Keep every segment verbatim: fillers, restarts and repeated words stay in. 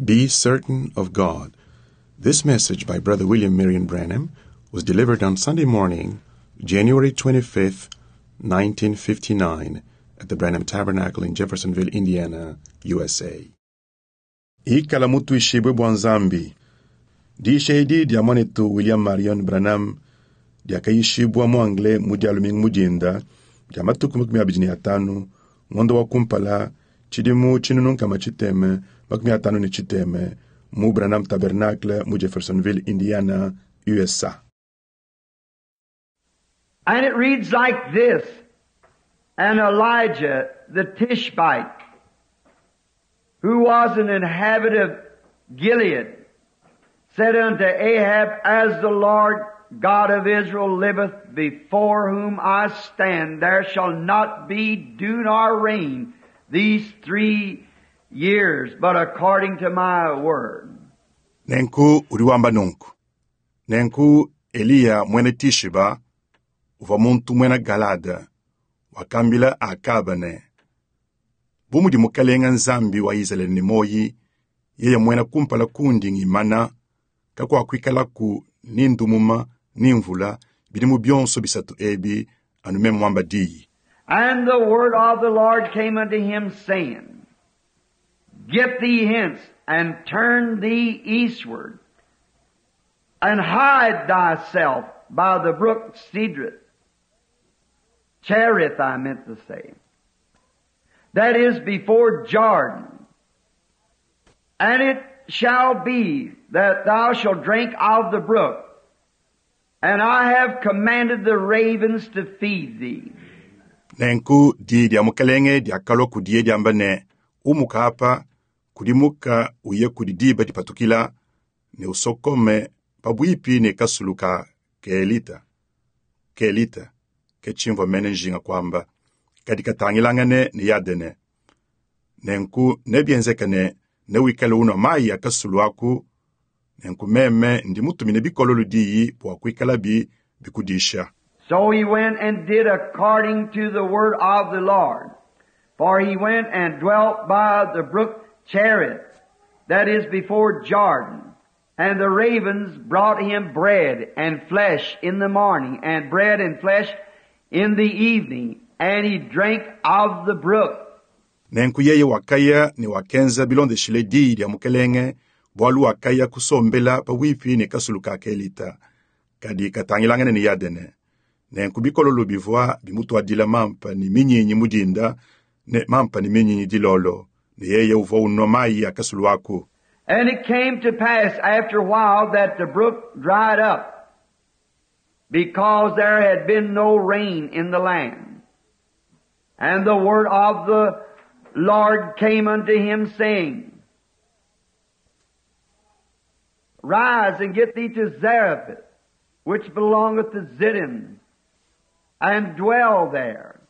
Be Certain of God. This message by Brother William Marion Branham was delivered on Sunday morning, January twenty-fifth, nineteen fifty-nine, at the Branham Tabernacle in Jeffersonville, Indiana, U S A. Ikala mutuishibue bua Nzambi. Diyisha edi dia muanetu William Marion Branham diakayishibua mu Anglais mu Dia lumingu mu dinda dia matuku makumi abidi ne atanu ngondo wa kumpala tshidimu tshinunu nkama tshitema makumi atanu ne tshitema mu Branham Tabernacle mu Jeffersonville, Indiana, U S A. And it reads like this: "And Elijah the Tishbite, who was an inhabitant of Gilead, said unto Ahab, 'As the Lord God of Israel liveth, before whom I stand, there shall not be dew nor rain these three years, but according to my word.'" Nenku udi wamba nunku: Nenku Eliya muena Tishiba uvua muntu muena Galada wakambila Akaba ne, bu mudi Mukalenga Nzambi wa Izalele ne muoyi, yeye muena kumpala kundi ngimana, kakuakuikalaku ni ndumuma ni mvula bidimu bionso bisatu ebi anu meme muamba diyi. And the word of the Lord came unto him, saying, 'Get thee hence, and turn thee eastward, and hide thyself by the brook Cedrith.'" Cherith, I meant to say. "That is before Jordan. And it shall be that thou shalt drink of the brook, and I have commanded the ravens to feed thee." Nenku diyi dia Mukalenge diakalua kudiye diamba ne, umuka apa, kudimuka uye kudi diba dipatukila ne usokome pabuipi ne kasulu ka Kelita. Kelita, ke tshimvua mene njinga kuamba, kadi katangilangane ne Yadene. Nenku nebienzeke ne newikale unua mayi a kasulu aku, nenku meme ndi mutumine bikololo diyi bua kuikalabi bikudisha. So he went and did according to the word of the Lord. For he went and dwelt by the brook Cherith, that is before Jordan. And the ravens brought him bread and flesh in the morning, and bread and flesh in the evening, and he drank of the brook. Nenku yeye wakaya ne wakenza bilondeshile diyi dia Mukelenge, bualu wakaya kusombela pabuipi ne kasulu ka Kelita, kadi katangilangane ne Yadene. Nenku bikololo bivua bimutuadila mampa ne minyinyi mu dinda ne mampa ne minyinyi dilolo, ne yeye uvua unua mayi a kasulu aku. And it came to pass after a while that the brook dried up, because there had been no rain in the land. And the word of the Lord came unto him, saying, 'Rise and get thee to Zarephath, which belongeth to Zidon, and dwell there.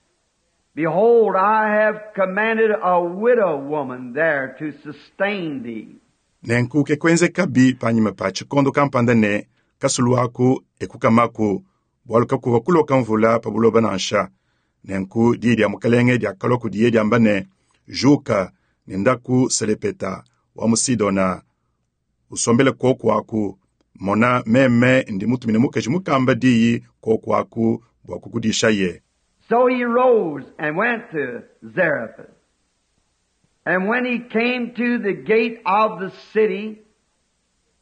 Behold, I have commanded a widow woman there to sustain thee.'" Nenku ke kuenzekabi panyima pa tshikondo kampanda ne kasulu aku ekukamaku bualu kakuvua kuloka mvula pa buloba nansha. Nenku diyi dia Mukalenge diakalua kudiye diamba ne, juka ne ndaku Selepeta wa mu Sidona usombele koku aku, mona meme ndi mutumine mukaji mukamba diyi koku aku bua kukudishaye. So he rose and went to Zarephath. And when he came to the gate of the city,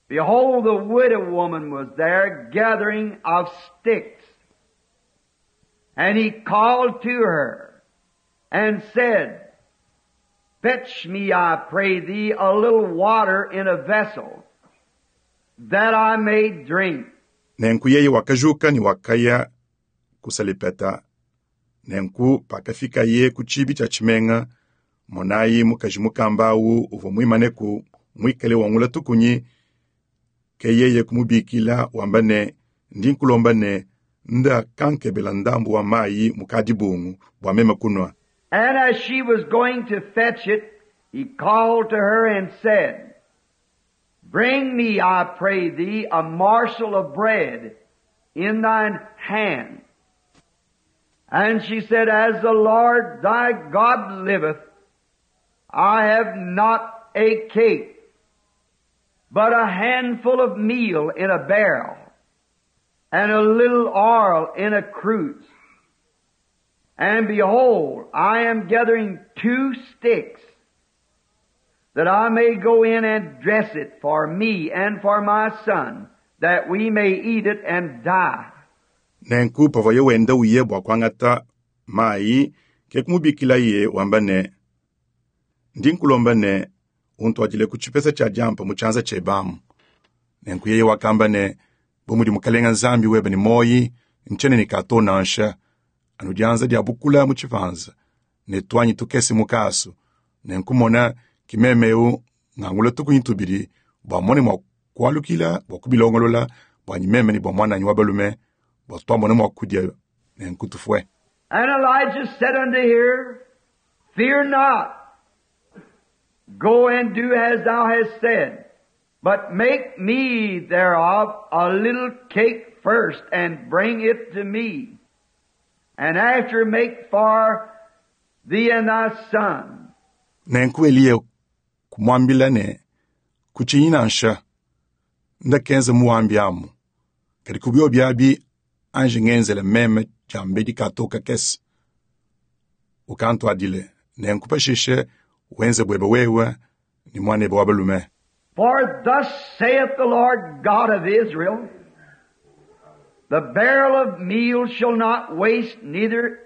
behold, the widow woman was there gathering of sticks. And he called to her and said, 'Fetch me, I pray thee, a little water in a vessel, that I may drink.'" Nenku yeye wakajuka ne wakaya ku Salepeta. Nenku pakafikaye ku tshiibi tshia tshimenga, monayi mukaji mukamba awu uvua muimaneku muikale wangula tukunyi, ke yeye kumubikila wamba ne, ndi nkulomba ne, nda kankebela ndambu wa mayi mu kadibungu bua meme kunua. And as she was going to fetch it, he called to her and said, 'Bring me, I pray thee, a morsel of bread in thine hand.' And she said, 'As the Lord thy God liveth, I have not a cake, but a handful of meal in a barrel, and a little oil in a cruse. And behold, I am gathering two sticks, that I may go in and dress it for me and for my son, that we may eat it and die. Nenku pavua wenda uye bua kuangata mayi ke kumubikilaye wamba ne ndi nkulomba ne untuadile ku tshipesa tshia diampa mu tshianza tshiebe nenku yeye wakamba ne bu mudi mukalenga nzambi webe ne moyi ntshene ne kato nansha anu dianza dia bukula mu tshipanza ne tuanyi tukese mu kasu nenku mona kimemeu ngangula tukunyi tubidi bua mone mua kualukila bua kubilongolola bua meme ne bua muananyi wa balume bua tuamone mua kudia nenku tufue. And Elijah said unto her, Fear not. Go and do as thou hast said. But make me thereof a little cake first, and bring it to me. And after make for thee and thy son. Nenku Eliya kumwambila ne kutshinyi nansha ndakenza muwambi amu kadi kubio biabi anji ngenzela meme diambedi katoka kese ukantuadile nenku pashishe wenze bwebe wewe ni mwanebe wa balume. For thus saith the Lord God of Israel, the barrel of meal shall not waste, neither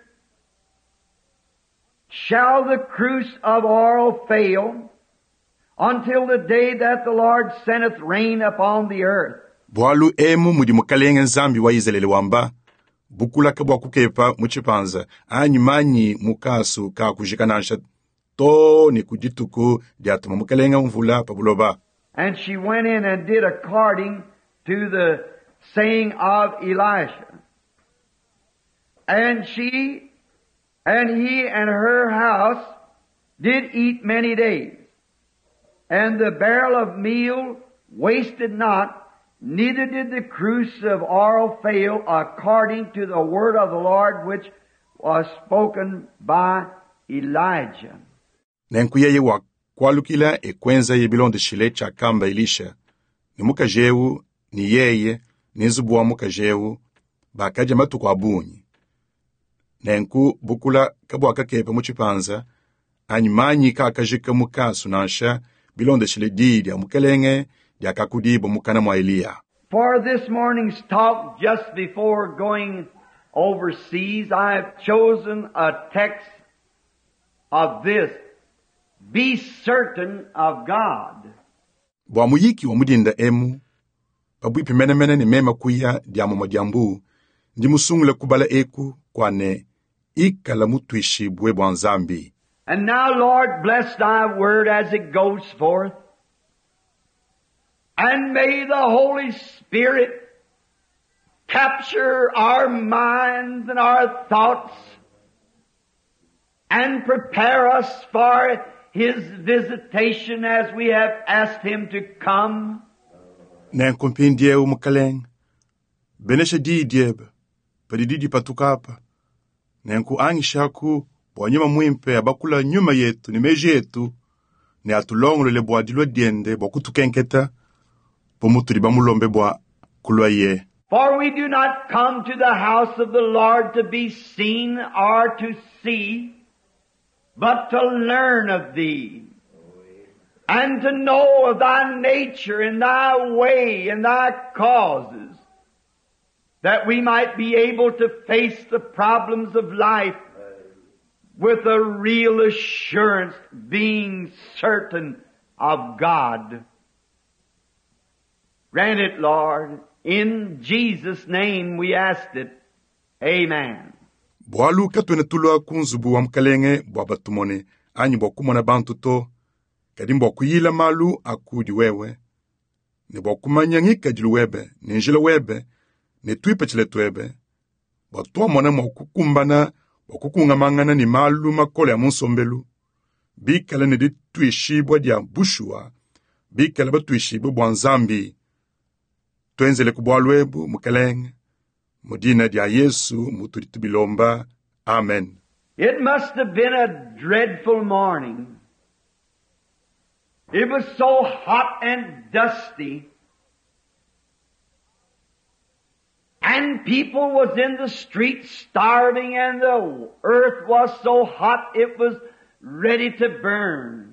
shall the cruse of oil fail, until the day that the Lord sendeth rain upon the earth. Bwalu emu mudi mukalenga nzambi wa Izalele wamba bukulaka bua kukepa mu tshipanza anyi manyi mukasu ka kujika nansha to ne ku dituku diatuma mukalenga mvula pa buloba. And she went in and did according to the saying of Elisha. And she and he and her house did eat many days. And the barrel of meal wasted not, neither did the cruse of oil fail, according to the word of the Lord which was spoken by Elijah. Nenku yeye wa kualukila ekwenza ye bilondeshile tshiakamba Elisha ne mukaji ewu ni yeye ne nzubu wa mukaji ewu bakadya matuku a bungi. Nenku bukula kabuakakepa mu tshipanza anyi manyi kakajika mu kasu nansha bilondeshile diyi dia mukelenge diakakudibwa mukana mwa Eliya. For this morning's talk, just before going overseas, I have chosen a text of this. Be certain of God. Bua muyiki wa mudinda emu pabwipi menemene ne mema kuya dia mumwa dia mbu ndi musungule kubala eku kwa ne ikala mutwishibwe bua nzambi. And now, Lord, bless thy word as it goes forth. And may the Holy Spirit capture our minds and our thoughts and prepare us for His visitation as we have asked Him to come. Nenku mpindiewu mukalenga benesha diyi diebe padi didi patuka apa nenku angishaku bua nyuma mwimpe abakula nyuma yetu ne meji etu ne atulongolole bua dilua diende bua kutukenketa bu mutudi bamulombe bua kulua ye. For we do not come to the house of the Lord to be seen or to see, but to learn of Thee, and to know of Thy nature and Thy way and Thy causes, that we might be able to face the problems of life with a real assurance, being certain of God. Grant it, Lord. In Jesus' name we asked it. Amen. Bwalu katuena tulua ku nzubu wa mukalenge bua batumone anyi bua kumona bantu to kadi mbua kuyila malu akudi wewe ne bua kumanya ngikadilu webe ne njila webe ne tuipatshila tuebe bua tuamona mua kukumbana bua kukungamangana ne malu makole a mu nsombelu bikala ne dituishibua dia bushuwa bikala batuishibue bua nzambi tuenzele ku bualu ebu mukalenge mu dina dia Yesu mutudi tubilomba. Amen. It must have been a dreadful morning It was so hot and dusty. And people was in the streets starving, and the earth was so hot it was ready to burn.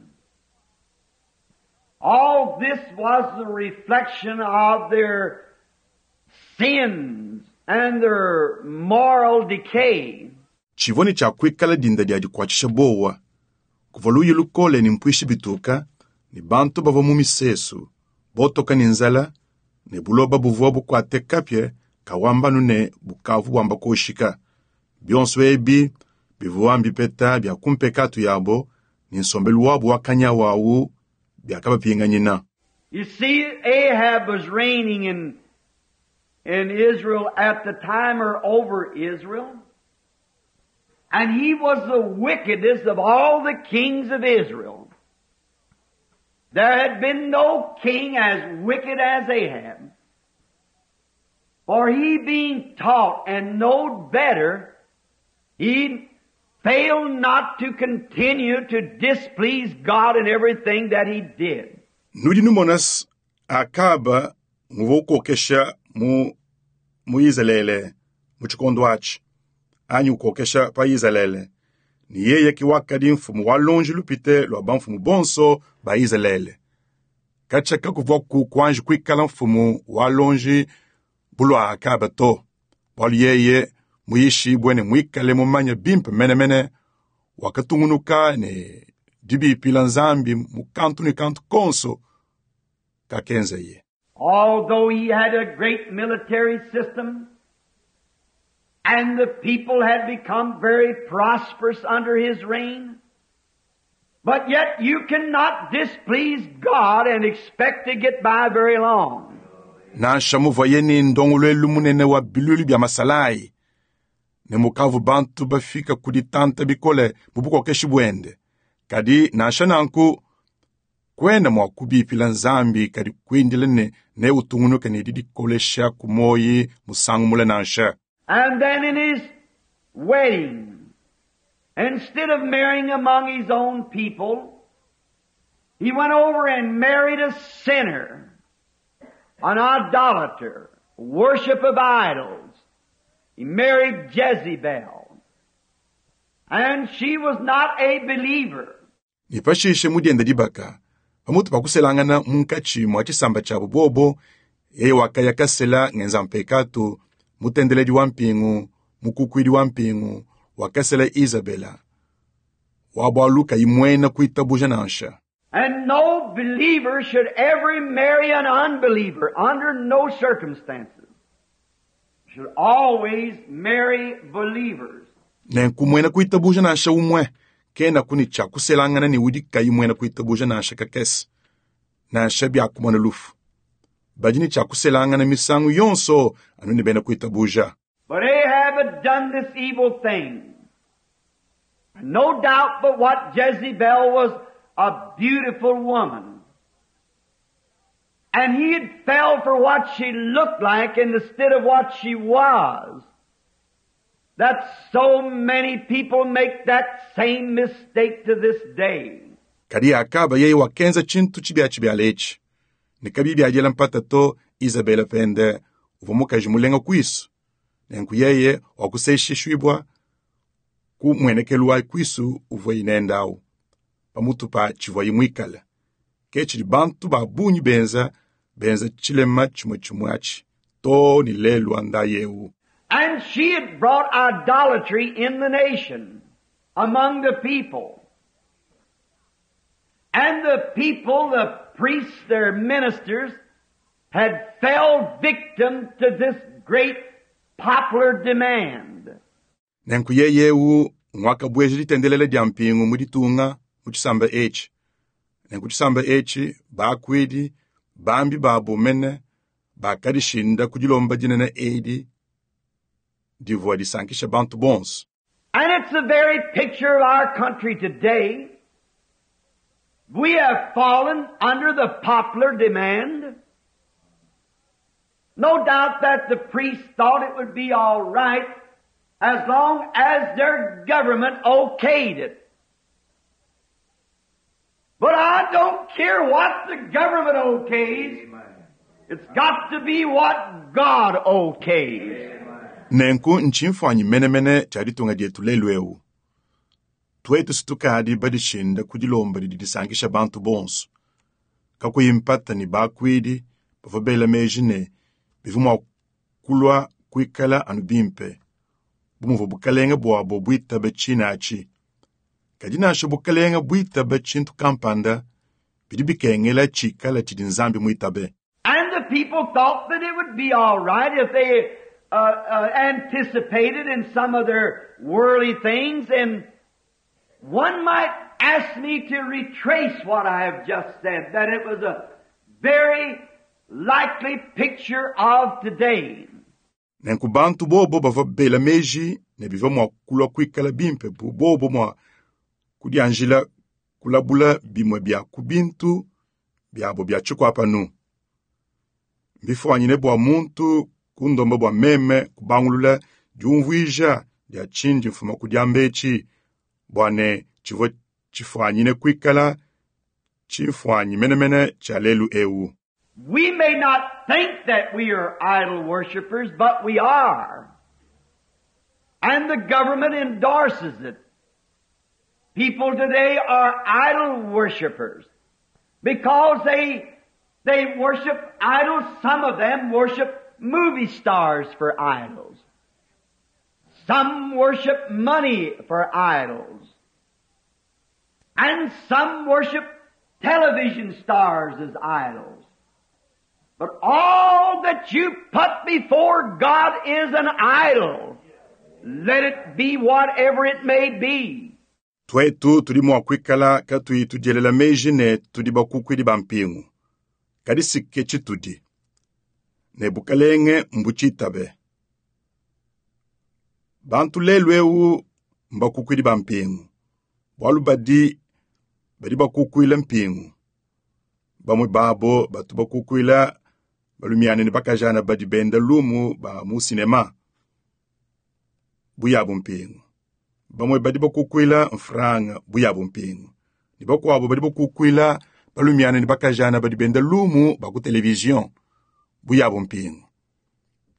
All this was the reflection of their sins and their moral decay. Tshivua ne tshia kuikala dinda dia dikuatshisha bowa kuvua luyi lukole ne mpuishi bituka ne bantu bavua mu misesu botoka ne nzala ne buloba buvua bukuate kapia kawambanu ne bukavu bwamba koshika bionso ebi bivua mbipeta bia kumpekatu yabo ne nsombelu wabu wakanya wawu biakabapinganyina. You see, Ahab was reigning in, in Israel at the time, or over Israel. And he was the wickedest of all the kings of Israel. There had been no king as wicked as Ahab. For he being taught and knowed better, he failed not to continue to displease God in everything that he did. Nudi numona Akaba nguvua ukokesha mu, mu Izalele mu tshikondo atshi anyi ukokesha pa Izalele ni yeye ke wakadi mfumu wa lonji lupite lua bamfumu bonso ba Izalele katshia kuvua ku kuanji kuikala mfumu wa lonji bulua Akaba to bualu yeye muyishibue ne muikale mumanya bimpe menemene wakatungunuka ne dibipila Nzambi mu kantu ne kantu konso kakenzeye. Although he had a great military system, and the people had become very prosperous under his reign, but yet you cannot displease God and expect to get by very long. Nansha muvuaye ne ndongoluelu munene wa bilulu bia masalayi ne mukavu bantu bafika ku ditanta bikole mu bukokeshi buende kadi nansha nanku kwena mua kubipila Nzambi kadi kuindila ne ne utungunuka ne didikolesha ku moyi musangu mule nansha. And then in his wedding, instead of marrying among his own people, he went over and married a sinner, an idolater, worship of idols. He married Jezebel. And she was not a believer. Ne pashishe mudienda dibaka pamutu pa kuselangana munkatshi mua tshisamba tshiabu bobo yeye wakaya kasela ngenza mpekatu mutendeledi wa mpingu mukukuidi wa mpingu wakasela Isabela wa bualu kayi kuitabuja nansha. And no believer should ever marry an unbeliever under no circumstances. Should always marry believers. Nenku muena kuitabuja nansha umwe kena kuni tshia kuselangana ne udi kayi muena kuitabuja nansha kakese nansha biakumona lufu badi ne tshia kuselangana misangu yonso anu ne bena kuitabuja. But Ahab had done this evil thing. No doubt but what Jezebel was a beautiful woman. And he had fell for what she looked like instead of what she was. That so many people make that same mistake to this day. Kadi Akaba yeye wakenza tshintu tshibia tshibiala etshi ne kabi biadiela mpata to Isabela pende uvua mukaji mulenga kuisu nenku yeye wakuseshishibwa ku muenekelu wa kuisu uvua inendawu pamutu pa tshivua muikale ke tshidi bantu ba bungi benza benza tshilema tshimue tshimue atshi to ni lelu anda yewu. And she had brought idolatry in the nation, among the people. And the people, the priests, their ministers, had fell victim to this great popular demand. Nenku yeyewu ngwakabweja ditendelela dia mpingu mu ditunga mu tshisamba etshi. Nenku tshisamba etshi bakuidi bambi babo mene bakadishinda ku dilomba dinene edi divua disankisha bantu bonso. And it's the very picture of our country today. We have fallen under the popular demand. No doubt that the priests thought it would be all right as long as their government okayed it. But I don't care what the government okays. It's got to be what God okays. Nenku ntshimfuanyi menemene tshia ditunga dietu lelu eu. Tuetu situkadi badishinda ku dilomba didi disankisha bantu bonso. Kakuyi mpata ne bakuidi bavua bela meji ne bivua mua kulua kuikala anu bimpe bu muvua bukalenge buabo buitabe tshina atshi. Kadi nansha bukalenge buitabe tshintu kampanda bidi bikengela tshikala tshidi Nzambi muitabe. And the people thought that it would be all right if they uh, uh, anticipated in some of their worldly things. And one might ask me to retrace what I have just said, that it was a very likely picture of today. Nenku bantu bobo bavua bela meji ne bivua mua kulua kuikala bimpe bu bobo mua kudianjila kulabula bimue bia ku bintu biabo bia tshikuapanu. Mbifuanyine bua muntu kundomba bua meme kubangulula diumvuija dia tshindi mfuma ku diamba etshi bua ne tshivua tshifuanyine kuikala tshimfuanyi menemene tshia lelu eu. We may not think that we are idol worshippers, but we are. And the government endorses it. People today are idol worshippers because they, they worship idols. Some of them worship movie stars for idols. Some worship money for idols. And some worship television stars as idols. But all that you put before God is an idol. Let it be whatever it may be. Tuetu tudi mua kuikala katuyi tudielela meji ne tudi bakukuidi ba mpingu. Kadi sike tshitudi. Ne bukalenge mbutshitabe. Bantu lelu eu mbakukuidi ba mpingu. Bualu badi badi bakukuila mpingu. Bamue babo batu bakukuila balumiane ne bakajana badi benda lumu ba mu sinema buyabu mpingu. Bamue badi bakukuila mfranga buyabu mpingu. Ne bakuabo badi bakukuila balumiane ne bakajana badi benda lumu ba ku televizion buyabu mpingu.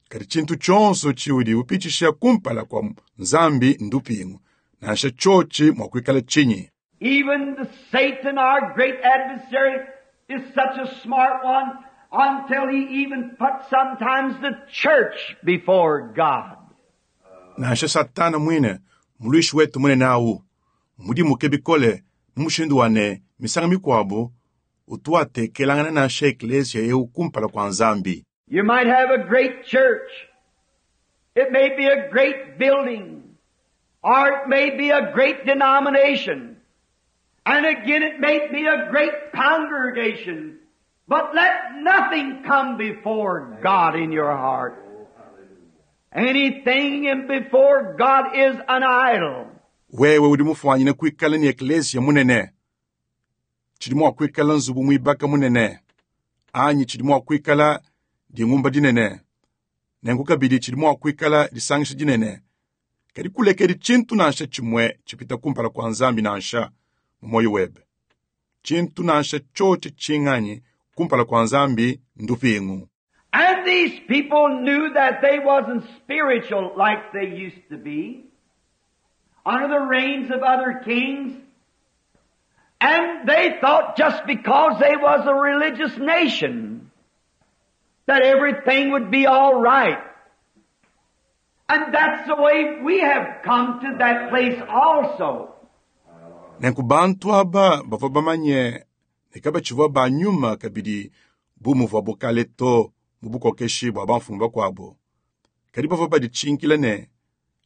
Kadi tshintu tshionso tshiudi upitshisha kumpala kua Nzambi ndupingu, nansha tshotshi mua kuikala tshinyi. Even the Satan, our great adversary, is such a smart one until he even puts sometimes the church before God. Nansha Satana mwine muluishi wetu munene awu mudimuke bikole mu mushindu wa ne misanga mikuabu utuatekelangana nansha eklesia eu kumpala kua Nzambi. You might have a great church. It may be a great building. Or it may be a great denomination. And again it may be a great congregation. But let nothing come before God in your heart. Anything in before God is an idol. Wewe udi mufuanyine kuikala ni eklesia munene. Tshidi mua kuikala nzubu muibaka munene. Anyi tshidi mua kuikala dingumba dinene. Nenku kabidi tshidi mua kuikala disangisha dinene. Kadi kulekedi tshintu nansha tshimue tshipita kumpala kua Nzambi nansha mu moyo webe. Tshintu nansha tshotshi tshinganyi kumpala kua Nzambi ndupingu. And these people knew that they wasn't spiritual like they used to be under the reigns of other kings. And they thought just because they was a religious nation that everything would be all right. And that's the way we have come to that place also. Nenku bantu aba bavua bamanye ne kabatshivua ba nyuma kabidi bu muvuabo kale to mu bukokeshi bua bamfumu bakuabo. Kadi bavua baditshinkila ne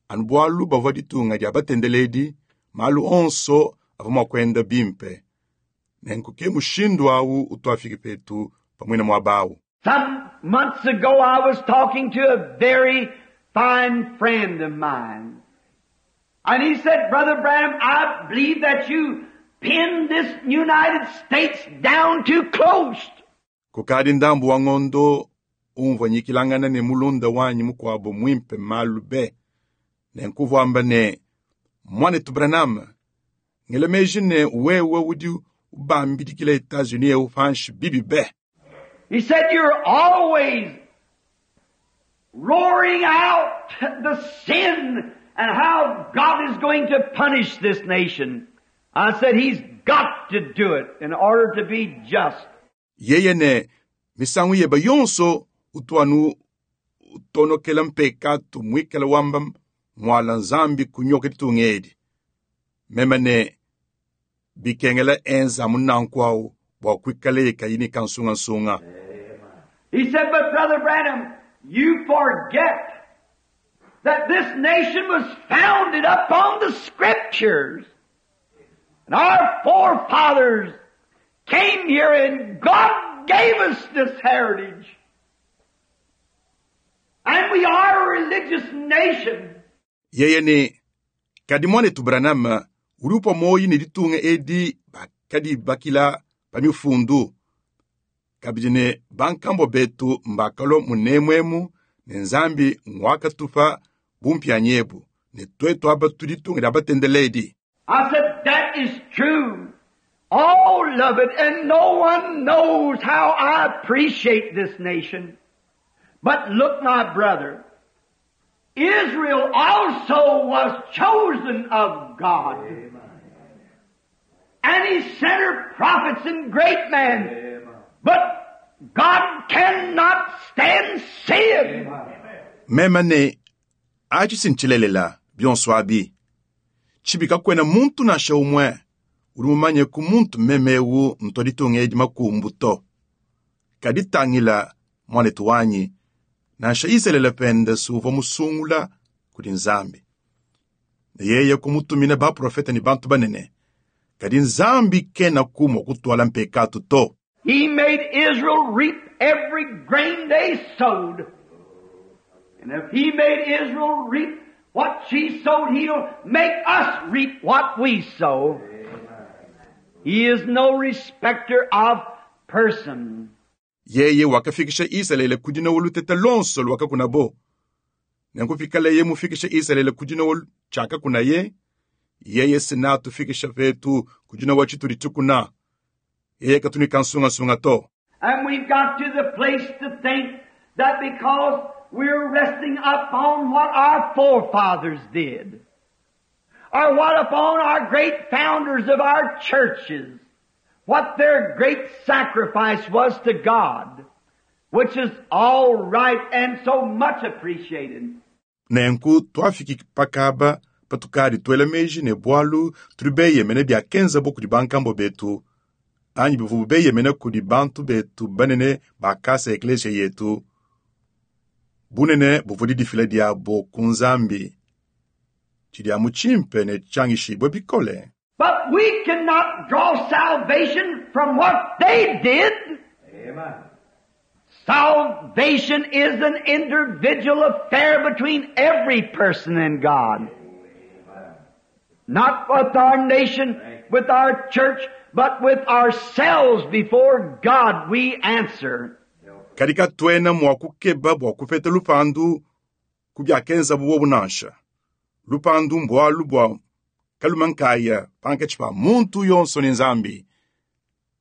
anu bualu bavua ditunga dia batendeledi, malu onso avua mua kuenda bimpe. Nenku ke mushindu awu utuafiki petu pamue na muaba awu. Some months ago I was talking to a very fine friend of mine. And he said, Brother Branham, I believe that you pinned this United States down too close. Kukadi ndambu wa ngondo umvua nyikilangana ne mulunda wanyi mukuabo muimpe malu be. Nenku amba ne mwanetu Branham, ngela meji ne wewe udi Ubambidikila Etats-Unis eu panshi bibi be. He said, You're always roaring out the sin and how God is going to punish this nation. I said, He's got to do it in order to be just. Yeye ne misangu yeba yonso utuanu utonokela mpekatu mwikala wamba mwala nzambi kunyoka ditungedi. Meme ne bikengela enza munanku bua kuikala kayini kansungansunga. He said, But Brother Branham, you forget that this nation was founded upon the Scriptures. And our forefathers came here and God gave us this heritage. And we are a religious nation. Yeye ne kadi mwanetu Branham uri upua moyi ne ditunga edi bakadi bakila pa mifundu. Kabidi ne bankambo betu mbakalo munemwemu ne nzambi ngwakatupa bumpyanyebu ne twetu aba tuditunga dia batendeledi. I said, that is true. All of it, and no one knows how I appreciate this nation. But look, my brother, Israel also was chosen of God. And He sent her prophets and great men. But God cannot stand sin. Meme ne achi sinchilelela bionso abi. Tshibika kwena muntu nansha umwe uri mumanye ku muntu memewu ntoditunga edi makumbu to. Kadi tangila mwanetu wanyi nansha Isalele pende suva musungula kudi nzambi. Ne yeye kumutumina baprofeta ni bantu banene. Kadi nzambi kena kumwa kutwala mpekatu to. He made Israel reap every grain they sowed. And if He made Israel reap what she sowed, He'll make us reap what we sow. He is no respecter of person. Yeye wakafikisha Isalele kudina woluteta lonso lwakakunabo. Nenkufikala mufikisha Isalele kudina wol chaka kunaye. Yeye sina tufikisha vetu kudina wachituli tukuna. Yeye katuni kansunga to. And we've got to the place to think that because we're resting upon what our forefathers did, or what upon our great founders of our churches, what their great sacrifice was to God, which is all right and so much appreciated. Nenku twafiki pakaba patukadi twela meji ne bwalu tuli beyemene bya kenza bo kudi bankambo betu anyi bivubu beyemene kudi bantu betu banene bakasa eklesia yetu bunene buvudi difila diabo ku nzambi tshidi amu tshimpe ne tshangishibwe bikole. But we cannot draw salvation from what they did. Amen. Salvation is an individual affair between every person and God. Not with our nation, with our church, but with ourselves before God we answer. Kadika twena mwa kukeba bwa kupeta lupandu kubyakenza buwo bunansha. Lupandu mbwalu bwa kalumankaya pankatshi pa muntu yonso ne nzambi.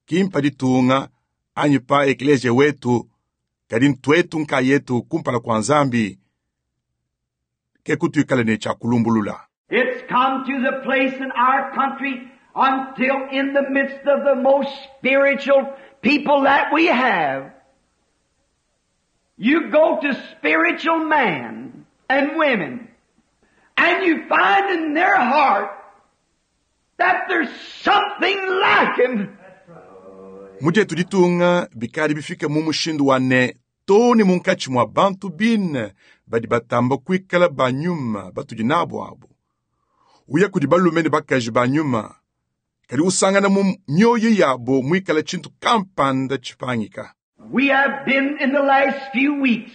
Kimpa ditunga anyi pa eklesia wetu kadi ntwetu nkayetu kumpala kwa nzambi ke kutuikala ne tshia kulumbulula. It's come to the place in our country until in the midst of the most spiritual people that we have, you go to spiritual men and women, and you find in their heart that there's something lacking. Muje tuditunga bikali bifika mu mushindu wa ne toni munkatshi mwa bantu bine badi batamba kuikala banyuma batudi nabo abo. Uya kudi balume ne bakaji banyuma kadi usangana mu mioyo yabo mwikala tshintu kampanda tshipangika. We have been in the last few weeks.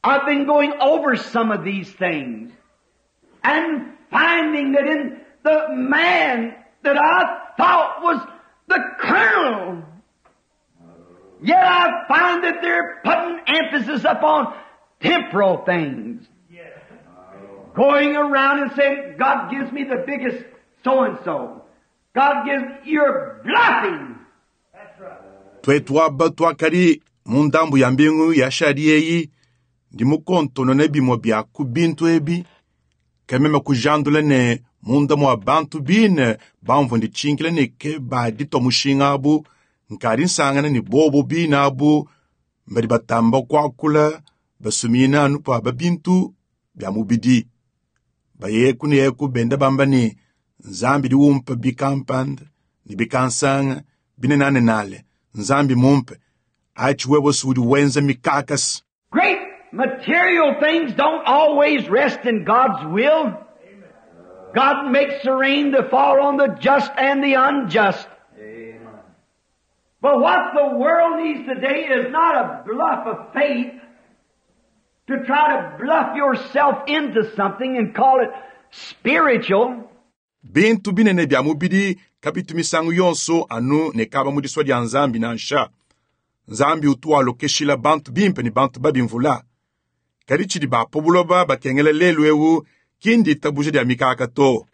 I've been going over some of these things and finding that in the man that I thought was the colonel, yet I find that they're putting emphasis upon temporal things. Going around and saying, God gives me the biggest so-and-so. God gives, you're bluffing. Twetu aba twakadi mu ndambu ya mbingu ya shadi eyi ndi mukontonone bimwe bya ku bintu ebi kameme kujandula ne munda mwa bantu bine bamvua ndichinkila ne ke baditwa mushinga abu nkadi nsangana ne bobo bine abu mbadi batamba kuakula basumina anu pa bintu bya mubidi bayeku ne yeku benda bamba ne nzambi diwumpa bikampanda ne bikansanga binenanenale nzambi mumpe achi wewe udi wenza mikakasi. Great material things don't always rest in God's will. God makes the rain to fall on the just and the unjust. But what the world needs today is not a bluff of faith to try to bluff yourself into something and call it spiritual. Bintu binene bya mubidi kabitu misangu yonso anu ne kaba mu diswa dia nzambi nansha. Nzambi utu alokeshila bantu bimpe ne bantu babi mvula. Kadi tshidi bapo buloba bakengela lelu ewu kindi itabuja dia mikaka to.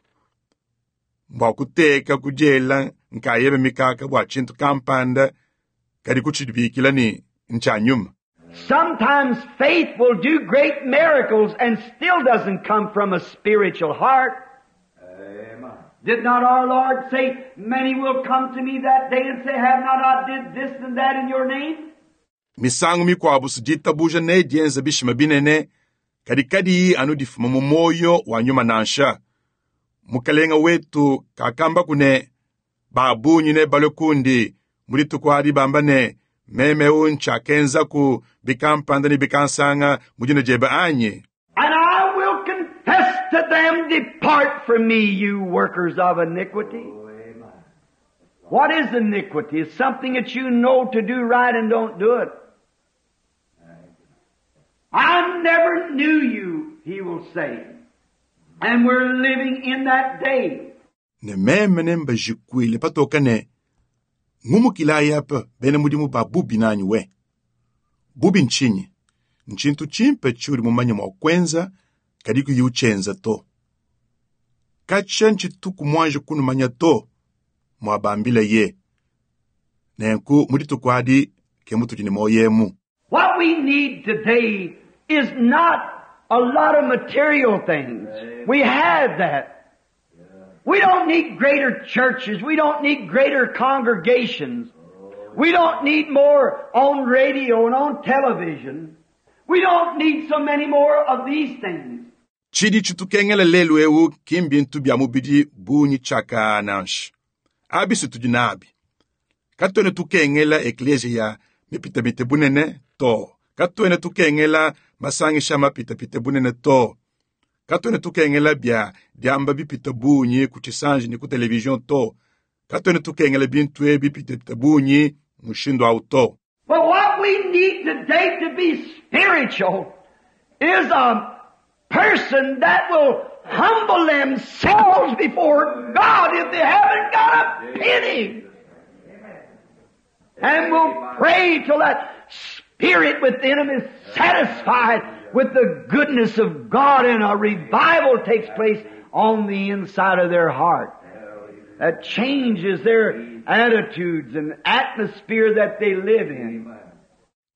Mbwa kuteka kujela nkayebe mikaka bwa tshintu kampanda kadi kutshidibikila ni ncha nyuma. Sometimes faith will do great miracles and still doesn't come from a spiritual heart. Did not our Lord say, many will come to me that day and say, have not I did this and that in your name? Misangu mikwabu sijitabuja ne dienza bishima binene kadi kadi anu difuma mu moyo wa nyuma nansha. Mukalenga wetu kakamba kune babunyi ne balekundi mulitukwadi bamba ne meme uncha kenzaku bikampanda ne bikansanga mujina jeba anyi. And I will confess to them, depart from me, you workers of iniquity. What is iniquity? It's something that you know to do right and don't do it. I never knew you, he will say. And we're living in that day. Ne meme ne mbajikwile patoka ne ngumukila yapa bena mudimu ba bubi nanyi we. Bubi nchinyi. Nchintu chimpe churi mumanya mwa kwenza kadi kuyuchenza to. Kacha nchituku mwanje kunumanya to mwabambile ye. Nenku muditukwadi ke mutujini moyemu. What we need today is not a lot of material things. We have that. We don't need greater churches. We don't need greater congregations. We don't need more on radio and on television. We don't need so many more of these things. Chidi chitukengela lelu ewu kimbintu bya mubidi bunyi chaka nansha. Abi situdinabi. Katwene tukengela eklesia mipitapite bunene to. Katwene tukengela masangisha mapitapite bunene to. Katwene tukengela bya diamba bipita bunyi ku chisanji ni ku television to. Katwene tukengela bintu ebi bipitapite bunyi mushindo au to. But what we need today to be spiritual is a person that will humble themselves before God if they haven't got a penny. And will pray till that spirit within them is satisfied with the goodness of God and a revival takes place on the inside of their heart. That changes their attitudes and atmosphere that they live in.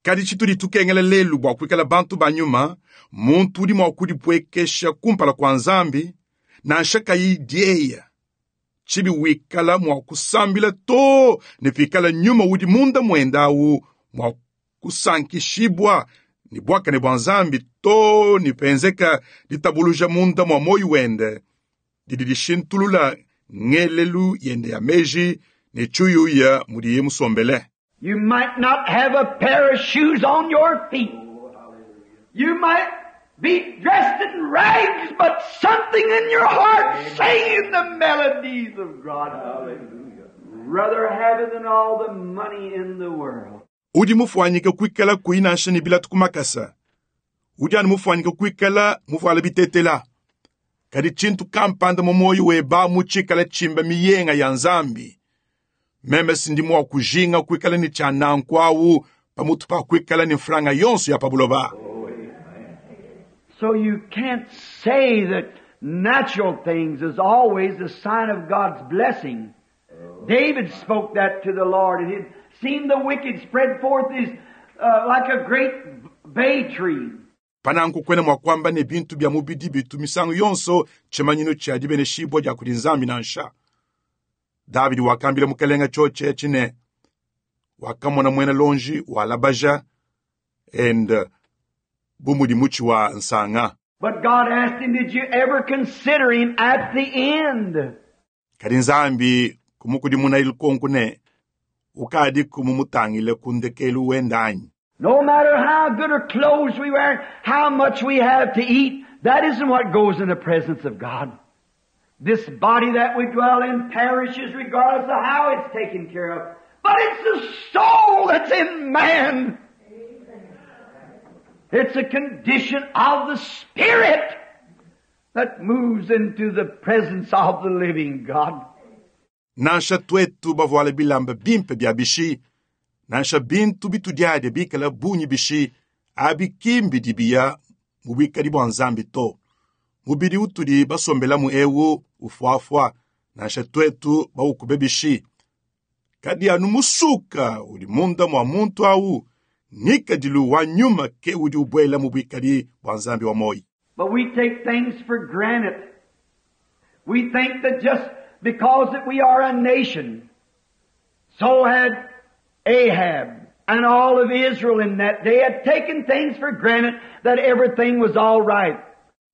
Kadi chitudi tukengela lelu bwa kuikala bantu ba nyuma, muntu udi mwa kudipwekesha kumpala kwa nzambi, nansha kayi dieya. Chibi wikala mwa kusambila to, ne pikala nyuma udi munda mwendawu mwa kusankishibwa ni bwaka ne bwa nzambi to ni penzeka ditabuluja munda mwa moyo wende. Didi dishintulula ngelelu yende ya meji ne chuyuya mudiye musombele. You might not have a pair of shoes on your feet. You might be dressed in rags, but something in your heart singing the melodies of God. Hallelujah. Rather have it than all the money in the world. Udi mufwanyike kuikala kuinansha ni bila tukumakasa. Udi anu mufwanyike kuikala muvuala bitetela. Kadi tshintu kampanda mu moyo weba mutshikala tshimba miyenga ya nzambi. Meme sindi mwa kujinga kuikala ni tshia nanku awu pamutu pa kuikala ni mfranga yonso ya pabuloba. So you can't say that natural things is always a sign of God's blessing. David spoke that to the Lord, and he'd seen the wicked spread forth his, uh, like a great bay tree. Pananku kwena mwakwamba ne bintu bya mubidi bitu misangu yonso chimanyino cha dibeneshibwa dia kudi nzambi nansha. Davidi wakambila mukalenga choche chine wakamona mwena lonji walabaja and uh, bumudi muchi wa nsanga. But God asked him, did you ever consider him at the end? Kadi nzambi kumukudimuna ilikonku ne ukadi kumumutangile kundekelu wendanyi. No matter how good or clothes we wear, how much we have to eat, that isn't what goes in the presence of God. This body that we dwell in perishes regardless of how it's taken care of. But it's the soul that's in man. It's a condition of the spirit that moves into the presence of the living God. Nansha twetu bavoala bilamba bimpe bya bishi, nansha bintu bitudiade bikala bunyi bishi, abi kimbi dibiya mubikadi bwa nzambi to. Mubidi utudi basombelamu ewu ufuafua, nansha twetu baukube bishi. Kadi anu musuka udi munda mwa muntu awu, ngikadilu wa nyuma ke udi ubwela mubikadi bwa nzambi wa moyi. But we take things for granted. We think that just because that we are a nation, so had Ahab and all of Israel in that day had taken things for granted that everything was all right.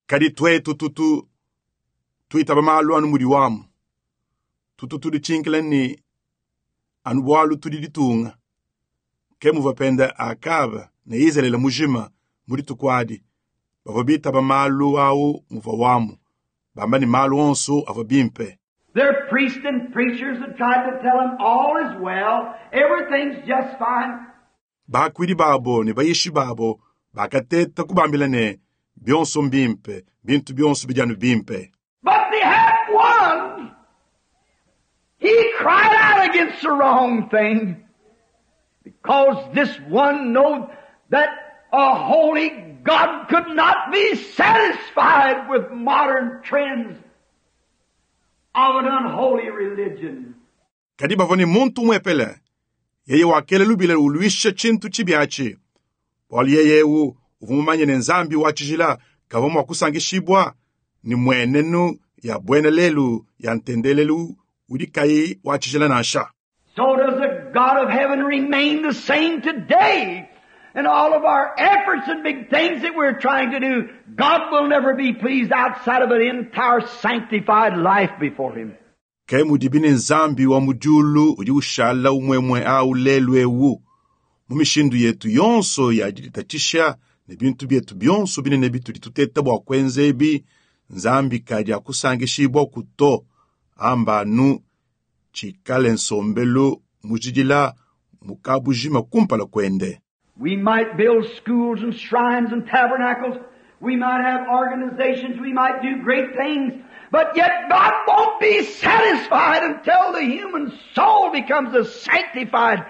Kadi twetu tutu tuitaba malu anu mudi wamu. Tutu tudi chinkila ni anu bwalu tudi ditunga. Ke muvapenda Akaba ne Israele mujima mudi tukwadi. Bavua bitaba malu awu muva wamu. Bamba ni malu onso avua bimpe. Their priests and preachers had tried to tell them all is well, everything's just fine. Bakwidi babo ne bayishi babo bakateta kubambila ne bionso mbimpe, bintu bionso bidianu bimpe. But they had one. He cried out against the wrong thing. Because this one knowed that a holy God could not be satisfied with modern trends of an unholy religion. Kadi bavua ne muntu umwepele, yeye wakela lubila uluisha tshintu tshibiatshi. Bualu yeye ewu uvua mumanye ne nzambi wa tshijila kavua mua kusangishibwa ni mwenenu ya bwena lelu ya ntendelelu udi kayi wa tshijila nansha. So does the God of heaven remain the same today. In all of our efforts and big things that we're trying to do, God will never be pleased outside of an entire sanctified life before Him. Ke mudibi ne nzambi wa mudiulu udi ushala umwemwe awu lelu ewu. Mu mishindu yetu yonso ya diditatshisha ne bintu bietu bionso binene bitudi tuteta bua kuenza ebi, nzambi kadi akusangishibwa kuto amba anu tshikale nsombelu mujidila mukabujima kumpala kuende. We might build schools and shrines and tabernacles. We might have organizations. We might do great things. But yet God won't be satisfied until the human soul becomes a sanctified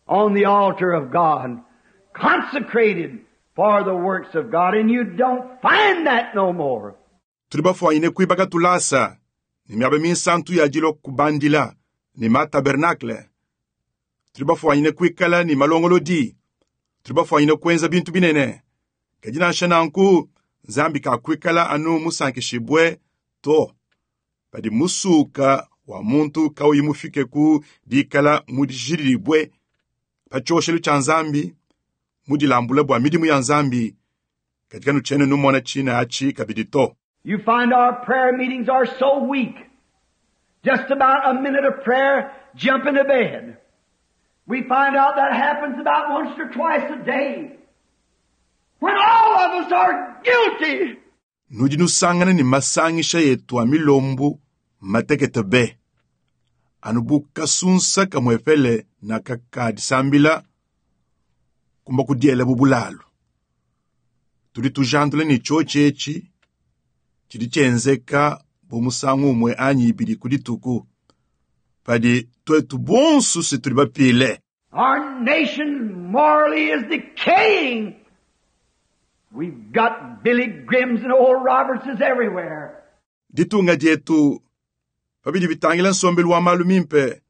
on the altar of God, consecrated for the works of God. And you don't find that no more. Tudi bafuanyine kuibaka tulasa ne miaba minsantu ya dilo kubandila ne ma tabernacle. Tudi bafuanyine kuikala ne malongolodi. Tudi bafuanyine kuenza bintu binene. Kadi nansha nanku nzambi kakuikala anu musankishibwe to. Padi musuka wa muntu kauyi mufike ku dikala mudijilibwe pa tshioshelu tshia nzambi, mudilambula bua midimu ya nzambi, katika nutshene numona tshina atshi kabidi to. You find our prayer meetings are so weak. Just about a minute of prayer, jump into bed. We find out that happens about once or twice a day. When all of us are guilty. Nudi nusangana ni masangisha yetu a milombu matekete be. Anu bu kasunsa kamwepele na kakadisambila kumba kudiela bubulalu. Tudi tujandula ni chochi echi chidi chenzeka bomusangu umwe anyi ibidi kudituku. Padi twetu bonsu se tudi bapile. Our nation morally is decaying. We've got Billy Grahams and Oral Robertses everywhere. Ditunga dietu Pabidi bitangila nsombelu wa malu mimpe,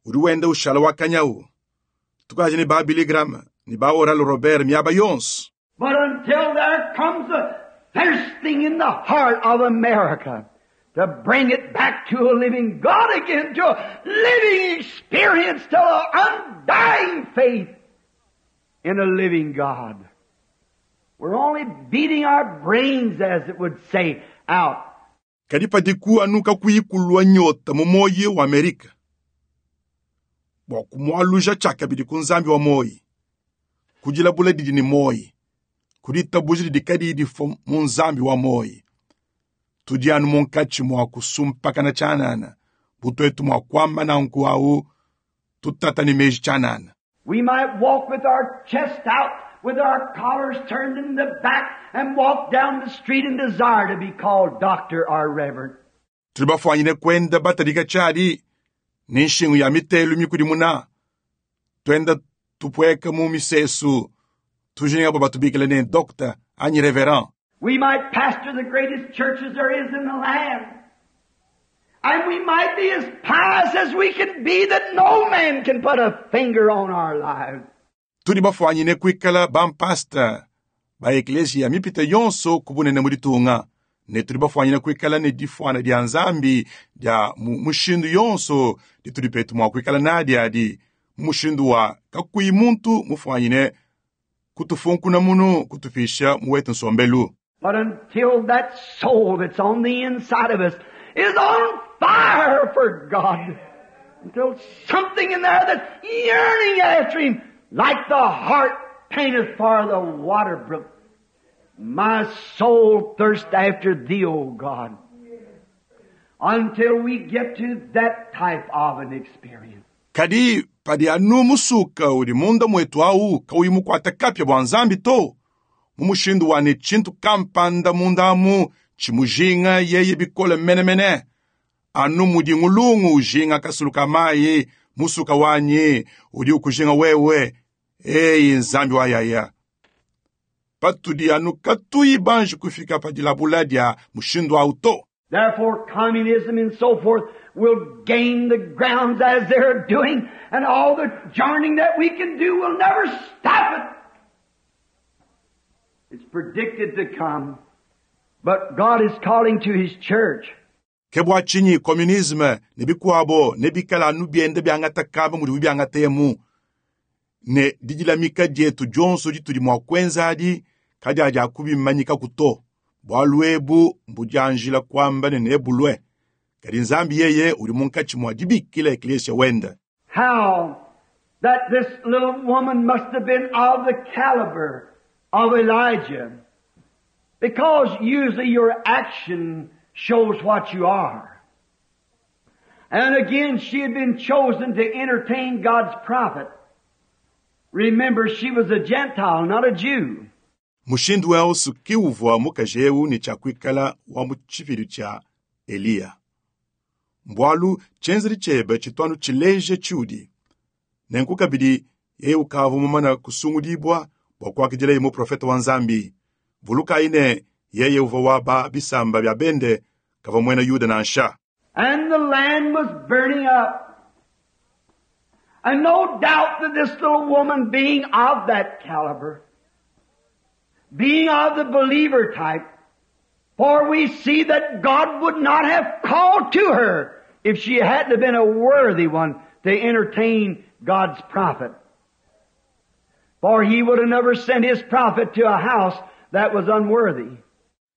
udi wenda ushala wa kanyawu. Tukaji ne ba Billy Graham, ne ba Oral Robert miaba yonso. But until there comes a thirsting in the heart of America to bring it back to a living God again, to a living experience, to an undying faith in a living God. We're only beating our brains, as it would say, out. Kadi padiku anu kakuyi kulua nyota mu moyi wa Amerika. Bua kumualuja tshiakabidi ku nzambi wa moyi. Kudilabula didi ne moyi. Kuditabuja didi kadiyi difua mu nzambi wa moyi. Tudi anu munkatshi mua kusumpakana tshianana. Butuetu mua kuamba nanku awu tutata ne meji tshianana. We might walk with our chest out, with our collars turned in the back, and walk down the street and desire to be called doctor or reverend. Tudi bafuanyine kwenda batadika tshiadi ne nshingu ya mitelu mikudimuna. Twenda tupweka mu misesu tujinga bua batubikile ne doctor anyi reverend. We might pastor the greatest churches there is in the land. And we might be as pious as we can be that no man can put a finger on our lives. Tudi bafuanyine kuikala bampasta ba eklesia mipita yonso kubunene mu ditunga. Ne tudi bafuanyine kuikala ne difuana dia nzambi dia mu mushindu yonso ditudi petu mua kuikala nadi adi mu mushindu wa kakuyi muntu mufuanyine kutufunkuna munu kutupisha mu wetu nsombelu. But until that soul that's on the inside of us is on fire for God, until something in there that's yearning after Him, like the hart panteth for the water brook, my soul thirsts after Thee, O God. Until we get to that type of an experience. Kadi padi anu musuka udi munda mwetu awu kauyi mukwata kapya bua nzambi to. Mu mushindu wa ne tshintu kampanda munda amu tshimujinga yeye bikole menemene. Anu mudi ngulungu ujinga kasulu ka mayi musuka wanyi udi ukujinga wewe eyi nzambi wa yaya. Patudi anu katuyi banji kufika pa dilabula dia mushindu awu to. Therefore, communism and so forth will gain the grounds as they're doing, and all the joining that we can do will never stop it. It's predicted to come. But God is calling to His church. Ke bua tshinyi communisme ne bikuabo ne bikala anu bienda biangata kaba mudi biangata emu. Ne didilamika dietu dionso ditudi mua kuenza adi kadi adi akubimanyika kuto. Bualu ebu mbudianjila kuamba ne nebulue. Kadi nzambi yeye udi munkatshi mua dibikila eklesia wenda. How that this little woman must have been of the caliber of Elijah. Because usually your action shows what you are. And again, she had been chosen to entertain God's prophet. Remember, she was a Gentile, not a Jew. Mushindu wonso kiuvua mukaji eu ne tshiakuikala wa mu tshipidu tshia Eliya. Mbwalu tshienzedi tshiebe tshituanu tshileje tshiudi. Nenku kabidi yeye ukavua mumana kusungudibua bua kuakidila muprofeta wa Nzambi. Vulukayi ne yeye uvua wa ba bisamba bia bende kavua muena Yuda nansha. And the land was burning up. And no doubt that this little woman, being of that caliber, being of the believer type, for we see that God would not have called to her if she hadn't have been a worthy one to entertain God's prophet. For He would have never sent His prophet to a house that was unworthy.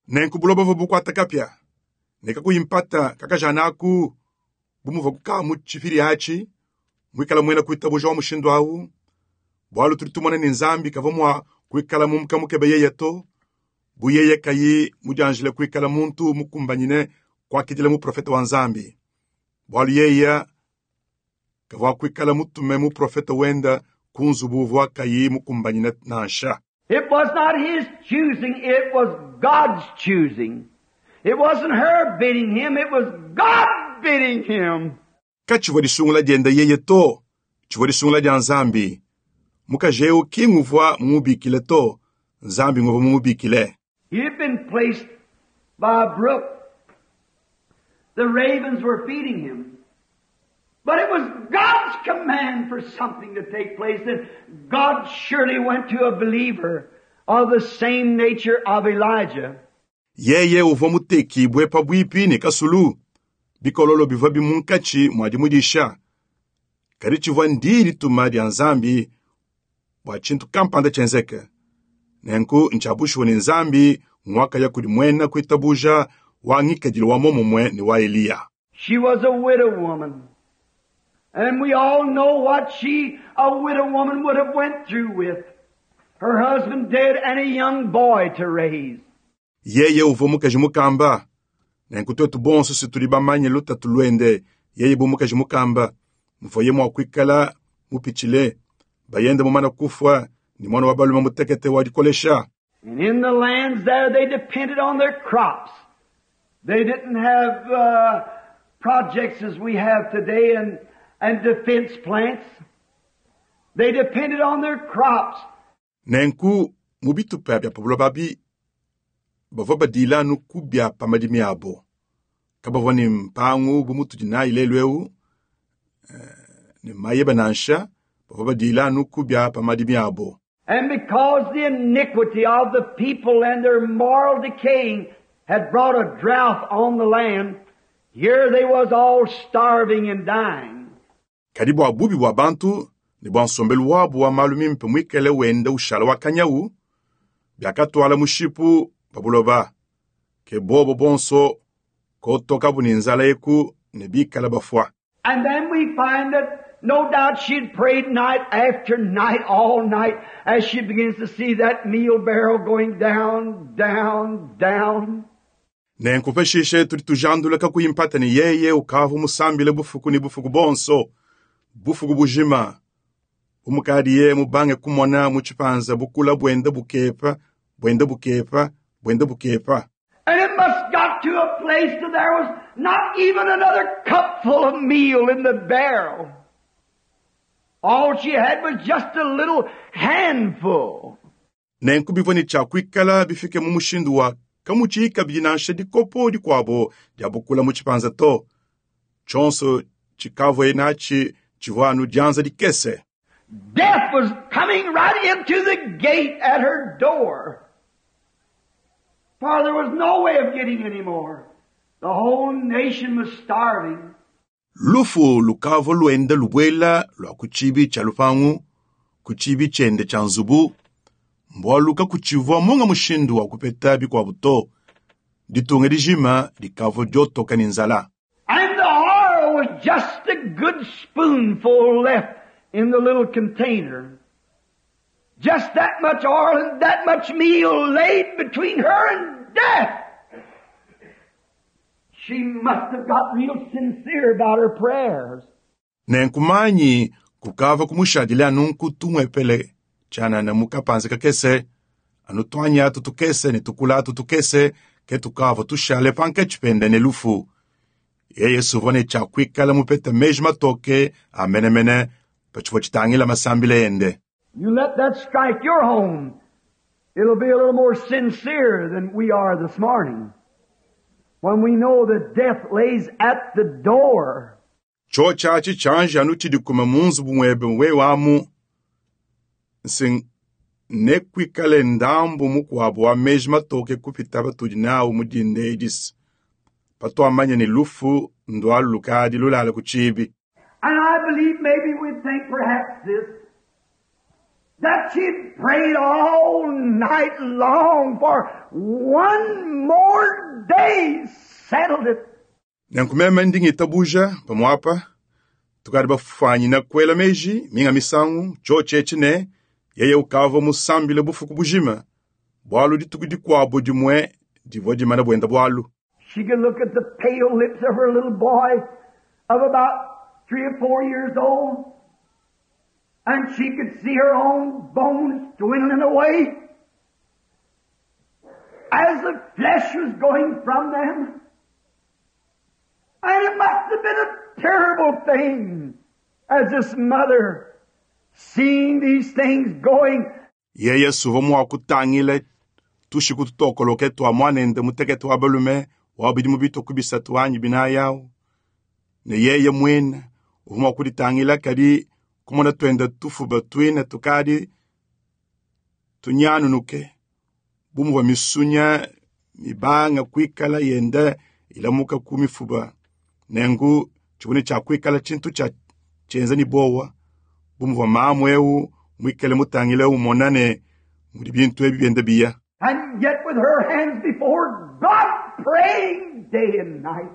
Nenku buloba buvua bukuata kapia. Ne kakuyimpata kakajanaku bumuva kukaa mu tshipidi atshi, muikala muena kuitabuja wa mushindu awu. Bualu tudi tumona ne Nzambi kavua mua kuikala mumukamukebe yeye to. Bu yeye kayi mudianjile kuikala muntu mukumbanyine kuakidila muprofeta wa Nzambi. Bualu yeye kavua kuikala mutume muprofeta wenda ku nzubu uvua kayi mukumbanyine nansha. It was not his choosing, it was God's choosing. It wasn't her bidding him, it was God bidding him. Katshivua disungula dienda yeye to, tshivua disungula dia Nzambi. Mukaji eu ki nguvua mumubikile to, Nzambi nguvua mumubikile. He had been placed by a brook. The ravens were feeding him. But it was God's command for something to take place, and God surely went to a believer of the same nature of Elijah. Yeye uvua mutekibue pabuipi ne kasulu, bikololo bivua bimunkatshi mua dimudisha. Kadi tshivua ndi dituma dia Nzambi bua tshintu kampanda tshienzeke. Nenku ntshia ne Nzambi ngwakaya kudi muena kuitabuja wa ngikadilu wa momumue ne wa Eliya. She was a widow woman. And we all know what she, a widow woman, would have went through with. Her husband dead and a young boy to raise. Yeye uvua mukaji mukamba. Nenku tuetu bonso si tudi bamanye lutatu luende, yeye bu mukaji mukamba. Mvuaye mua kuikala mupitshile, bayende mumana kufua ni mwana wa balume mutekete wa dikolesha. And in the lands there, they depended on their crops. They didn't have uh, projects as we have today and, and defense plants. They depended on their crops. Nenku mu bitupa bia pa buloba bi bavua badila anu ku bia pa madimi abo. Kabavua ne mpangu bu mutudi nayi lelu eu, eh, ne mayeba nansha, bavua badila anu ku bia pa madimi abo. And because the iniquity of the people and their moral decaying had brought a drought on the land, here they was all starving and dying. Kadi bua bubi bua bantu ne bua nsombelu wabu wa malu mimpe muikale wenda ushala wa kanyawu, biakatwala mushipu pa buloba. Ke bobo bonso kotokabu ne nzala eku ne bikala bafua. And then we find that no doubt she'd prayed night after night, all night, as she begins to see that meal barrel going down, down, down. Nenku pashishe tudi tujandula kakuyi mpata ne yeye ukavua musambile bufuku ne bufuku bonso, bufuku bujima. Bumukadiye mubange kumona mu tshipanza bukula buenda bukepa, buenda bukepa, buenda bukepa. And it must got to a place that there was not even another cupful of meal in the barrel. All she had was just a little handful. Nenku bivua ne tshia kuikala bifike mu mushindu wa kamutshiyi kabidi nansha dikopo dikuabo dia bukula mu tshipanza to. Tshionso tshikavuaye natshi tshivua anu dianza dikese. Death was coming right into the gate at her door. For there was no way of getting any more. The whole nation was starving. Lufu lukavua luenda lubuela lua ku tshibi tshia lupangu, ku tshibi tshiende tshia nzubu, mbualu kakutshivua munga mushindu wa kupeta bikuabu to. Ditunga dijima dikavua diotoka ne nzala. And the oil was just a good spoonful left in the little container. Just that much oil and that much meal laid between her and death. She must have got real sincere about her prayers. Nenkumanyi kukava kumushadile anu nkutumwepele tshianana mu kapanza kakese, anu tuanya tutukese ne tukula tutukese ke tukava tushale pankatshi pende ne lufu. Yeye suvua ne tshia kuikala mupete meji matoke a menemene pa tshivua tshitangila masambila ende. You let that strike your home. It'll be a little more sincere than we are this morning. When we know that death lays at the door. Cho tshiatshi tshianji anu tshidi kuma mu nzubu muebe wewe amu, nsi ne kuikale ndambu mukuabu wa meji matoke kupita batudi nawu mu dinda edisi. Patuamanya ne lufu ndualu lukadi lulala ku tshibi. And I believe maybe we'd think perhaps this, that she'd prayed all night long for one more day, settled it. Nenku meme ndi ngitabuja pamuapa, tukadi bafwanyina kuela meji minga misangu tshio tshietshi ne yeye ukavua musambile bufuku bujima, bualu dituku dikuabu dimue divua dimana buenda bualu. She could look at the pale lips of her little boy of about three or four years old, and she could see her own bones dwindling away as the flesh was going from them. And it must have been a terrible thing as this mother seeing these things going. Yeye suvua mua kutangila tushiku tutokoloke tua mwanende mutekete wa balume Wa bidimu bitue ku bisatu anyi binayi awu. Ne yeye mwine uvua mua kuditangila kadi kumona twenda tufuba twine tukadi tunyanunuke bu muvua misunya mibanga kuikala yenda ilamuka ku mifuba. Nenku tshivua ne tshia kuikala tshintu tshia tshienza ne bowa bu muvua mamu ewu muikale mutangile umona ne mudi bintu ebi bienda biya. And yet with her hands before God praying day and night.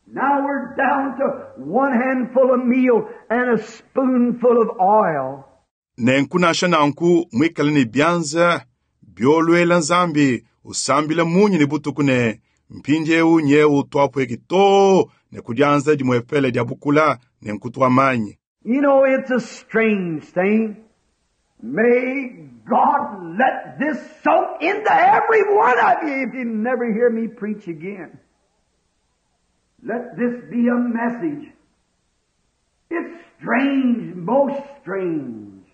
Now we're down to one handful of meal and a spoonful of oil. Nenku nansha nanku muikale ne bianza biolwela Nzambi usambila munyi ne butuku ne mpindiewu nyewu twapweki too ne kudianza dimwepele dia bukula ne nkutu wa manyi. You know, it's a strange thing. May God let this soak into every one of you if you never hear me preach again. Let this be a message. It's strange, most strange,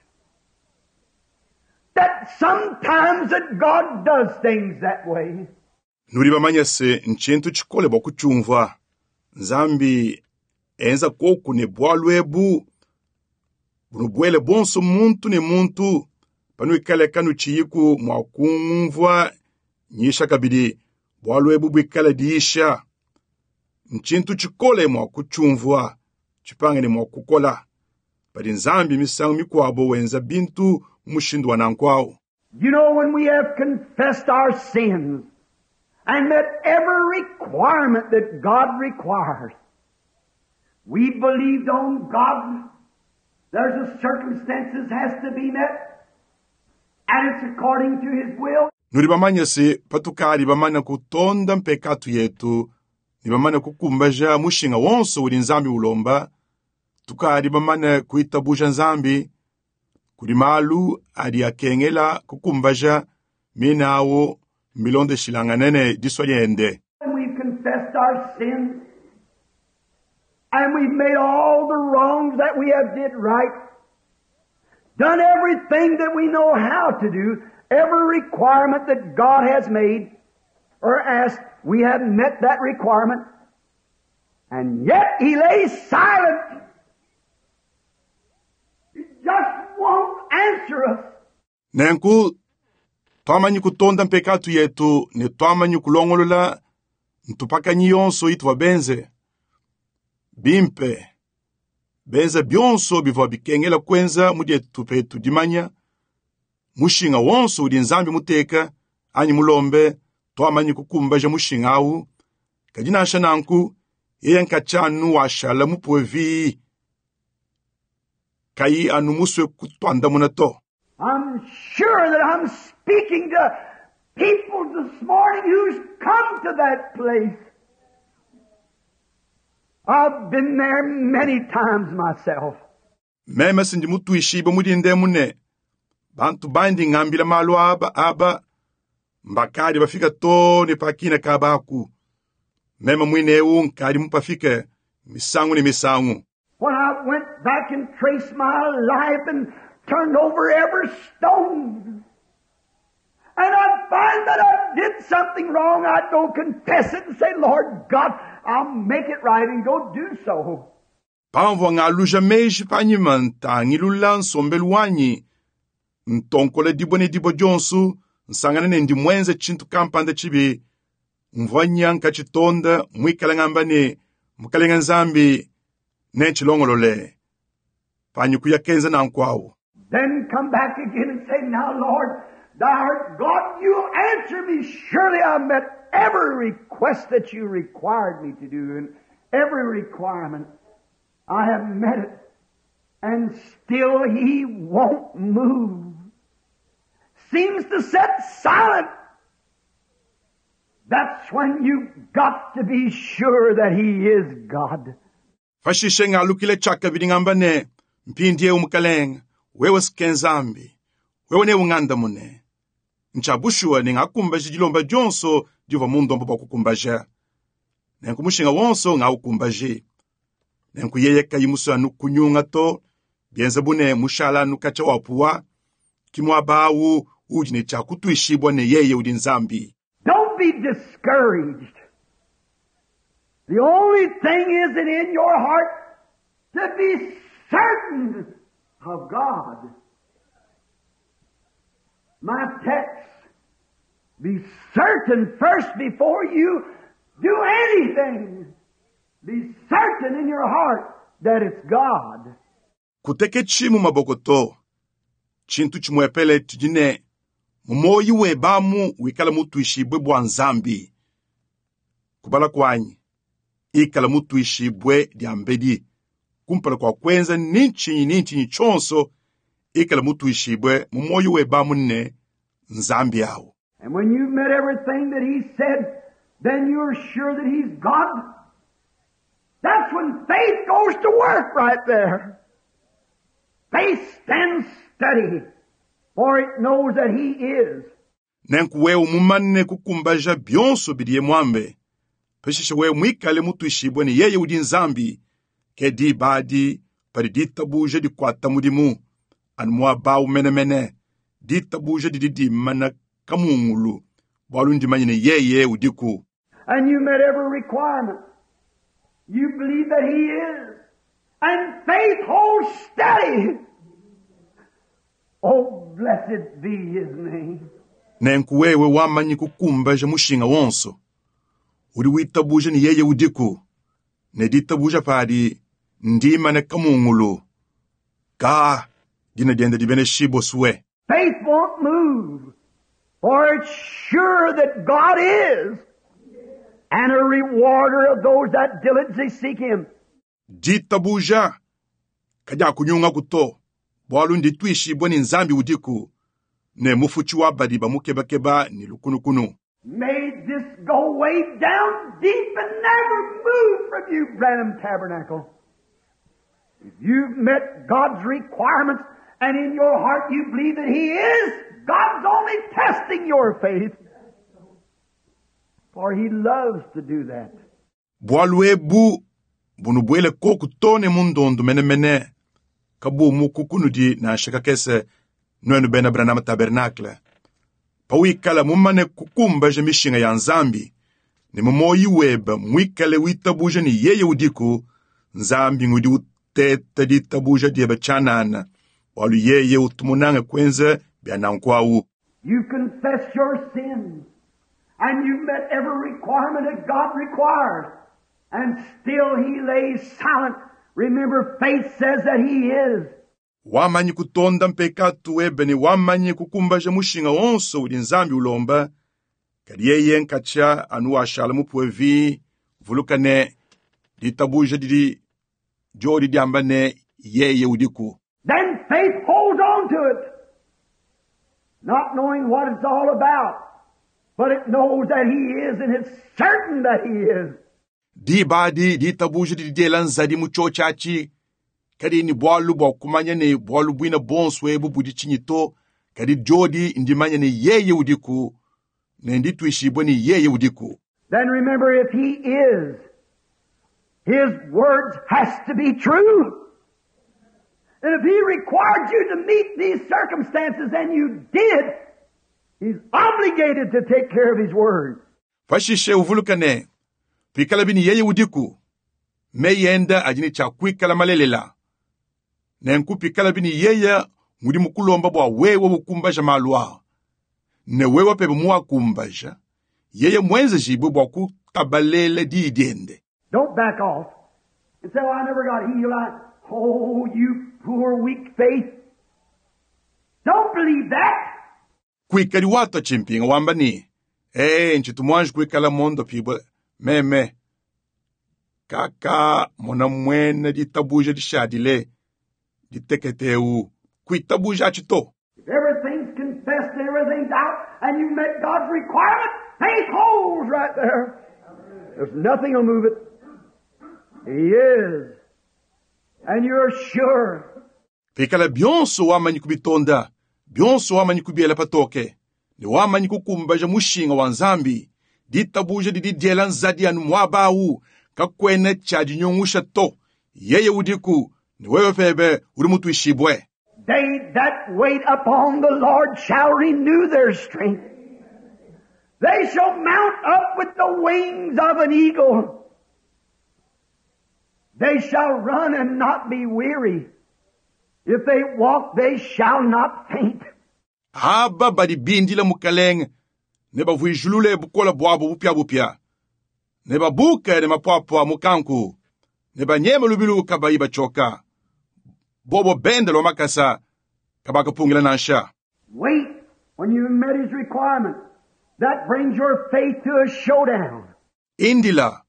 that sometimes that God does things that way. Nudi bamanye se nchintu tshikole bua kutshiumvua. Nzambi enza koku ne bwalu ebu bunubwele bonso muntu ne muntu panuikale kanutshiyiku mua kumvua nyisha kabidi bwalu ebu buikale diisha. Nchintu tshikole mua kutshiumvua tshipange ne mua kukola. Padi Nzambi misangu mikuabo wenza bintu mu mushindu wa nanku awu. You know, when we have confessed our sins and met every requirement that God requires, we believed on God. There's a circumstances has to be met, and it's according to His will. Nudi bamanye se patukadi bamane kutonda mpekatu yetu ne bamane kukumbaja mushinga wonso udi Nzambi ulomba, tukadi bamane kuitabuja Nzambi kudi malu adi akengela kukumbaja minawo milondeshilangane ne disua diende. And we've confessed our sins, and we've made all the wrongs that we have did right, done everything that we know how to do, every requirement that God has made or asked, we have met that requirement, and yet He lays silent. He just won't answer us. Nenku twamanyi kutonda mpekatu yetu ne twamanyi kulongolola ntupakanyi yonso ituvua benze. Bimpe benza byonso bivua bikengela kuenza mu dietu petu dimanya mushinga wonso udi Nzambi muteka anyi mulombe twamanyi kukumbaja mushinga awu. Kadi nansha nanku yeye nkatshianu washala mupuwe vii kayi anu musue kutwandamuna to. I'm sure that I'm speaking to people this morning who's come to that place. I've been there many times myself. Meme sindi mutuishibe mudinde mune bantu bandi ngambila malu aba aba mbakadi bafika to ne pakina kabaku. Meme mwine ewu nkadi mupafike misangu ne misangu. When I went back and traced my life and turned over every stone, and I'd find that I did something wrong, I'd go confess it and say, Lord God, I'll make it right and go do so. Pamvua ngaluja meji panyima ntangilula nsombelu wanyi ntonkola dibue ne dibue dionso nsangana ne ndi mwenze tshintu kampanda tshibi mvua nya nkatshitonda muikale ngamba ne mukalenga Nzambi nentshilongolole panyi kuya kenza nanku awu. Then come back again and say, now Lord, thou art God, you'll answer me. Surely I met every request that you required me to do and every requirement. I have met it. And still He won't move. Seems to sit silent. That's when you got to be sure that He is God. Pashishe ngalukile tshakabidi ngamba ne mpindiewu mukalenga wewe sike Nzambi wewe ne unganda mune ntshabushuwa ne ngakumbaja dilomba dionso divua mundomba bua kukumbaja nenku mushinga wonso ngaukumbaje nenku yeye kayi musue anu kunyunga to bienza bune mushala anu katshia wapuwa ki muaba awu udi ne tshia kutuishibua ne yeye udi Nzambi. Don't be discouraged. discouraged. The only thing is that in your heart to be certain of God. My text, be certain first before you do anything. Be certain in your heart that it's God. Kuteketshi mu maboko to tshintu tshimwepele tudi ne mumoyi webamu wikala mutuishibwe bwa nzambi kubala kwanyi ikala mutuishibwe dia mbedi kumpala kwa kwenza nintshini nintshini tshonso ikala mutuishibwe mumoyi webamu ne nzambi awu. And when you've met everything that He said, then you're sure that He's God. That's when faith goes to work right there. Faith stands steady, for it knows that He is. Nenku wewe mumane kukumbaja byonso bidiye mwambe peshishe wewe mwikale mutuishibwe ne yeye udi nzambi ke dibadi padi ditabuja dikwata mudimu anu muabawu menemene ditabuja didi dimana kamungulu bwalu ndimanye ne yeye udiku. And you met every requirement. You believe that He is. And faith holds steady. Oh, blessed be His name. Nenku wewe wamanyi kukumbaja mushinga wonso udi witabuja ne yeye udiku ne ditabuja padi ndimane kamungulu ka dina dienda dibene shibo suwe. Faith won't move, for it's sure that God is, and a rewarder of those that diligently seek Him. Ditabuja kadi kunyunga kuto bwalu nditwishibwe ni nzambi udiku ne mufuchi wa badi bamukebakeba ni lukunukunu. May this go way down deep and never move from you, Branham Tabernacle. If you've met God's requirements and in your heart you believe that He is, God's only testing your faith. For He loves to do that. Bwalu ebu bunubwele koku tone mundondo menemene kabumu kukunudi na shakakese nwenu bena Branham Tabernacle. Pawikala mumane kukumbaja mishinga ya nzambi ne mumoyi weba mwikale witabuja ni yeye udiku nzambi ngudi uteta ditabuja dieba chanana walu yeye utumunanga kwenza bya nankwawu. You confess your sins and you've met every requirement that God requires, and still He lays silent. Remember, faith says that He is. Wamanyi kutonda mpekatu webe ne wamanyi kukumbaja mushinga wonso udi nzambi ulomba kadi yeye nkacha anu washala mupwevi vulukane ditabuja didi jodi diamba ne yeye udiku. Then faith holds on to it, not knowing what it's all about, but it knows that He is, and it's certain that He is. Dibadi ditabuja didi diela nzadi mu chochachi kadi ni bwalu bwa kumanya ne bwalu bwina bonso ebu budi chinyito kadi jodi ndimanya ne yeye udiku ne nditwishibwe ni yeye udiku. Then remember, if He is, His words has to be true. And if He required you to meet these circumstances and you did, He's obligated to take care of His word. Pashishe uvulukane pikala bini yeye udiku meyenda ajini cha kwikala malelela nenku pikala bini yeye ngudi mukulomba bwa wewe bukumbaja malwa ne wewe pebe muwakumbaja yeye mwenze jibwe bwa kutabalele didiende. Don't back off and say, well, I never got healed. I, oh, you poor weak faith. Don't believe that. Kwikali watu chimpinga wamba ni eh nchitumwanji kwikala mondo pibwe meme kaka mona mwene ditabuja dishadile diteketeu kwitabuja chito. If everything's confessed and everything's out and you've met God's requirement, faith holds right there. There's nothing will move it. He is. And you're sure. Pikala byonso wamanyi kubitonda, byonso wamanyi kubiela patoke, ne wamanyi kukumbaja mushinga wa nzambi, ditabuja didi diela nzadi anu mwabawu, kakwene cha dinyungusha to, yeye udiku, ne wewe pebe uri mutuishibwe. They that wait upon the Lord shall renew their strength. They shall mount up with the wings of an eagle. They shall run and not be weary. If they walk, they shall not faint. Aba badi bindila mukalenge ne bavuijulule bukola bwabo bupyabupya ne babuke ne mapwapwa mukanku ne banyema lubilu kabayi bachoka bobo benda lwa makasa kabakapungila nansha. Wait when you've met His requirement. That brings your faith to a showdown. Indila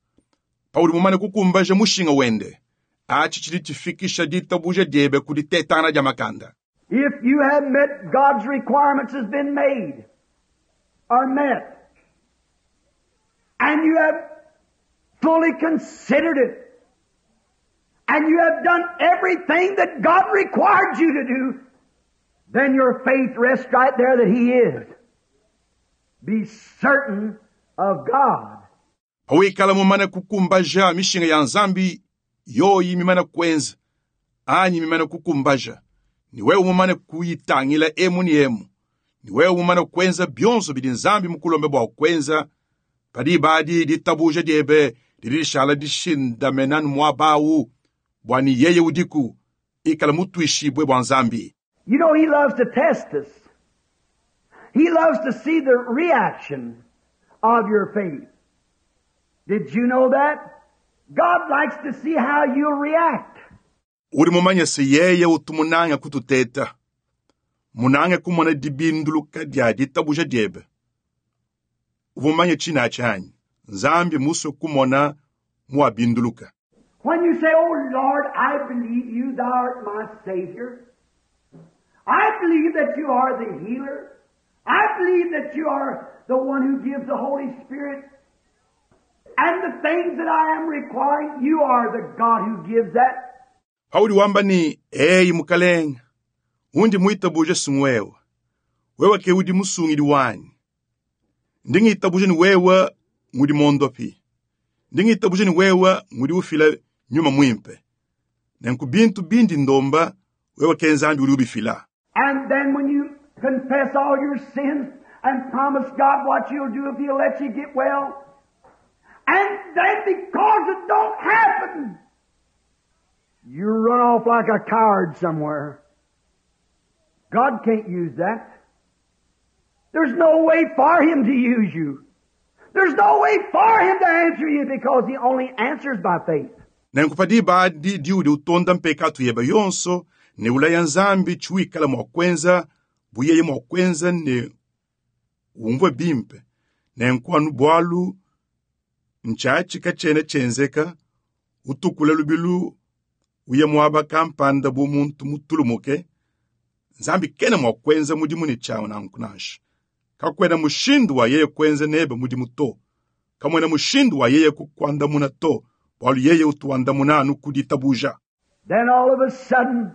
paudi mumane kukumbaja mushinga wende achi chili chifikisha ditabuja diebe kuditetana dia makanda. If you have met God's requirements has been made or met, and you have fully considered it, and you have done everything that God required you to do, then your faith rests right there that He is. Be certain of God. Pawikala mumane kukumbaja mishinga ya nzambi yoyi mimane kwenza anyi mimane kukumbaja ni wewe mumane kuyitangila emu ni emu ni wewe mumane kwenza byonso bidi nzambi mukulombe bwa kwenza padi badi ditabuja diebe dilishala dishindamenanu mwabawu bwani yeye udiku ikala mutwishibwe bwa nzambi. You know, He loves to test us. He loves to see the reaction of your faith. Did you know that? God likes to see how you react. Uri mumanye se yeye utumunanga kututeta munange kumona dibinduluka dia ditabuja diebe uvumanye china chanyi nzambi muso kumona muabinduluka. When you say, Oh Lord, I believe you, thou art my Savior. I believe that you are the healer. I believe that you are the one who gives the Holy Spirit. And the things that I am requiring, you are the God who gives that. Pauli wamba ni eyi mukalenga undi muitabuja sungwewa wewe ke udi musungidi wanyi ndingitabuja ni wewe ngudi mondopi ndingitabuja ni wewe ngudi ufila nyuma mwimpe nenku bintu bindi ndomba wewe ke nzambi udi ubifila. And then when you confess all your sins and promise God what you'll do if He'll let you get well, and then because it don't happen, you run off like a coward somewhere. God can't use that. There's no way for Him to use you. There's no way for Him to answer you because He only answers by faith. Nenku padi badi diudi utonda mpekatu yeba yonso ne ulaya nzambi chiwikala mwa kwenza buyeye mwa kwenza ne umvwe bimpe nenku anu bwalu nchachi kachene chenzeka utukula lubilu uye mwaba kampanda bu muntu mutulumuke nzambi kene mwa kwenza mudimu ne chawo nanku nansha kakwena mushindu wa yeye kwenza nebe mudimu to kamwena mushindu wa yeye kukwandamuna to bwalu yeye utuwandamuna anu kuditabuja. Then all of a sudden,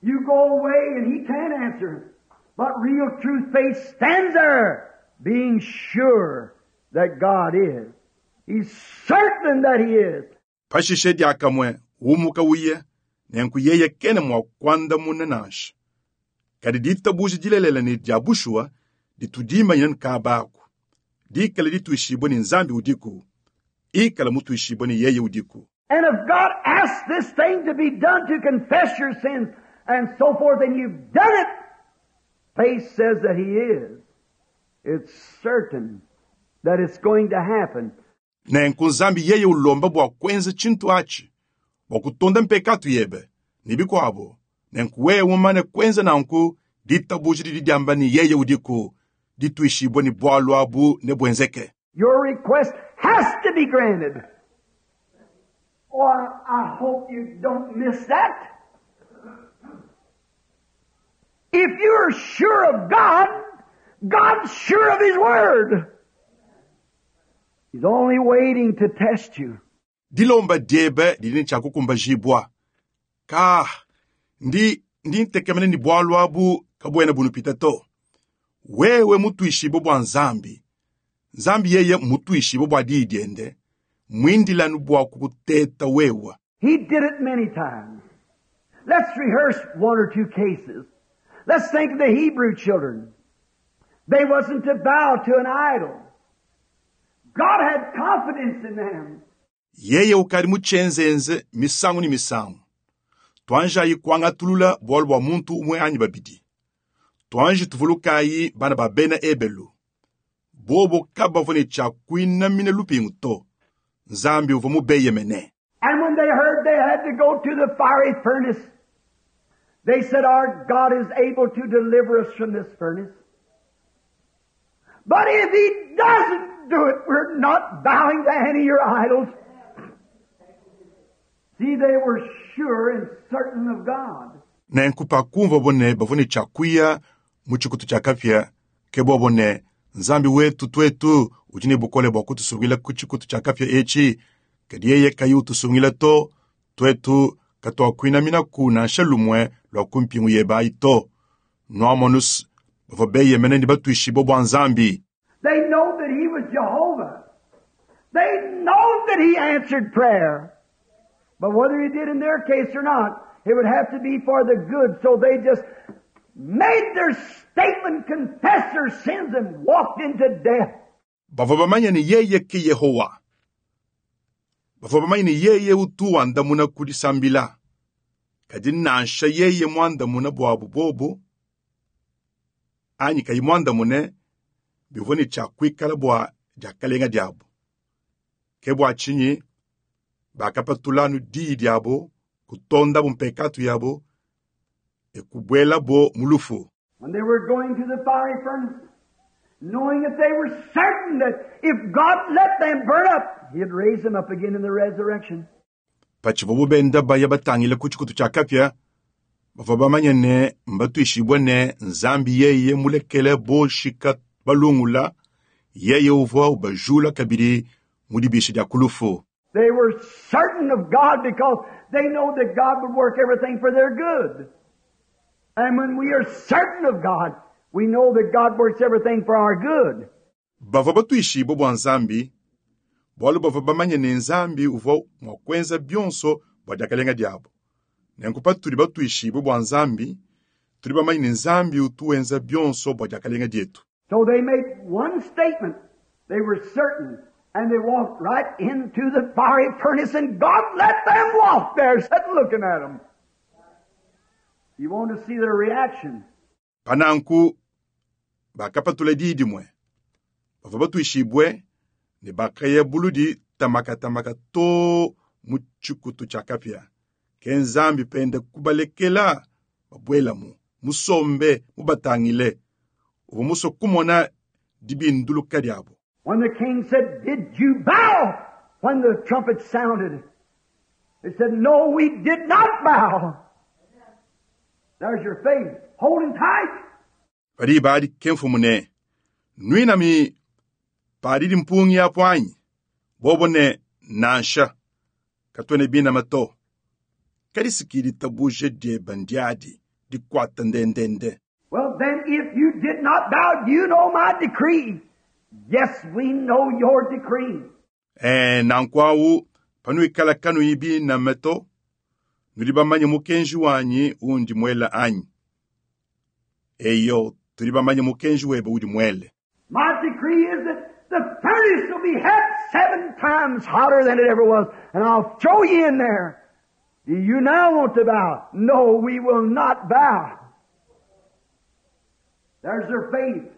you go away and He can't answer. But real true faith stands there, being sure that God is. He's certain that He is. Pashishe diakamwe umuka uye nenku yeye kene mwa kwandamuna nansha kadi ditabuja dilelela ne dia bushuwa ditudimanyina nkabaku dikala dituishibwe ni nzambi udiku ikala mutuishibwe ni yeye udiku. And if God asks this thing to be done to confess your sins and so forth, and you've done it, faith says that He is. It's certain that it's going to happen. Nenku nzambi yeye ulomba bwa kwenza chintu achi bwa kutonda mpekatu yebe ni bikwabo nenku wewe umane kwenza nanku ditabuja didi diamba ni yeye udiku dituishibwe ni bwalu abu ne bwenzeke. Your request has to be granted. Oh, I, I hope you don't miss that. If you're sure of God, God's sure of His Word. He's only waiting to test you. Dilomba diebe didi cha kukumbajibwa ka ndi ndi ntekemene ni bwalu abu kabwena bunupita to wewe mutuishibwe bwa nzambi nzambi yeye mutuishibwe bwa dii diende mwindilanu bwa kukuteta wewa. He did it many times. Let's rehearse one or two cases. Let's think of the Hebrew children. They wasn't to bow to an idol. God had confidence in them. Yeye ukadi mutshienzenze misangu ne misangu. Tuanjayi kuangatulula bualu bua muntu umue anyi babidi. Tuanji tuvulukayi bana ba bena Ebelu. Bobo kabavua ne tshia kuinamina lupingu to. Nzambi uvua mubeyemene. And when they heard they had to go to the fiery furnace, they said, Our God is able to deliver us from this furnace. But if He doesn't do it, we're not bowing to any of your idols. See, they were sure and certain of God. Nenku pakumvua bo ne bavua ne tshia kuya mu tshikutu tshia kapia, ke bobo ne Nzambi wetu twetu udi ne bukole bua kutusungila ku tshikutu tshia kapia etshi, kadi yeye kayi utusungila to, twetu katuakuinaminaku nansha lumue lua ku mpingu yebe ayi to. Nuamonus bavua beyemene ne batuishibue bua Nzambi. They know that He was Jehovah. They know that He answered prayer. But whether He did in their case or not, it would have to be for the good. So they just made their statement, confessed their sins, and walked into death. Bavua bamanye ne yeye ke Yehowa. Bavua bamanye ne yeye utu wandamuna ku disambila. Kadi nansha yeye muandamuna buabu bobo, anyi kayi muandamune, bivua ne tshia kuikala bua diakalenga diabu. Ke bua tshinyi bakapatula anu diyi diabo, kutondabu mpekatu yabo, e kubuelabo mu lufu. When they were going to the fiery furnace, knowing that they were certain that if God let them burn up, He'd raise them up again in the resurrection. Patshivuabu benda baya batangile ku tshikutu tshia kapia, bavua bamanye ne mbatuishibue ne Nzambi yeye mulekele boshika balungula, yeye uvua ubajula kabidi mu dibisha dia ku lufu. They were certain of God because they know that God would work everything for their good. And when we are certain of God, we know that God works everything for our good. Bavua batuishibue bua Nzambi, bualu bavua bamanye ne Nzambi uvua mua kuenza bionso bua diakalenga diabo. Nenku patudi batuishibue bua Nzambi, tudi bamanye ne Nzambi utu wenza bionso bua diakalenga dietu. So they made one statement. They were certain. And they walked right into the fiery furnace and God let them walk there, sitting looking at them. You want to see their reaction. Pananku bakapatula diyi dimue. Bavua batuishibue ne bakaya buludi tamakatamaka to mu tshikutu tshia kapia. Ke Nzambi pende kubalekela babuelamu, musombe mubatangile. Uvua musue kumona dibinduluka diabo. When the king said, Did you bow? When the trumpet sounded, they said, No, we did not bow. There's your faith. Holding tight. Padi badi ke mfumu ne, Nuinami padidi mpungi apo anyi, bobo ne nansha, katuena binama to. Kadi sikidi tabuje dieba ndiadi, dikuata ndendende. Well, then, if you did not bow, you know my decree. Yes, we know your decree. Eh, nanku awu panuikala kanuyi binama to, nudi bamanye mukenji wanyi undi muela anyi. Eyo, tudi bamanye mukenji webe udi muele. My decree is that the furnace will be het seven times hotter than it ever was, and I'll throw you in there. Do you now want to bow? No, we will not bow. There's their faith.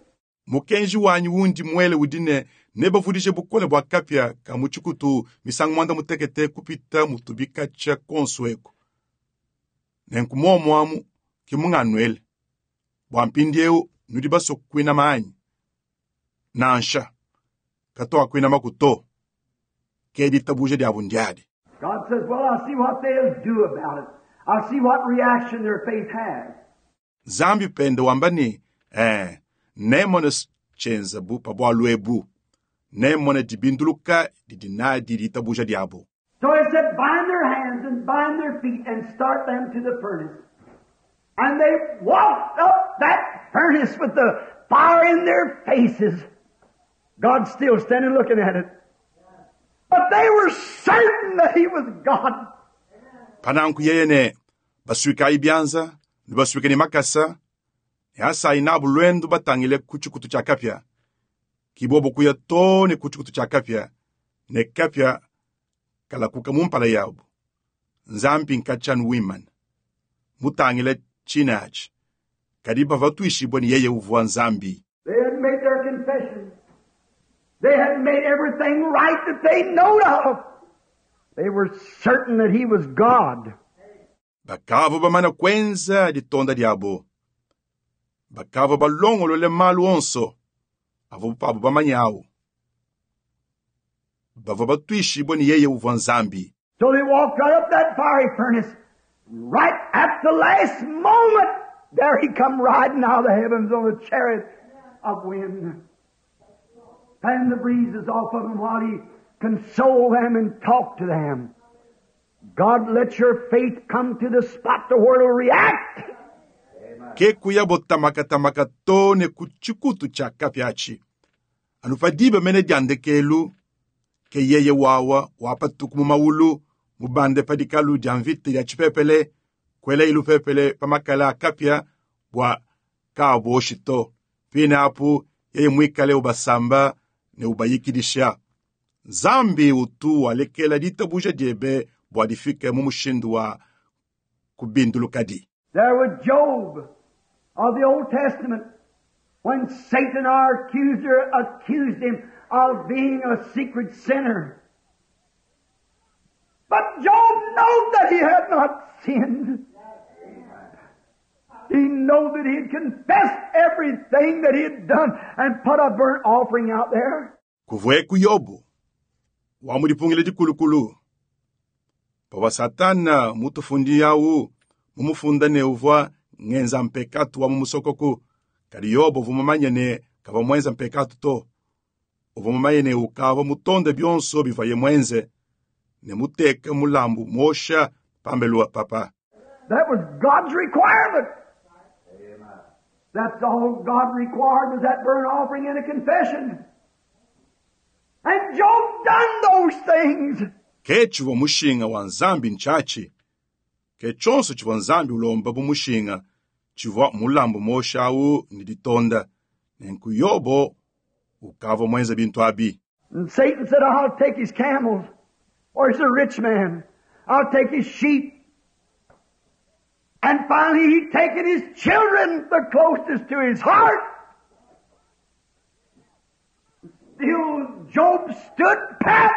Mukenji wanyi undi muele udi ne nebavudije bukole bua kapia ka mu tshikutu misangu muanda mutekete kupita mutubika tshia konso eku. Nenku muomu amu ke munganuele. Bua mpindieu nudi basue kuinama anyi? Nansha, katuakuinamaku to. Ke ditabuja diabu ndiadi. God says, well, I'll see what they'll do about it. I'll see what reaction their faith has. Nzambi pende wamba ne, eh, nemone tshienza bu pa bualu ebu. Nemone dibinduluka didi nadi ditabuja diabo. So he said, bind their hands and bind their feet and start them to the furnace. And they walked up that furnace with the fire in their faces. God's still standing looking at it. But they were certain that He was God. Pananku yeye ne basuikayi bianza ne basuike ne makasa Ne asayi nabu lwendo batangile ku tshikutu tshia kapia. Kibobo kuya too ne ku tshikutu tshia kapia, ne kapia kalakuka mu mpala yabu. Nzambi nkatshanu wimana. Mutangile tshinachi. Kadi bava tuishibwa ni yeye uvua Nzambi. They had made their confession. They had made everything right that they knowed of. They were certain that He was God. Bakava bamana kwenza ditonda diabo. Bakava balongolole malu onso avo pabo bamanyawo. Bava batuishibwa ni yeye uvua Nzambi. So they walked right up that fiery furnace. Right at the last moment, there he come riding out of the heavens on a chariot of wind. Fanned the breezes off of him while he consoled them and talked to them. God let your faith come to the spot to where it'll react. Ke kuya botamakatamaka too ne ku tshikutu tshia kapia atshi. Anu pa diba mene dia ndekelu, ke yeye wawa wapatuku mu maulu, mubande pa dikalu dia mvita dia tshipepele, kwela ilupepele pa makala a kapia bua kaaboshi to. Pine apu yeye mwikale ubasamba ne ubayikidisha. Nzambi utu walekela ditabuja diebe bua difike mu mushindu wa kubindulukadi. There was Job of the Old Testament when Satan, our accuser, accused him of being a secret sinner. But Job knew that he had not sinned. He knew that he had confessed everything that he had done and put a burnt offering out there. Kuvweku Yobu wamudipungile dikulukulu. Pawa Satana mutufundi yawu mumufunda ne uvua ngenza mpekatu wa mumusokoku. Kadi Yobu uvua ne kava mwenza mpekatu to. Uvua mumanye ne ukava mutonde bionso bivaye mwenze ne muteke mulambu mosha pambelu papa. That was God's requirement. That's all God required was that burnt offering and a confession. And Job done those things. Ke tshivua mushinga wa Nzambi ntshatshi. Ke tshonso tshivua Nzambi ulomba bu mushinga tshivua mulambu mosha awu ne ditonda. Nenku Yobo ukavua mwenza bintu abi. And Satan said, I'll take his camels. Or he's a rich man. I'll take his sheep. And finally he taken his children, the closest to his heart. Still Job stood pat.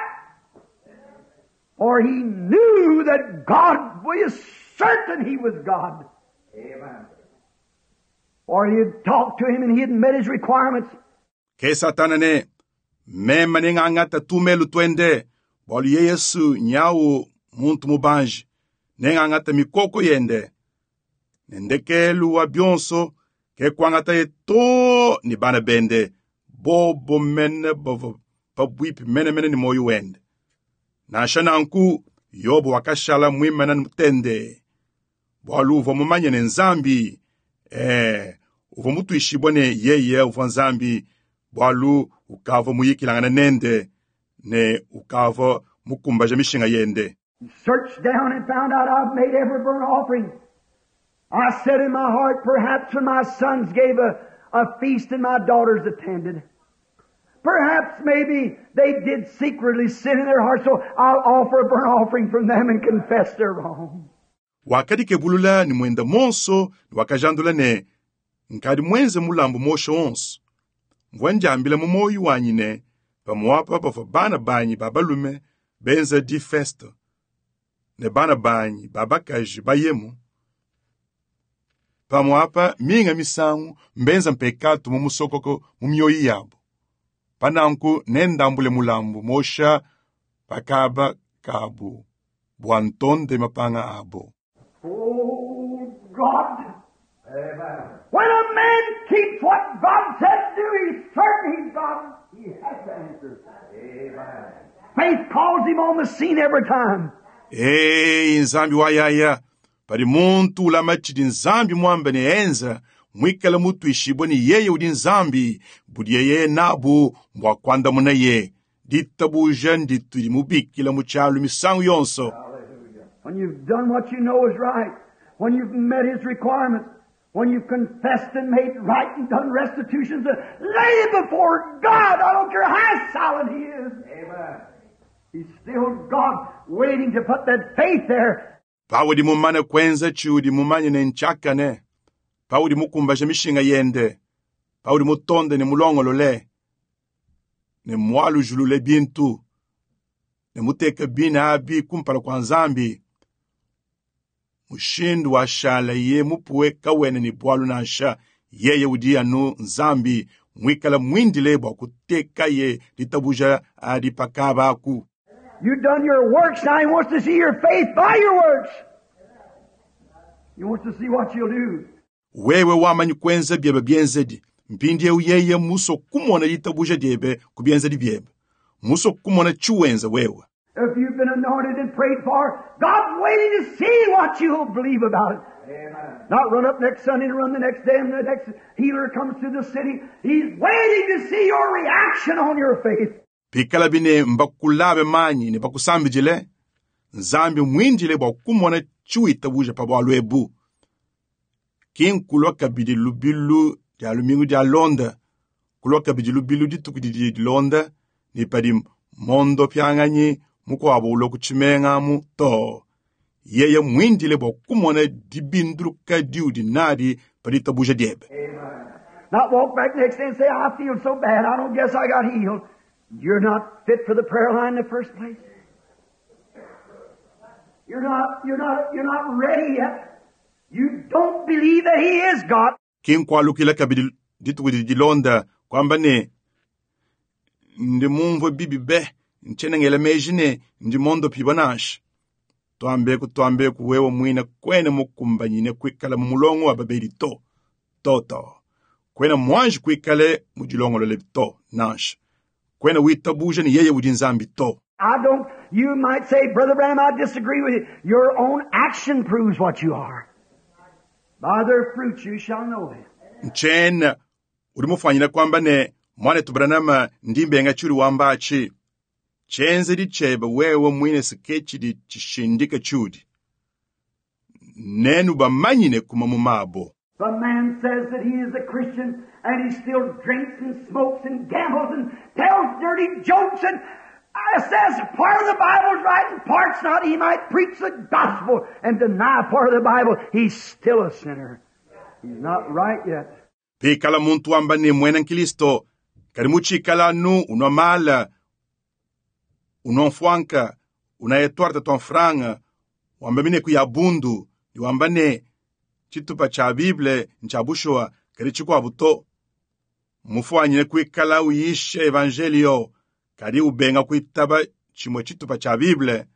For he knew that God was certain he was God. Amen. For he had talked to him and he had met his requirements. Ke Satana ne mema ne ngangata tumelu twende bwalu ye Yesu nyawu muntu mubanji ne ngangata mikoko yende ne ndekelu wa bionso ke kuangata ye to ni bana bende bobo mene bavua pabuipi mene mene ni moyo wende. Nansha nanku Yobo wakashala mwimana mutende bwalu uvua mumanye ne Nzambi eh, uvua mutuishibwa ne yeye uvua Nzambi bwalu ukavua muyikilangana nende ne ukavua mukumbaja mishinga yende. He searched down and found out I've made every burnt offering. I said in my heart, perhaps when my sons gave a, a feast and my daughters attended, perhaps maybe they did secretly sin in their heart, so I'll offer a burnt offering from them and confess their wrong. Wakadikebulula ni mwenda monso ni wakajandula ne nkadi mwenze mulambu moshe onso. Mvua njambila mu moyo wanyi ne pamuapa bavua bana banyi ba balume benza di festa ne bana banyi ba bakaji bayemu. Pamuapa minga misangu mbenza mpekatu mu musokoko mu mioyo yabo. Pananku nendambule mulambu mosha pakaba kabu bua ntonde mapanga abo. Oh God! Amen. When a man keeps what God said do, he's certain he's God. He has to answer. Amen. Faith calls him on the scene every time. Ei, Nzambi wa yaya, padi muntu ulama tshidi Nzambi mwambe ne enza, mwikale mutuishibwe ni yeye udi Nzambi, budi yeye nabu mbwa kuandamuna ye. Ditabuja nditu dimubikila mu tshialu misangu yonso. When you've done what you know is right, when you've met His requirements, When you've confessed and made right and done restitutions, uh, lay it before God. I don't care how silent He is. Amen. He's still God waiting to put that faith there. Paudi mumane kwenza tshiudi mumanye ne ntshiakane paudi mukumbaje mishinga yende paudi mutonde ne mulongolole ne mwalujulule bintu ne muteke bina abi kumpala kua nzambi mushindu washala ye mupuwe kawene ne bwalu nansha yeye udi anu nzambi mwikala mwindile bua kutekaye ditabuja adi pakaba aku You've done your works, now He wants to see your faith by your works. He wants to see what you'll do. Wewe wamanyi kwenza byebe byenzedi mpindiewu yeye muso kumona ditabuja dyebe ku byenzedi byebe muso kumona tshiwenza wewe If you've been anointed and prayed for, God's waiting to see what you'll believe about it. Amen. Not run up next Sunday and run the next day and the next healer comes to the city. He's waiting to see your reaction on your faith. Pikala bine mbakulabe manyi ne bakusambijile nzambi mwindile bua kumona tshiwitabuja pa bwalu ebu kinkulwa kabidi lubilu dia lumingu dia londa kulwa kabidi lubilu dituku didi dilonda ne padi mondo pyanganyi mukuabo ulwa kutshimengamu to yeye mwindile bua kumona dibinduluka diudi nadi pa ditabuja diebe. Not walk back next day and say, I feel so bad, I don't guess I got healed. You're not fit for the prayer line in the first place. You're not, you're not, you're not ready yet. You don't believe that He is God. Kinkwalukila kabidi dituku didi dilonda kwamba ne ndi mumvue bibi be ntshena meji ne ndi mondo piba nansha twambeku twambeku wewe mwina kwene mukumbanyine kwikala mu mulongo wa babeli to toto kwene mwanji kwikale mu dilongolole to nansha kwene witabuja ni yeye udi nzambi to. I don't, you might say, Brother Branham, I disagree with you. Your own action proves what you are. By their fruits you shall know them. Nchena udi mufanyira kwamba ne mwanetu Branham ndi mbenga tshuri wambachi tshenzedi tshebe wewe mwine siketshidi tshishindika tshudi nenu bamanyine kuma mu mabo. The man says that he is a Christian and he still drinks and smokes and gambles and tells dirty jokes and says part of the Bible's right and part's not. He might preach the gospel and deny part of the Bible. He's still a sinner. He's not right yet. Pikala muntu wamba ne mwena nkilisto kali muchikala nu unwa mala unwa mfwanka unayetwarta twa mfranga wamba mine kuya bundu ni wamba ne chitupa cha Bible ncha bushowa kali chikwabu to mufwanyine kwikala uyishe evangelio kali ubenga kwitaba chimwe chitupa cha Bible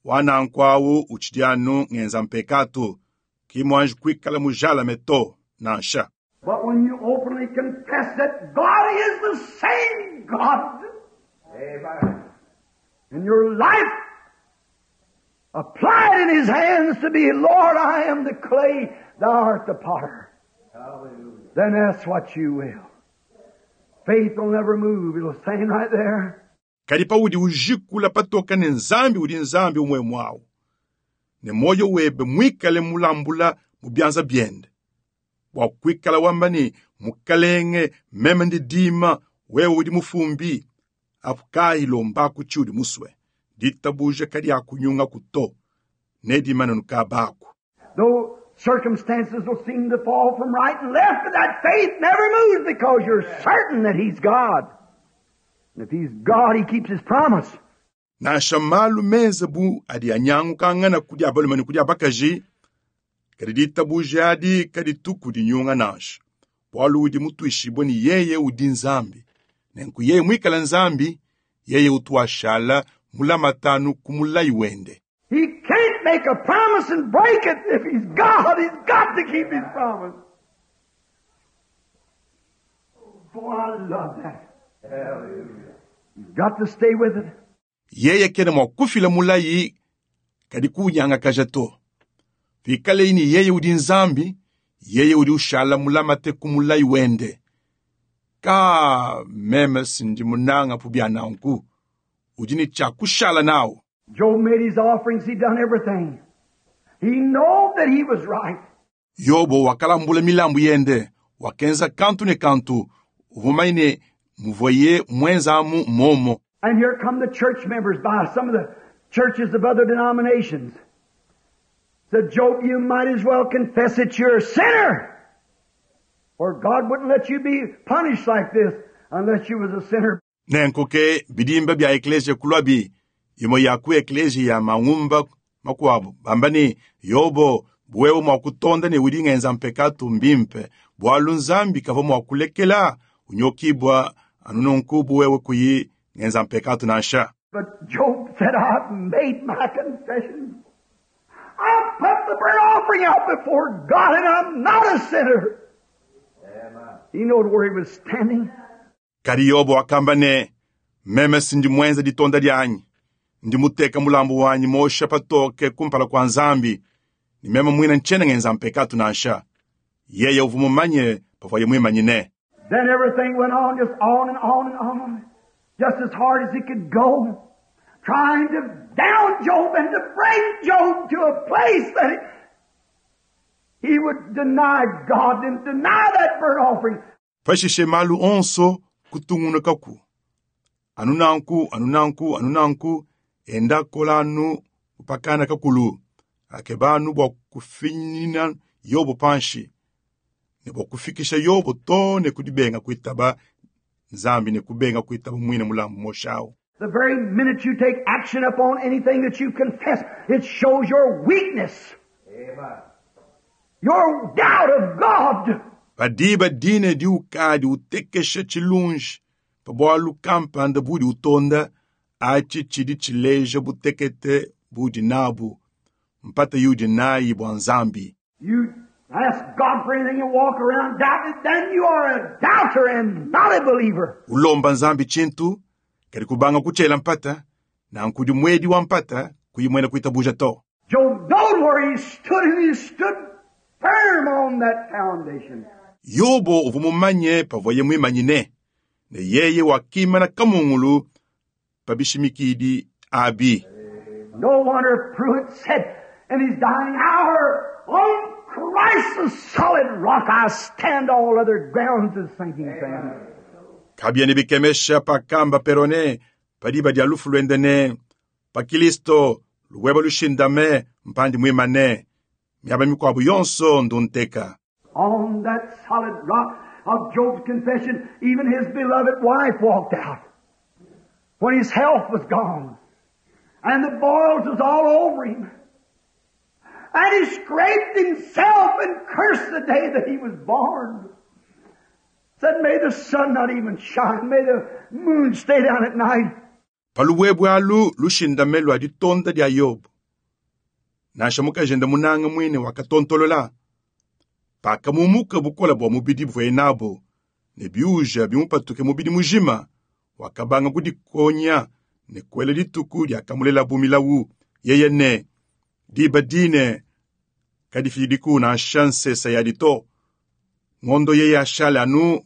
wanankwawu uchidyanu ngenza mpekatu kimwanji kwikala mujala meto nansha. But when you openly confess that God is the same God, amen, and your life applied in His hands to be, Lord, I am the clay, Thou art the potter. Hallelujah. Then that's what you will. Faith will never move. It'll stand right there. Kali paudi ujikula patoka ne nzambi udi nzambi umwe mwawu. Ne moyo webe mwikale mulambula mu byanza byende. Bwa kwikala wamba ni mukalenge meme ndi dima wewe udi mufumbi apukayi lombaku tshiudi muswe. Ditabuja kali akunyunga kuto ne dimana nukabaku. Though circumstances will seem to fall from right and left, but that faith never moves because you're certain that He's God. And if He's God, He keeps His promise. Nansha malu meze bu adi anyangukangana kudi abalume ne kudi abakaji, kadi ditabuja adi kadi tuku dinyunga nansha. Bwalu udi mutwishibwe ni yeye udi nzambi. Nenku yeye mwikala nzambi, yeye utuashala mulamatanu kumulayi wende. He can't make a promise and break it. If He's God, He's got to keep His promise. Boy, I love that. Hallelujah. You've got to stay with it. Yeye kena mwa kufila mulayi kadi kunyanga kaja to. Vikale ini yeye udi nzambi, yeye udi ushala mulamate kumulayi wende. Ka meme sindi munanga pubya nanku. Udi ni cha kushala nawo. Job made his offerings, he done everything. He knew that he was right. Yobo wakalambula milambu yende, wakenza kantu ne kantu, uvua mumanye ne muvuaye mwenzamu momo. And here come the church members by some of the churches of other denominations. Said, Job, you might as well confess that you're a sinner. Or God wouldn't let you be punished like this unless you was a sinner. Nenku ke bidimba bia ekleziya kulwabi imwe ya ku ekleziya ya mangumba makuabu bamba ne Yobo wewe mua kutonda ne udi ngenza mpekatu mbimpe bualu Nzambi kavua mua kulekela unyokibwa anu nunku bu wewe kuyi ngenza mpekatu nansha. But Job said, I've made my confession. I've put the burnt offering out before God and I'm not a sinner. He knowed where he was standing. Kadi Yobo wakamba ne meme sindi mwenza ditonda dianyi ndi muteka mulambu wanyi mosha patoke kumpala kua Nzambi ni meme mwina ntshiena ngenza mpekatu nansha. Yeye uvua mumanye pavuaye mwimanyine. Then everything went on, just on and on and on, just as hard as he could go, trying to down Job and to bring Job to a place that he, he would deny God and deny that burnt offering. Pashishe malu onso kutungunukaku anu nanku anu nanku anu nanku enda kola anu kupakana kakulu akeba anu bua kufinyina Yobo panshi ne bua kufikisha Yobo to ne kudibenga kuitaba Nzambi ne kubenga kuitaba mwine mulambu moshawu. The very minute you take action upon anything that you confess, it shows your weakness. Your doubt of God. Padiba dine di ukadi utekesha tshilunji pa bualu kampanda budi utonda achi tshidi tshileja butekete budi nabu mpata yudi nayi bua Nzambi. You ask God for anything and walk around doubting, then you are a doubter and not a believer. Ulomba Nzambi tshintu kadi kubanga kutshiela mpata nanku udi mwedi wa mpata kuyi muena kuitabuja to. Job knowed where he stood and he stood firm on that foundation. Yobo uvua mumanye pavuaye mwimanyine ne yeye wakimana kamungulu pa bishimikidi abi. No wonder Pruitt said in his dying hour, on Christ the solid rock I stand, all other grounds is sinking sand. Kabiena bikemesha pakamba perone padiba dia lufu luende ne pa Kilisto luweba lushindame mpandi mwimane miaba mikuabu yonso ndunteka. On that solid rock of Job's confession, even his beloved wife walked out when his health was gone and the boils was all over him. And he scraped himself and cursed the day that he was born. Said, may the sun not even shine. May the moon stay down at night. Paluwebwe alu lushindame lua ditonda dia Yobo. Nansha mukajende munanga mwine wakatontolola. Pakamumuka bukola bua mubidi buvuaye nabo ne biuja bimupatuke mubidi mujima wakabanga kudikonya ne kuela dituku diakamulela milawu yeye ne diba dine kadifidiku nansha nsesa yadi to ngondo yeye ashale anu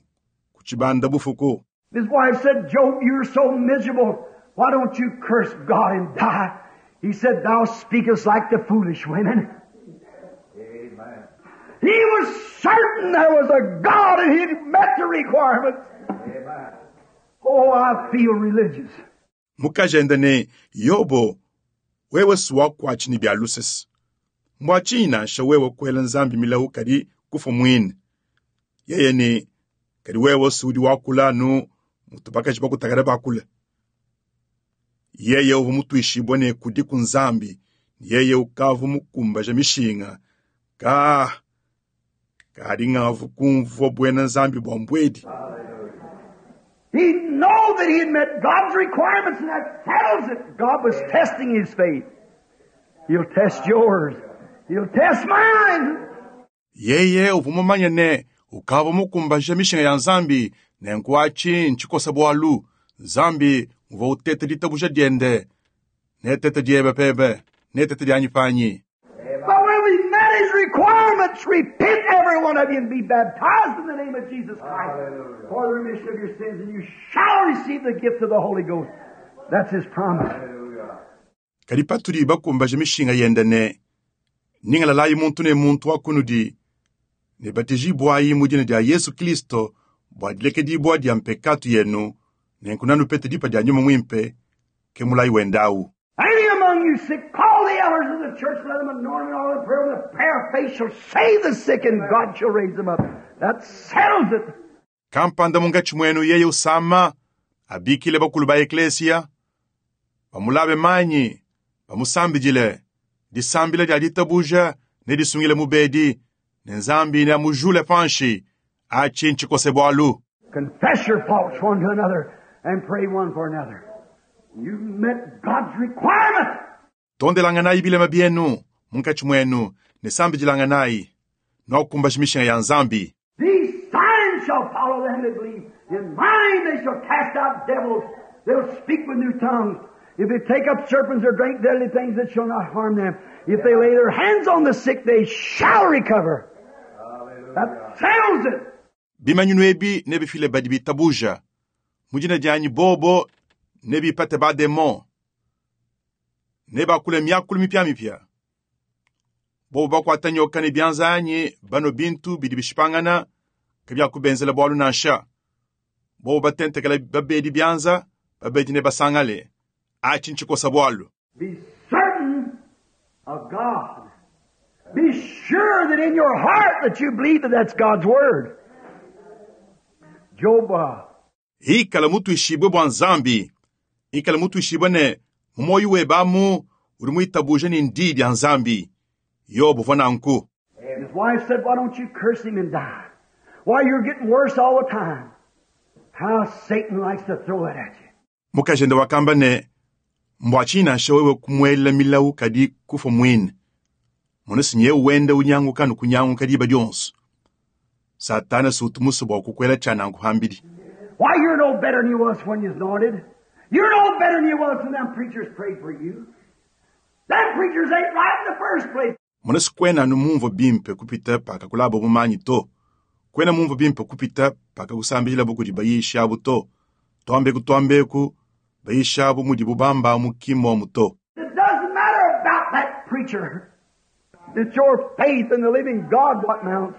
kuchibanda bufuku. His wife said, Job, you're so miserable. Why don't you curse God and die? He said, thou speakest like the foolish women. Amen. He was certain there was a God and he'd met the requirements. Amen. Oh, I feel religious. Mukajende ne Yobo wewe suwakuatshi ne bia lusese mbua tshinyi nansha wewe kuela Nzambi milawu kadi kufa mwine yeye ne kadi wewe sudi wakula anu mutu bakaji bakutakala bakula yeye uvua mutuishibue ne kudi ku Nzambi yeye ukavua mukumbaja mishinga ka kadi ngavu kumvua buena Nzambi bua mbuedi. He knew that he had met God's requirements, and that settles it. God was testing his faith. He'll test yours. He'll test mine. Yeye uvua mumanye ne ukavua mukumbaja mishinga ya Nzambi nenku atshi ntshikosa bualu Nzambi uvua uteta ditabuja diende netete diebe pebe netete dianyi panyi. But when we met his requirements, repent every one of you and be baptized in the name of Jesus Christ for the remission of your sins, and you shall receive the gift of the Holy Ghost. That's his promise. Kadi patudi bakumbaja mishinga yende ne ningalalayi muntu ne muntu wa kunudi Ne batijibwayi mu dina dia Yesu Kristo bua dilekedibua dia mpekatu yenu, nenku nanupete dipa dia nyuma mwimpe, ke mulayi wendawu. Any among you sick, call the elders of the church, let them anoint them in all the prayer. The prayer of faith shall save the sick, and God shall raise them up. That settles it. Kampanda mungatshi mwenu yeye usama, abikile bakulu ba eklesia, bamulabe manyi, bamusambidile, disambila dia ditabuja ne disungile mubedi, ne nzambi ne amujule panshi, achi nchikose bwalu. Confess your faults one to another and pray one for another. You met God's requirement. Tondelanganayi bilema byenu munkatshi mwenu ne sambidilanganayi, nwakukumbaja mishinga ya nzambi. These signs shall follow them that believe. In my name they shall cast out devils. They'll speak with new tongues. If they take up serpents or drink deadly things, it shall not harm them. If they lay their hands on the sick, they shall recover. That settles it. Bimanyinu ebi nebifile badi bitabuja. Mu dina dianyi bobo nebipate bademon. Nebakule myakulu mipyamipya. Bobo bakwata nyoka ne byanza anyi bano bintu bidi bishipangana kabyakubenzela bwalu nansha. Bobo batentekela babedi byanza babedi ne basangale. Achi nchikosa bwalu. Be certain of God. Be sure that in your heart that you believe that that's God's Word. Job, uh, Ikala mutu ishibwe bwa nzambi. Ikala mutu ishibwe ne mumoyi webamu uri muitabuje ni ndidi ya nzambi. Yobu vona nku. his wife said, "Why don't you curse him and die? Why, you're getting worse all the time." How Satan likes to throw it at you. Mukajende wakamba ne mbwachina nsha wewe kumwela milawu kadi kufa mwine. Muno sinye wenda unyanguka nukunyanguka diba dyonso. Satana sutumuso bwa kukwela chana nkuhambili. Why, you're no better than you was when you was anointed. You're no better than you was when them preachers prayed for you. Them preachers ain't right in the first place. Muno sikwena anu mumvo bimpe kupita paka kulabo mumanyi to. Kwena mumvo bimpe kupita paka kusambila bukudi bayisha abu to. Twambeku twambeku bayisha abu mudi bubamba mukimo muto. It doesn't matter about that preacher. It's your faith in the living God what mounts.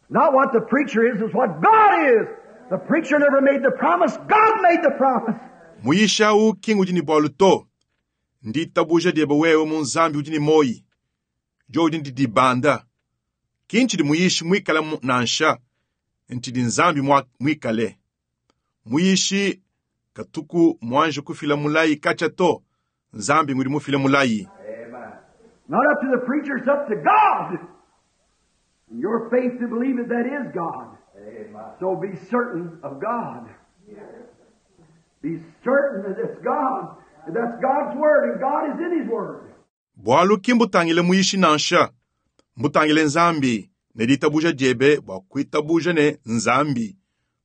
Not what the preacher is, it's what God is. The preacher never made the promise. God made the promise. Muyisha u kingu udi ni bwalu to. Ndi tabuja diebe wewe mu nzambi udi ni moyi. Jo udi ndi dibanda. Kinchi di muyishi mwikale mu- nansha. Nti di nzambi mwa- mwikale. Muyishi katuku mwanje kufila mulayi kacha to. Nzambi ngudi mufile mulayi. Not up to the preacher, it's up to God. And your faith to believe it, that is God. So be certain of God. Be certain that it's God. That that's God's Word, and God is in His Word. Bwalu kimbutangile muyishi nansha. Mbutangile nzambi ne ditabuja diebe bua kuitabuja ne nzambi.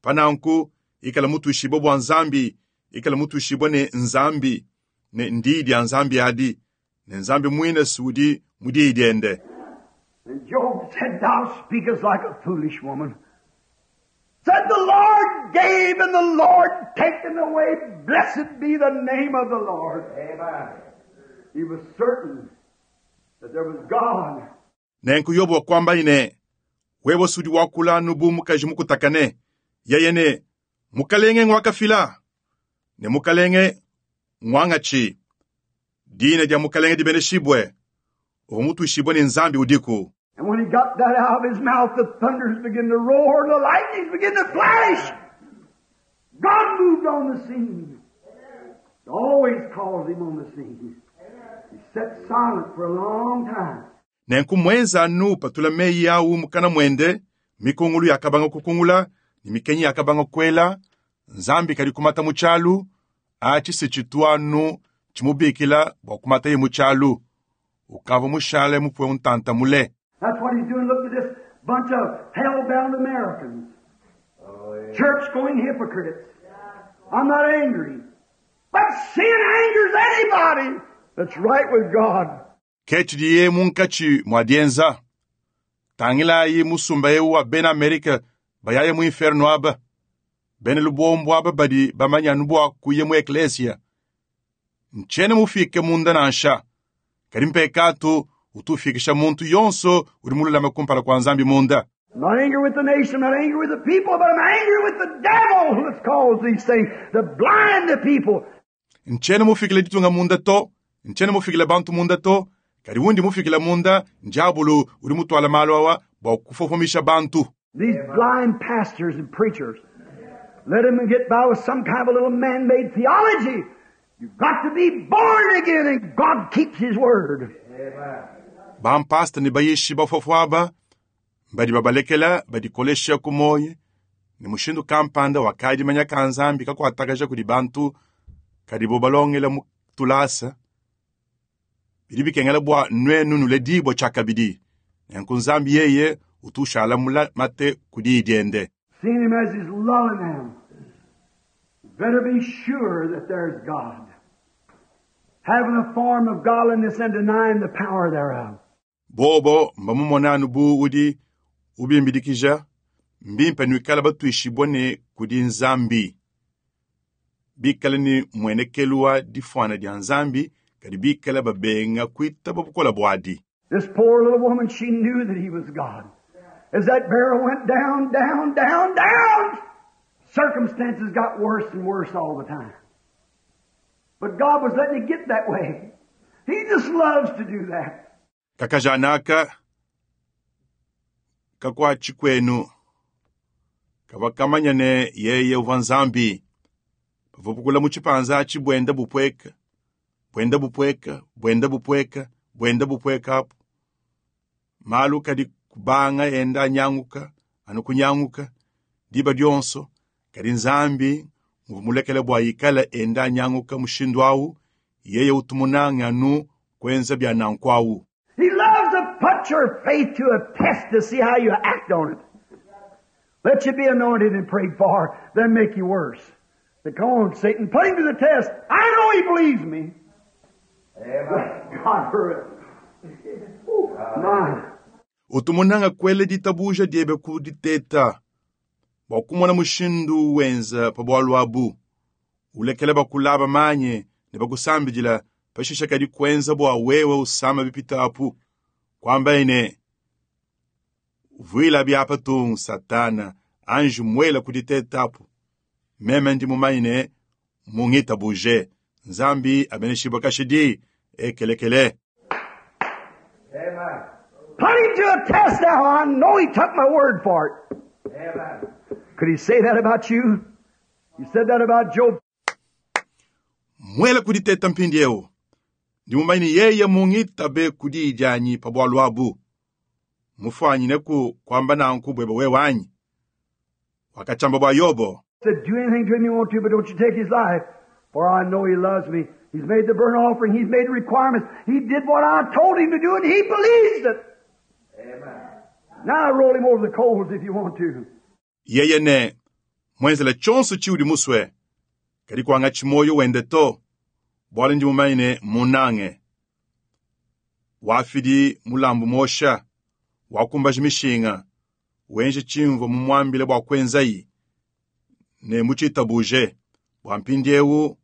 Pananku ikala mutuishibwe bua nzambi, ikala mutuishibwe ne nzambi, ne ndi dia nzambi adi, ne nzambi mwine sudi mudi diende. And Job said, "Thou speakest like a foolish woman." Said the Lord gave and the Lord taken away. Blessed be the name of the Lord. Amen. He was certain that there was God. Nenku Yobu wakwamba ine, wewe sudi wakula nubu mukaji mukutakane, yeye ne mukalenge ngwakafila, ne mukalenge ngwangachi. Dina dia mukalenge dibeneshibwe, uvo mutuishibwe ni nzambi udiku. And when he got that out of his mouth, the thunders began to roar and the lightnings began to flash. God moved on the scene. It always calls him on the scene. He sat silent for a long time. Nenku mwenza anu patula meyi awu mukana mwende, mikungulu yakabanga kukungula, ni mikenyi yakabanga kwela, nzambi kali kumata muchalu, achi sichitwanu chimubikila bwa kumata ye muchalu. Ukava mushale mupwe untanta mule. That's what he's doing. Look at this bunch of hell-bound Americans. Church-going hypocrites. I'm not angry. But sin angers anybody that's right with God. Kechi diye munkachi mwadienza. Tangilayi musumba yewu wa bena Amerika bayaye mu inferno aba. Bene lubombo aba badi bamanya nubwa kuye mu eklesia. Nchene mufike munda nansha. Kadi mpekatu Utufikisha muntu yonso udi mululame kumpala kua Nzambi munda. I'm not angry with the nation, I'm not angry with the people, but I'm angry with the devil who has caused these things to blind the people. Nchena mufikile ditunga munda to, nchena mufikile bantu munda to, kadi wundi mufikile munda njabulu udi mutwala malu awa bua kufofomisha bantu. These blind pastors and preachers, let them get by with some kind of a little man-made theology. You've got to be born again, and God keeps His word. Bampasta ne bayishi bafofo aba badi babalekela badikolesha ku moyo ne mushindu kampanda wakadimanya ka Nzambi kakuatakaja kudi bantu kadi bo balongela mu tulasa bidi bikengela bua nuenu nuledibua tshiakabidi nenku Nzambi yeye utushala mulamate ku diyi diende. Seeing him as he's lulling them. Better be sure that there's God. Having a form of godliness and denying the power thereof. Bobo mbamumonanu bu udi ubimbidikija mbimpe nuikala batuishibwa ne kudi Nzambi. Bikala ni mwenekelu wa difwana dia Nzambi kadi bikala babenga kuitaba bukola bwadi. This poor little woman, she knew that he was God. As that barrel went down, down, down, down, circumstances got worse and worse all the time. But God was letting it get that way. He just loves to do that. Kakajanaka kakwachi kwenu kavakamanya ne yeye uva Nzambi pavupukula mu chipanza achi bwenda bupweka bwenda bupweka bwenda bupweka bwenda bupweka apo malu kadi kubanga enda anyanguka anu kunyanguka diba dionso kadi Nzambi muvumulekele bua ikala enda anyanguka mushindu awu yeye utumunanga anu kwenza bya nanku awu. He loves to put your faith to a test to see how you act on it. Let you be anointed and prayed for, then make you worse. Say, come on, Satan, put him to the test. I know he believes me. Amen. God for it. Ooh, my. Utumunanga kwele ditabuja diebe kuditeta bua kumona mushindu wenza pa bwalu abu ulekele bakulaba manye ne bakusambidila pashisha kadi kwenza bua wewe usama bipita apu kwamba ine vuila byapa tung satana anju mwela kuditeta apu meme ndi mumaine mungita buje Nzambi abeneshibwa kashidi ekelekele. Amen. Put him to a test now. I know he took my word for it. Amen. Could he say that about you? He said that about Job. Mwela kuditeta mpindi eu ndi mumaine yeye mungita be kudidyanyi pa bwalu abu mufwanyine ku kwamba nanku bwebe wewanyi wakachamba bwa Yobo. Said, do anything to him you want to, but don't you take his life, for I know he loves me. He's made the burnt offering. He's made the requirements. He did what I told him to do, and he believes it. Amen. Now roll him over the coals if you want to. Yeye ne mwenzela chonso chiudi muswe kadi kwanga chimoyo wende to bwala ndi mumaine munange wafidi mulambu mosha wakumbaji mishinga wenje chimvo mumwambile bwa kwenzayi ne muchitabuje bwa mpindi ewu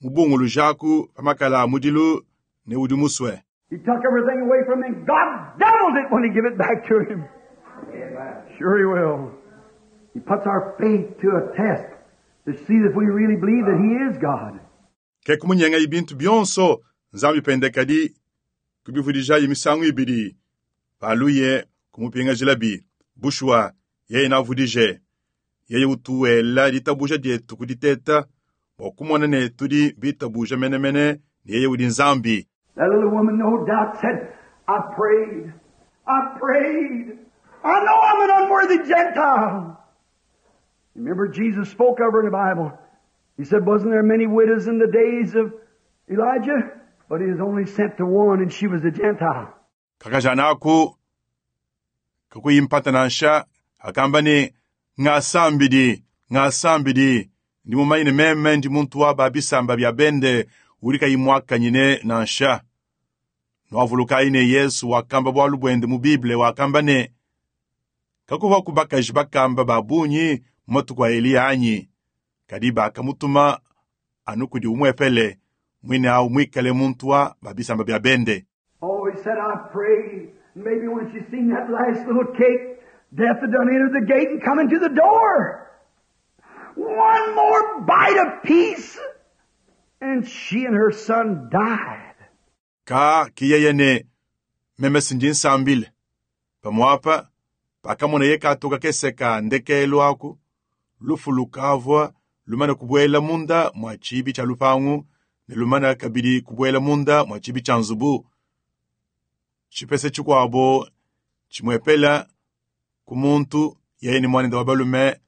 mubungulu jaku pamakala mudilu ne udi muswe. He took everything away from him. God doubled it when he gave it back to him. Amen. Sure he will. He puts our faith to a test to see if we really believe that he is God. Ke kumunyenga ibintu byonso Nzambi pendekadi kubivudijayi misangu ibidi paluye kumupinga jilabi bushwa yeye navudije yeye utuwela ditabuja dietu kuditeta bua kumona ne tudi bitabuja menemene ne yeye udi Nzambi. That little woman no doubt said, I prayed. I prayed. I know I'm an unworthy Gentile. Remember Jesus spoke of her in the Bible. He said, wasn't there many widows in the days of Elijah? But he was only sent to one, and she was a Gentile. Kakajanaku kakuyimpata nansha akamba ne ngasambidi ngasambidi ndi mumaine meme ndi muntu wa babisamba bya bende uli kayimwakanyine nansha nwavulukayi ne Yesu wakamba bwalu bwende mu Bible wakamba ne kakuva kubakaji bakamba babunyi matuku a Eliya anyi kadi bakamutuma anu kudi umwepele mwine awu mwikale muntu wa babisamba bya bende. Oh, So he said, I pray. Maybe when she seen that last little cake, death had done entered the gate and come into the door. One more bite of peace, and she and her son died. Ka kiyeye ne meme sindi nsambile pamwapa pakamona ye katuka keseka ndekelo aku lufu lukavwa lumana kubwela munda mwa chibi cha lupangu ne lumana kabidi kubwela munda mwa chibi cha nzubu chipese chikwabo chimwepela kumuntu yeye ni mwanende wa balume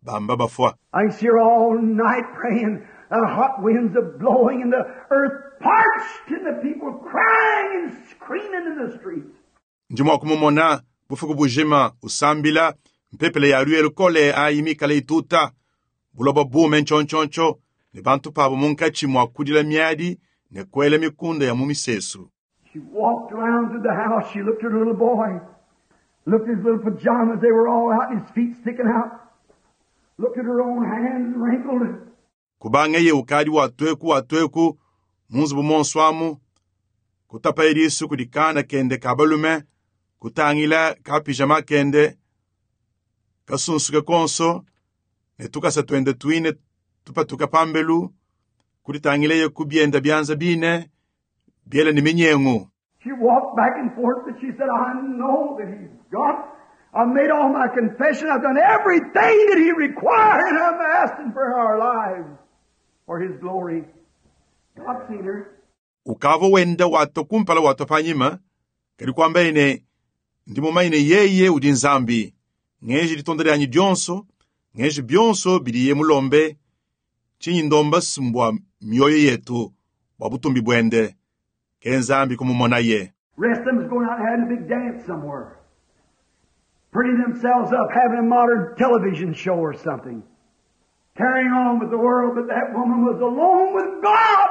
bamba bafwa. I can see her all night praying, the hot winds are blowing and the earth parched and the people crying and screaming in the streets. Ndimo kumumona bufuku bujima usambila mpepele ya lwe lukole ayimikala ituta buloba bume nchonchoncho ne bantu pabo munkachi mwa kudila miadi ne kwela mikunda ya mumisesu. She walked around through the house. She looked at her little boy, looked at his little pajamas. They were all out and his feet sticking out. Looked at her own hands wrinkled. Kubanga ye ukadi watweku watweku munzubu monswamu kutapa ilisu kudikana kende kabalume kutangila ka pijama kende kasunsuke konso ne tukasa twende twine tupatuka pambelu kuditangila ye kubyenda byanza bine byela ni minyengu. She walked back and forth, but she said, I know that he's God. I've made all my confession. I've done everything that he required, and I'm asking for our lives for his glory. God seen her. Ukavo wenda wato kumpala wato panyima kali kwamba ine ndimumaine yeye udi nzambi ngeji litonda lyanyi dyonso ngeji byonso biliye mulombe chinyi ndomba simbwa mioyo yetu bwa butumbi bwende ke nzambi kumumona ye. Rest of them was going out and having a big dance somewhere, pretty themselves up, having a modern television show or something, carrying on with the world, but that woman was alone with God.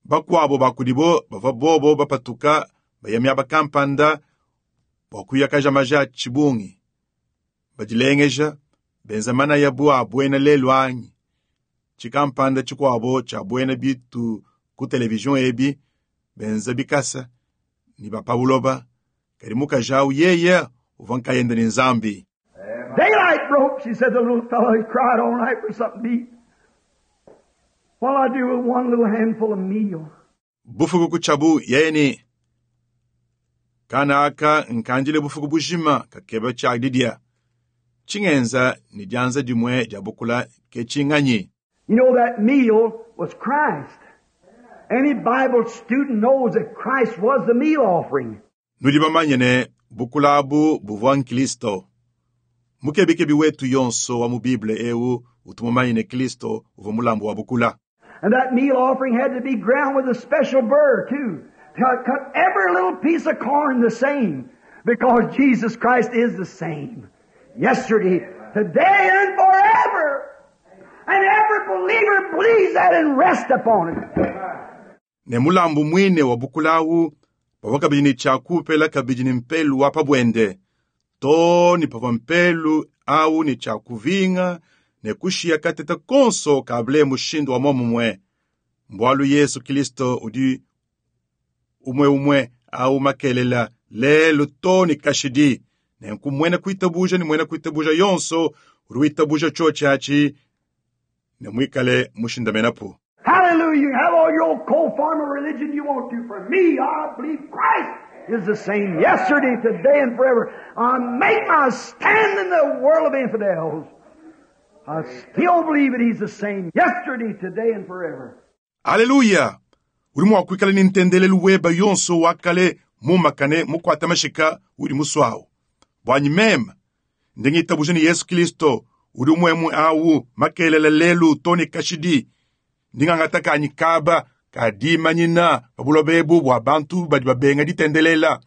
Bakwabo bakudibo bava bobo bapatuka bayamya bakampanda bwakuyakaja maja chibungi bajilengeja benzamana ya bwa bwena lelo anyi chikampanda chikwabo cha bwena bitu ku television ebi benza bikasa ni bapabuloba kali mukajawu yeye uva nkayenda ni nzambi. Daylight broke, she said. The little fellow, he cried all night for something to eat. What'll I do with one little handful of meal? Bufuku kuchabu yeni kana aka nkanjile bufuku bujima kakeba cha didia chingenza ni janza dimwe jabukula ke chinganyi. You know that meal was Christ. Any Bible student knows that Christ was the meal offering. Nudi bamanyene bukulabu buvwa Kristo. Mukebikebi wetu yonso wa mu Bible ewu utumumanyene Kristo uva mulambo wa bukula. And that meal offering had to be ground with a special burr too. To cut every little piece of corn the same, because Jesus Christ is the same yesterday, today, and forever. And every believer believes that and rests upon it. Ne mulambu mwine wa bukulawu pavwa kabidi ni chakupela kabidi ni mpelu wa pabwende to ni pavwa mpelu au ni chakuvinga ne kushia kateta konso kable mushindu wa momumwe mbwalu Yesu Kristo udi umwe umwe au makelela lelo to ni kashidi ne nkumwena kuitabuja ni mwena kuitabuja yonso ruitabuja chochachi ne mwikale mushindamenapo. Hallelujah. You have all your old cold form of religion you want to. For me, I believe Christ is the same yesterday, today, and forever. I make my stand in the world of infidels. I still believe that He's the same yesterday, today, and forever. Hallelujah. Uli mwakwikala ni ntendele luweba yonso wakale mumakane mukwata mashika uli muswawo. Bwanyi mema ndingi ni Yesu Kristo uli umwemwe awu makelele lelu toni kashidi ndingangatakanyi kaba kadimanyina babulobebu bwa bantu badi babenga ditendelela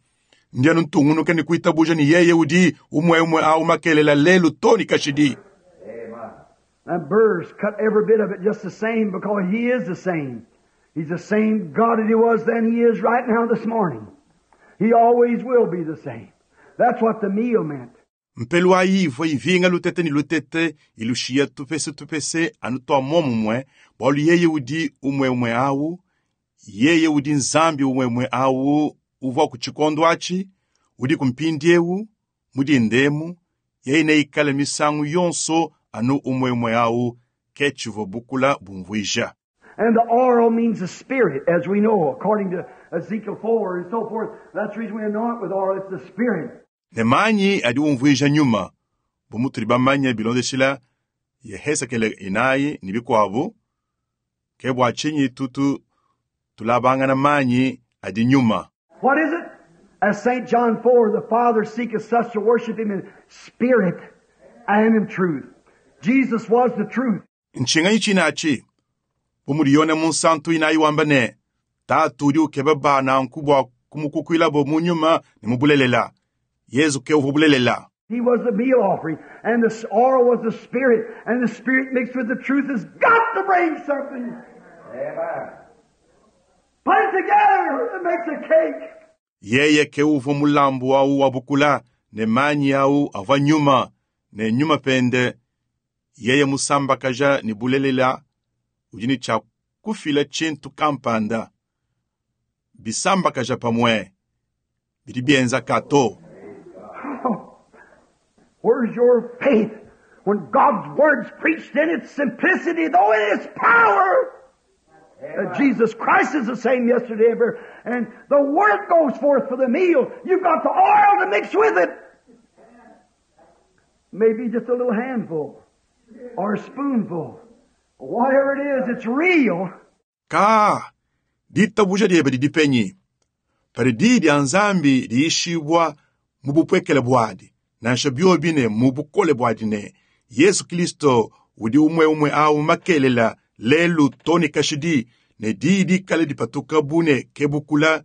ndianu ntungunuke ni kuitabuja ni yeye udi umwemwe awu makelela lelu toni kashidi. And burrs cut every bit of it just the same, because He is the same. He's the same God that He was then, He is right now this morning. He always will be the same. That's what the meal meant. Mpelu ayivo ivinga lutete ni lutete ilushia tupese tupese anutoa momumwe bwalu yeye udi umwe umwe awu yeye udi nzambi umwe umwe awu Uvua ku tshikondo atshi, udi ku mpindiewu, mu dindemu, yeye neikale misangu yonso anu umwe awu ke tshivua bukula bumvuija. And the oil means the Spirit, as we know, according to Ezekiel four and so forth. That's the reason we anoint with oil, it's the Spirit. Ne manyi adi umvuija nyuma, bu mutudi bamanye bilondeshila Yehezekele inayi ne bikuabu, ke bua tshinyi tutu tulabangana manyi adi nyuma. What is it? As Saint John four, the Father seeketh such to worship Him in spirit and in truth. Jesus was the truth. Ntshinganyi tshinachi, bu mudi Yone Munsantu inayi wamba ne, Tatu udi ukeba bana nku bua kumukukuilabo mu nyuma ne mu bulelela. Yezu ke uvua bulelela. He was the meal offering, and the oil was the Spirit, and the Spirit mixed with the truth has got to bring something. Amen. Put it together, it makes a cake. Yeye ke uvua mulambu awu wa bukula ne manyi awu avua nyuma ne nyuma pende. Yeye musambakaja ne bulelela udi ne tshia kufila tshintu kampanda. Bisambakaja pamue bidi bienza kato. Where's your faith when God's word's preached in its simplicity, though in its power? That Jesus Christ is the same yesterday and forever. And the word goes forth for the meal. You've got the oil to mix with it. Maybe just a little handful or a spoonful. Whatever it is, it's real. Ka, ditabuja diebe didi penyi. Padi di dia Nzambi diishibwa mu bupwekele bwadi, nansha biobi ne mu bukole bwadi ne Yesu Kristo udi umwe umwe awu makelela lelu toni kashidi ne di dikale dipatuka bune kebukula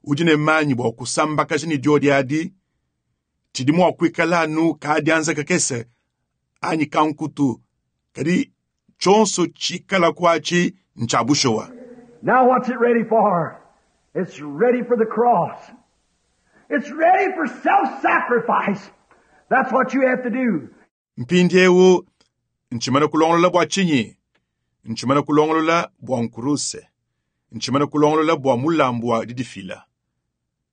udi ne manyi bua kusambakaja ne diodi adi tshidi mua kuikala anu kadianza kakese anyi kankutu kadi tshonso tshikala kwatshi ntsha bushowa. Now what's it ready for? It's ready for the cross. It's ready for self-sacrifice. That's what you have to do. Mpindiewu ntshimana kulongolola bua tshinyi? Ntshimana kulongolola bua nkuruse. Ntshimana kulongolola bua mulambu wa didifila.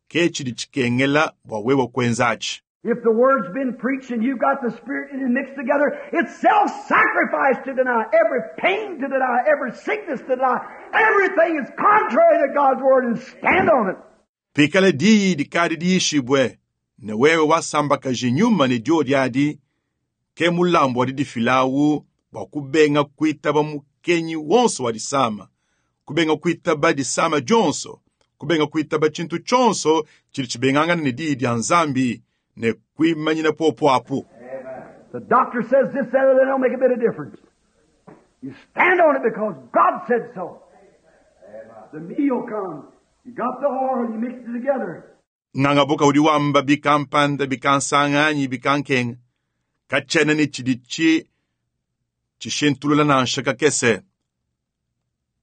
Ke tshidi tshikengela bua wewe kuenza atshi. If the word's been preached and you've got the Spirit in it mixed together, it's self-sacrifice to deny every pain, to deny every sickness, to deny everything is contrary to God's word and stand on it. Pikala diyi dikadi diishibwe ne wewe wasambakaji nyuma ne diodi adi ke mulambu wa didifilawu bua kubenga kuitaba mukenyi wonso wa disama, kubenga kuitaba disama dionso, kubenga kuitaba tshintu tshonso tshidi tshibengangana ne diyi dia Nzambi ne kuimanyina popo apu. The doctor says this, that, or that don't make a bit of difference. You stand on it because God said so. The meal comes. You got the oil, you mix it together. Ngangabuka udi wamba bikampanda bikansanganyi bikankenga. Katshena ne tshidi tshi tshishintulula nansha kakese.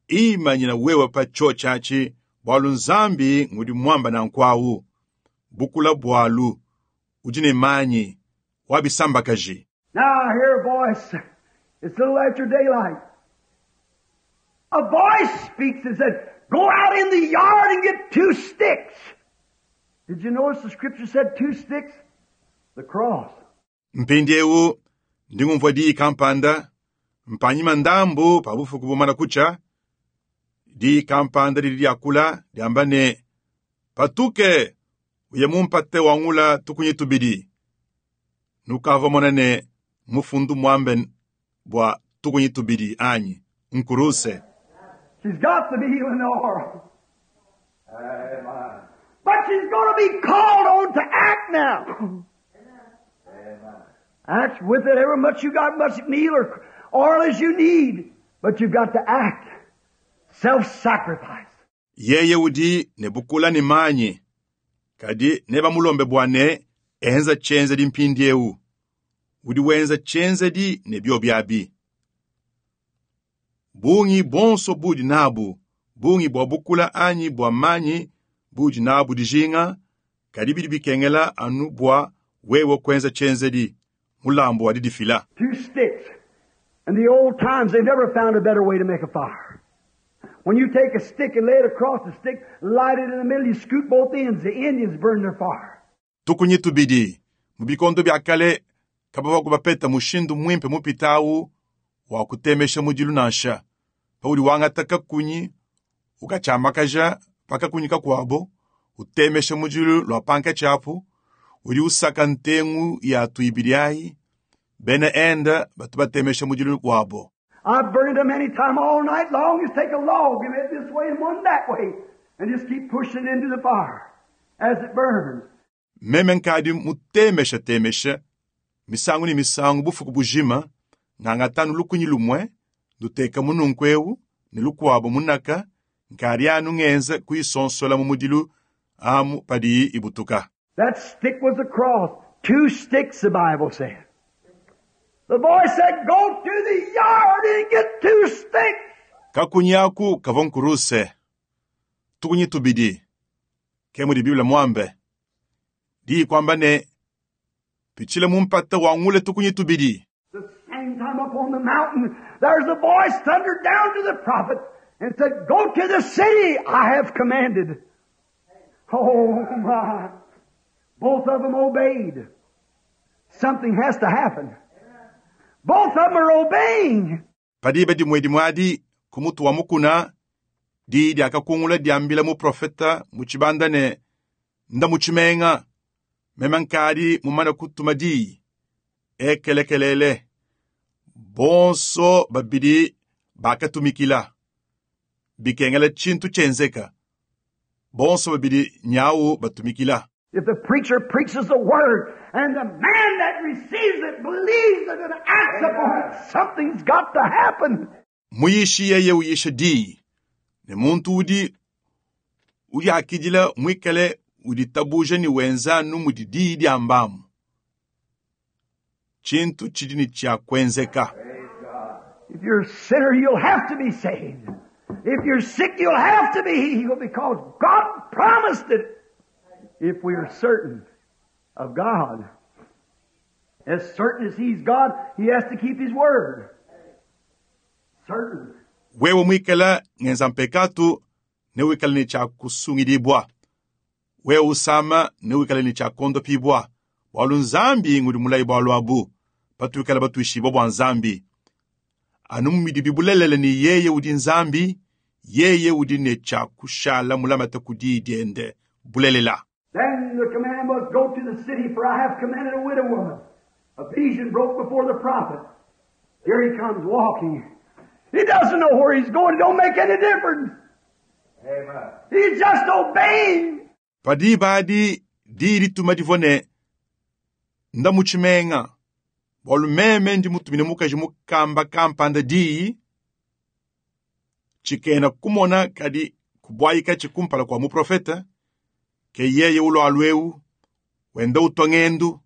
Imanyina wewe pa tsho tshatshi bwalu Nzambi ngudi mwamba na nkwawu. Bukula bwalu udi ne manyi wabisambakaji. Now I hear a voice. It's a little after daylight. A voice speaks and said, go out in the yard and get two sticks. Did you notice the scripture said two sticks? The cross. Mpindiewu ndingumvua diyi kampanda mpanyima ndambu pa bufuku bumana kucha diyi kampanda lili liakula liamba ne patuke uye mumpate wangula tukunyi tubidi nukava mona ne mufundu mwambe bua tukunyi tubidi anyi nkuruse. She's got the meal and the oil. Amen. But she's gonna be called on to act now. Amen. Act with it ever much you got, much meal or oil as you need. But you've got to act. Self-sacrifice. Yeye udi ne bukula ne manyi. Kadi ne bamulombe bua ne enza tshenzedi mpindiewu. Udi wenza tshenzedi ne bio biabi. Bungi bonso budi nabu, bungi bua bukula anyi bua manyi budi nabu dijinga, kadi bidi bikengela anu bua wewe kwenza tshenzedi mulambu wa didifila. Two sticks. In the old times, they never found a better way to make a fire. When you take a stick and lay it across the stick, light it in the middle, you scoot both ends. The Indians burn their fire. Tukunyi tubidi mu bikondo bya kale kabavua bapeta mushindu mwimpe mupitawu wa kutemesha mudilu nansha paudi wangata kakunyi ukatshiamakaja pa kakunyi kakuabo utemesha mudilu lua pankatshi apu udi usaka ntengu ya tuibidi ayi bena enda batu batemesha mudilu wabo. I've burned them many time all night long. Just take a log and it this way and one that way, and just keep pushing it into the fire as it burns. Meme nkadi mutemesha temesha misangu ni misangu bufuku bujima ngangatanu lukunyi lumwe nduteka mununku ewu ne lukuabo munaka nkadi anu ngenza kuisonsola mu mudilu amu padiyi ibutuka. That stick was a cross. Two sticks, the Bible said. The boy said, go to the yard and get two sticks. Kakunyi aku kavua nkuruse tukunyi tubidi ke mudi Biblia mwambe diyi kwamba ne pitshile mumpata wangule tukunyi tubidi. The same time up on the mountain, there's a voice thundered down to the prophet and said, go to the city I have commanded. Oh my. Both of them obeyed. Something has to happen. Both of them are obeying. Padiba dimwe dimwadi kumutu wa mukuna diyi diakakungula diambila muprofeta muchibanda ne nda muchimenga meme nkadi mumana kutuma diyi ekelekelele bonso babidi bakatumikila bikengela tshintu tshenzeka bonso babidi nyawu batumikila. If the preacher preaches the word and the man that receives it believes it and acts upon it, something's got to happen. Muyishi yeye uyisha diyi ne muntu udi uyakidila mwikale uditabuja ni wenzanu mudi diyi diambamu tshintu tshidi ni tshia kwenzeka. If you're a sinner, you'll have to be saved. If you're sick, you'll have to be healed because God promised it. If we are certain of God, as certain as He's God, He has to keep His word. Certain. Wewe mwikala ngenza mpekatu ne wikala ni cha kusungidibwa. Wewe usama ne wikala ni cha kondopibwa. Bwalu nzambi ngudi mulayi bwalu abu. Patuikala batuishibwa bwa nzambi. Anu mumidi bibulelele ni yeye udi nzambi, yeye udi ne cha kushala mulamata kudi diende bulelela. Then the command was, go to the city, for I have commanded a widow woman. A vision broke before the prophet. Here he comes walking. He doesn't know where he's going. It don't make any difference. Amen. He's just obeying. Padi badi di dituma divua ne nda mutshimenga bwalu meme ndi mutumine mukaji mukamba kampanda diyi tshikena kumona kadi kubwayika tshikumpala kua muprofeta ke yeye ulwalu ewu wenda utwa ng'endu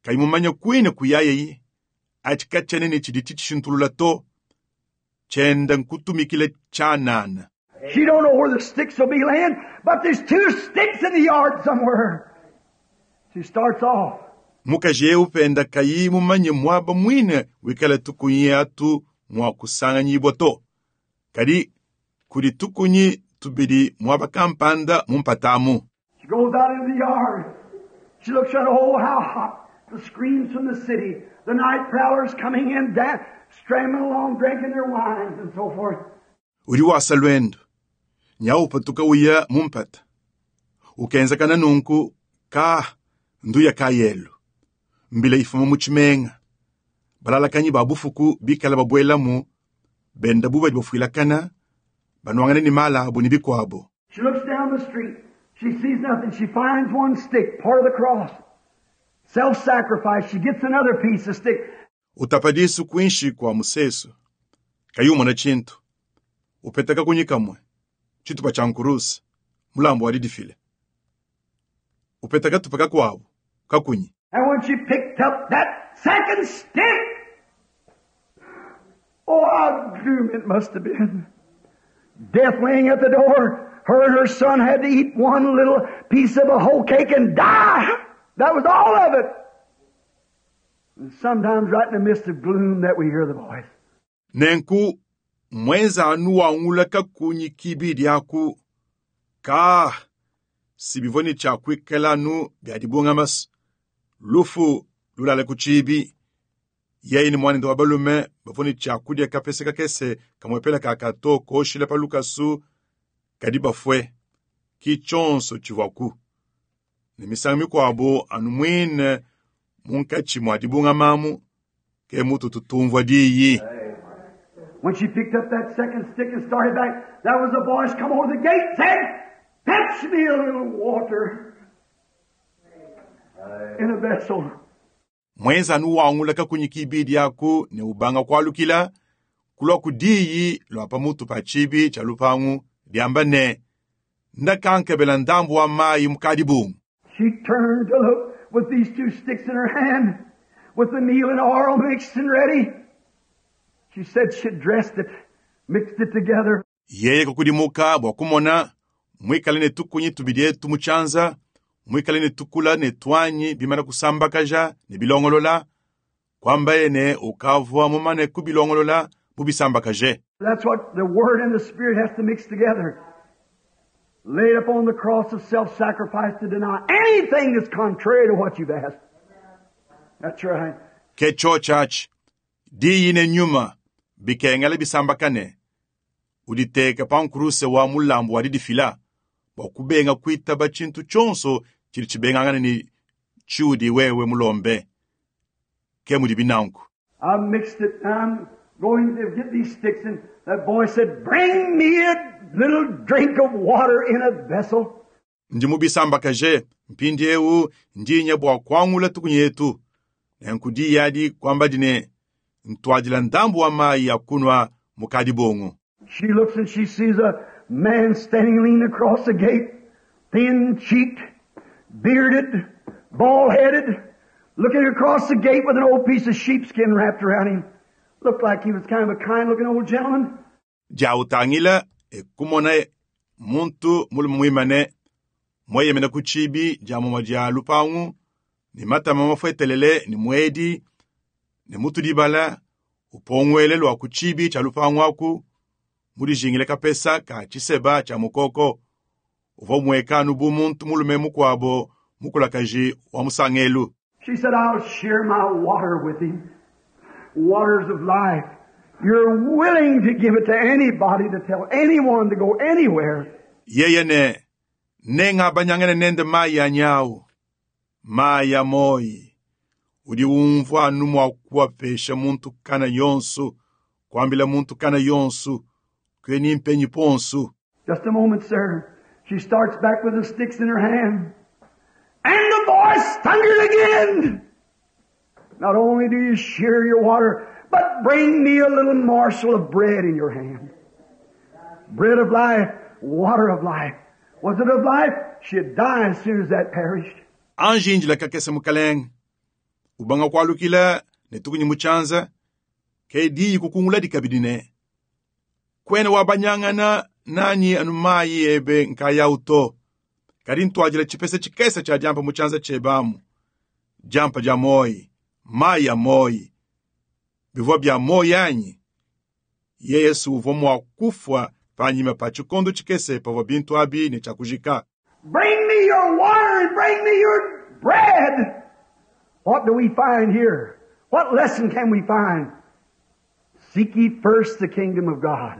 kayi mumanya kwine kuyayeyi atshika tshenene tshidi tshitshintulula to tshenda nkutumikile tshanana. She don't know where the sticks will be laying, but there's two sticks in the yard somewhere. She starts off. Mukaji ewu penda kayi mumanye mwaba mwine wikala tukunyi atu mwa kusanganyibwa to. Kadi kudi tukunyi tubidi mwaba kampanda mumpatamu. She goes out into the yard. She looks at, oh, how hot. The screams from the city. The night prowlers coming in, da- stramming along, drinking their wines and so forth. Udi wasa lwendo. Nyau patuka uya mumpata. Ukenzekana nunku ka nduya kayelu. Mbila ifuma mutshimenga. Balalakanyi ba bufuku bikala babwelamu benda bubadi bafuilakana banwangana ni mala abo ni bikwabo. She looks down the street. She sees nothing. She finds one stick, part of the cross. Self-sacrifice. She gets another piece of stick. Utapadisu kuinshi kwa musesu. Kayumona chintu. Upetaka kunyikamwe. Chitupa cha nkurusi. Mulambo walidifile. Upetaka tupaka kwabo. Kakunyi. And when she picked up that second stick, oh, how gloom it must have been. Death laying at the door. Her and her son had to eat one little piece of a whole cake and die. That was all of it. And sometimes right in the midst of gloom that we hear the voice. Nenku Mwenza anu wangula kakunyi kibidi aku ka sibivua ne tshiakuikala anu bia dibungama lufu lulala ku tshibi yeye ne mwanende wa balume bavua ne tshiakudia kapese kakese kamwepela kakato koshila pa lukasu kadi bafue ki tshionso tshivuaku ne misangu mikuabo anu muine munkatshi mua dibungamamu ke mutu tutumvua diyi. When she picked up that second stick and started back, there was a voice come over the gate said, "Fetch me a little water in a vessel." Mwenza anu wangula kakunyi kibidi aku ne ubanga kualukila kulua ku diyi lua pamutu pa tshibi tshia lupangu diamba ne ndakankebela ndambu wa mayi mukadi bungu. She turned to look with these two sticks in her hand, with the meal and oil mixed and ready. She said she dressed it, mixed it together. Yeye kukudimuka bua kumona mwikale ne tukunyi tubidi etu mu tshianza mwikale ne tukula ne twanyi bimana kusambakaja ne bilongolola kwambaye ne ukavua mumane kubilongolola mubisambakaje. That's what the Word and the Spirit has to mix together. Laid upon the cross of self-sacrifice to deny anything that's contrary to what you've asked. That's right. Ke tshotshatshi diyi ne nyuma bikengela bisambakane uditeka pa nkuruse wa mulambu wa didifila bua kubenga kuitaba tshintu tshionso tshidi tshibengangane ne tshiudi wewe mulombe ke mudi binanku. I mixed it. I'm going to get these sticks, and that boy said, "Bring me a little drink of water in a vessel." Ndi mubisambakaje mpindiewu ndinya bua kuangula tukunyi etu nenku diyi adi kwamba dine ntwadila ndambu wa mayi ya kunwa mukadi bongo. She looks and she sees a man standing leaning across the gate, thin-cheeked, bearded, bald-headed, looking across the gate with an old piece of sheepskin wrapped around him. Looked like he was kind of a kind-looking old gentleman. Diautangila ekumona muntu mulume muimane mweyemena ku tshibi dia mumua dia lupangu ne matama mafuetelele ne muedi ne mutu dibala upongwele lua ku tshibi tshia lupangu aku mudijingile kapesa ka tshiseba tshia mukoko uvua muekanu bu muntu mulume mukuabo mukulakaji wa musangelu. She said, "I'll share my water with him. Waters of life. You're willing to give it to anybody, to tell anyone to go anywhere." Yeye ne nenga banyangene nende mayi ya nyau mayi ya moyi udi umvua anu mua kuapesha muntu kana yonso kuambila muntu kana yonso kweni mpenyi ponso. Just a moment, sir. She starts back with the sticks in her hand. And the voice thundered again. "Not only do you share your water, but bring me a little morsel of bread in your hand." Bread of life, water of life. Was it of life? She'd die as soon as that perished. Anji injila kakese mukalenge ubanga kualukila ne tukunyi mutshianza ke diyi kukungula dikabidi ne kwene wabanyangana nanyi anu mayi ebe nkaya uto kadi ntwadila tshipese tshikese tshia diampa mutshianza tshebamu diampa dia moyi mayi ya moyi bivua bia moyi anyi ye Yesu uvua mua kufua panyima pa tshikondo tshikese pavua bintu abi ne tshiakujika. Bring me your water and bring me your bread. What do we find here? What lesson can we find? Seek ye first the kingdom of God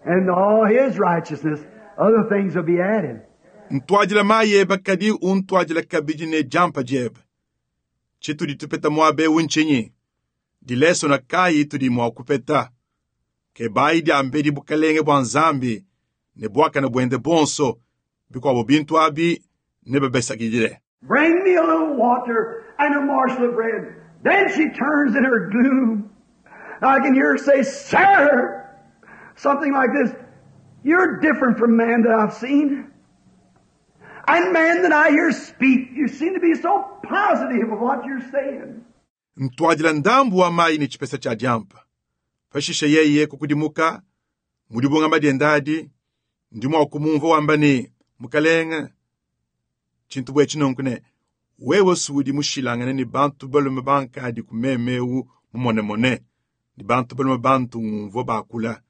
and all His righteousness. Other things will be added. Ntwadila mayi eba kadi untwadila kabidi ne diampa diebe. Tshitudi tupeta muaba ewu ntshinyi? Dileso na kayi tudi mua kupeta. Ke bayi diambedi bukalenge bua Nzambi ne buakane buende bonso bikuabo bintu abi ne babesakidile. Bring me a little water and a morsel of bread. Then she turns in her gloom. I can hear her say, "Sir," something like this, "You're different from man that I've seen. And man that I hear speak, you seem to be so positive of what you're saying." Ntwadila ndambu wa mayi ne tshipesa tshia diampa. Pashishe yeye kukudimuka mudibunga madiendadi ndi mua kumumvua wamba ne mukalenge tshintu bue tshinonku ne wewe sudi mushilangane ne bantu balume bankadi ku memewu mumonemone Ne bantu balume bantu ngumvua bakula.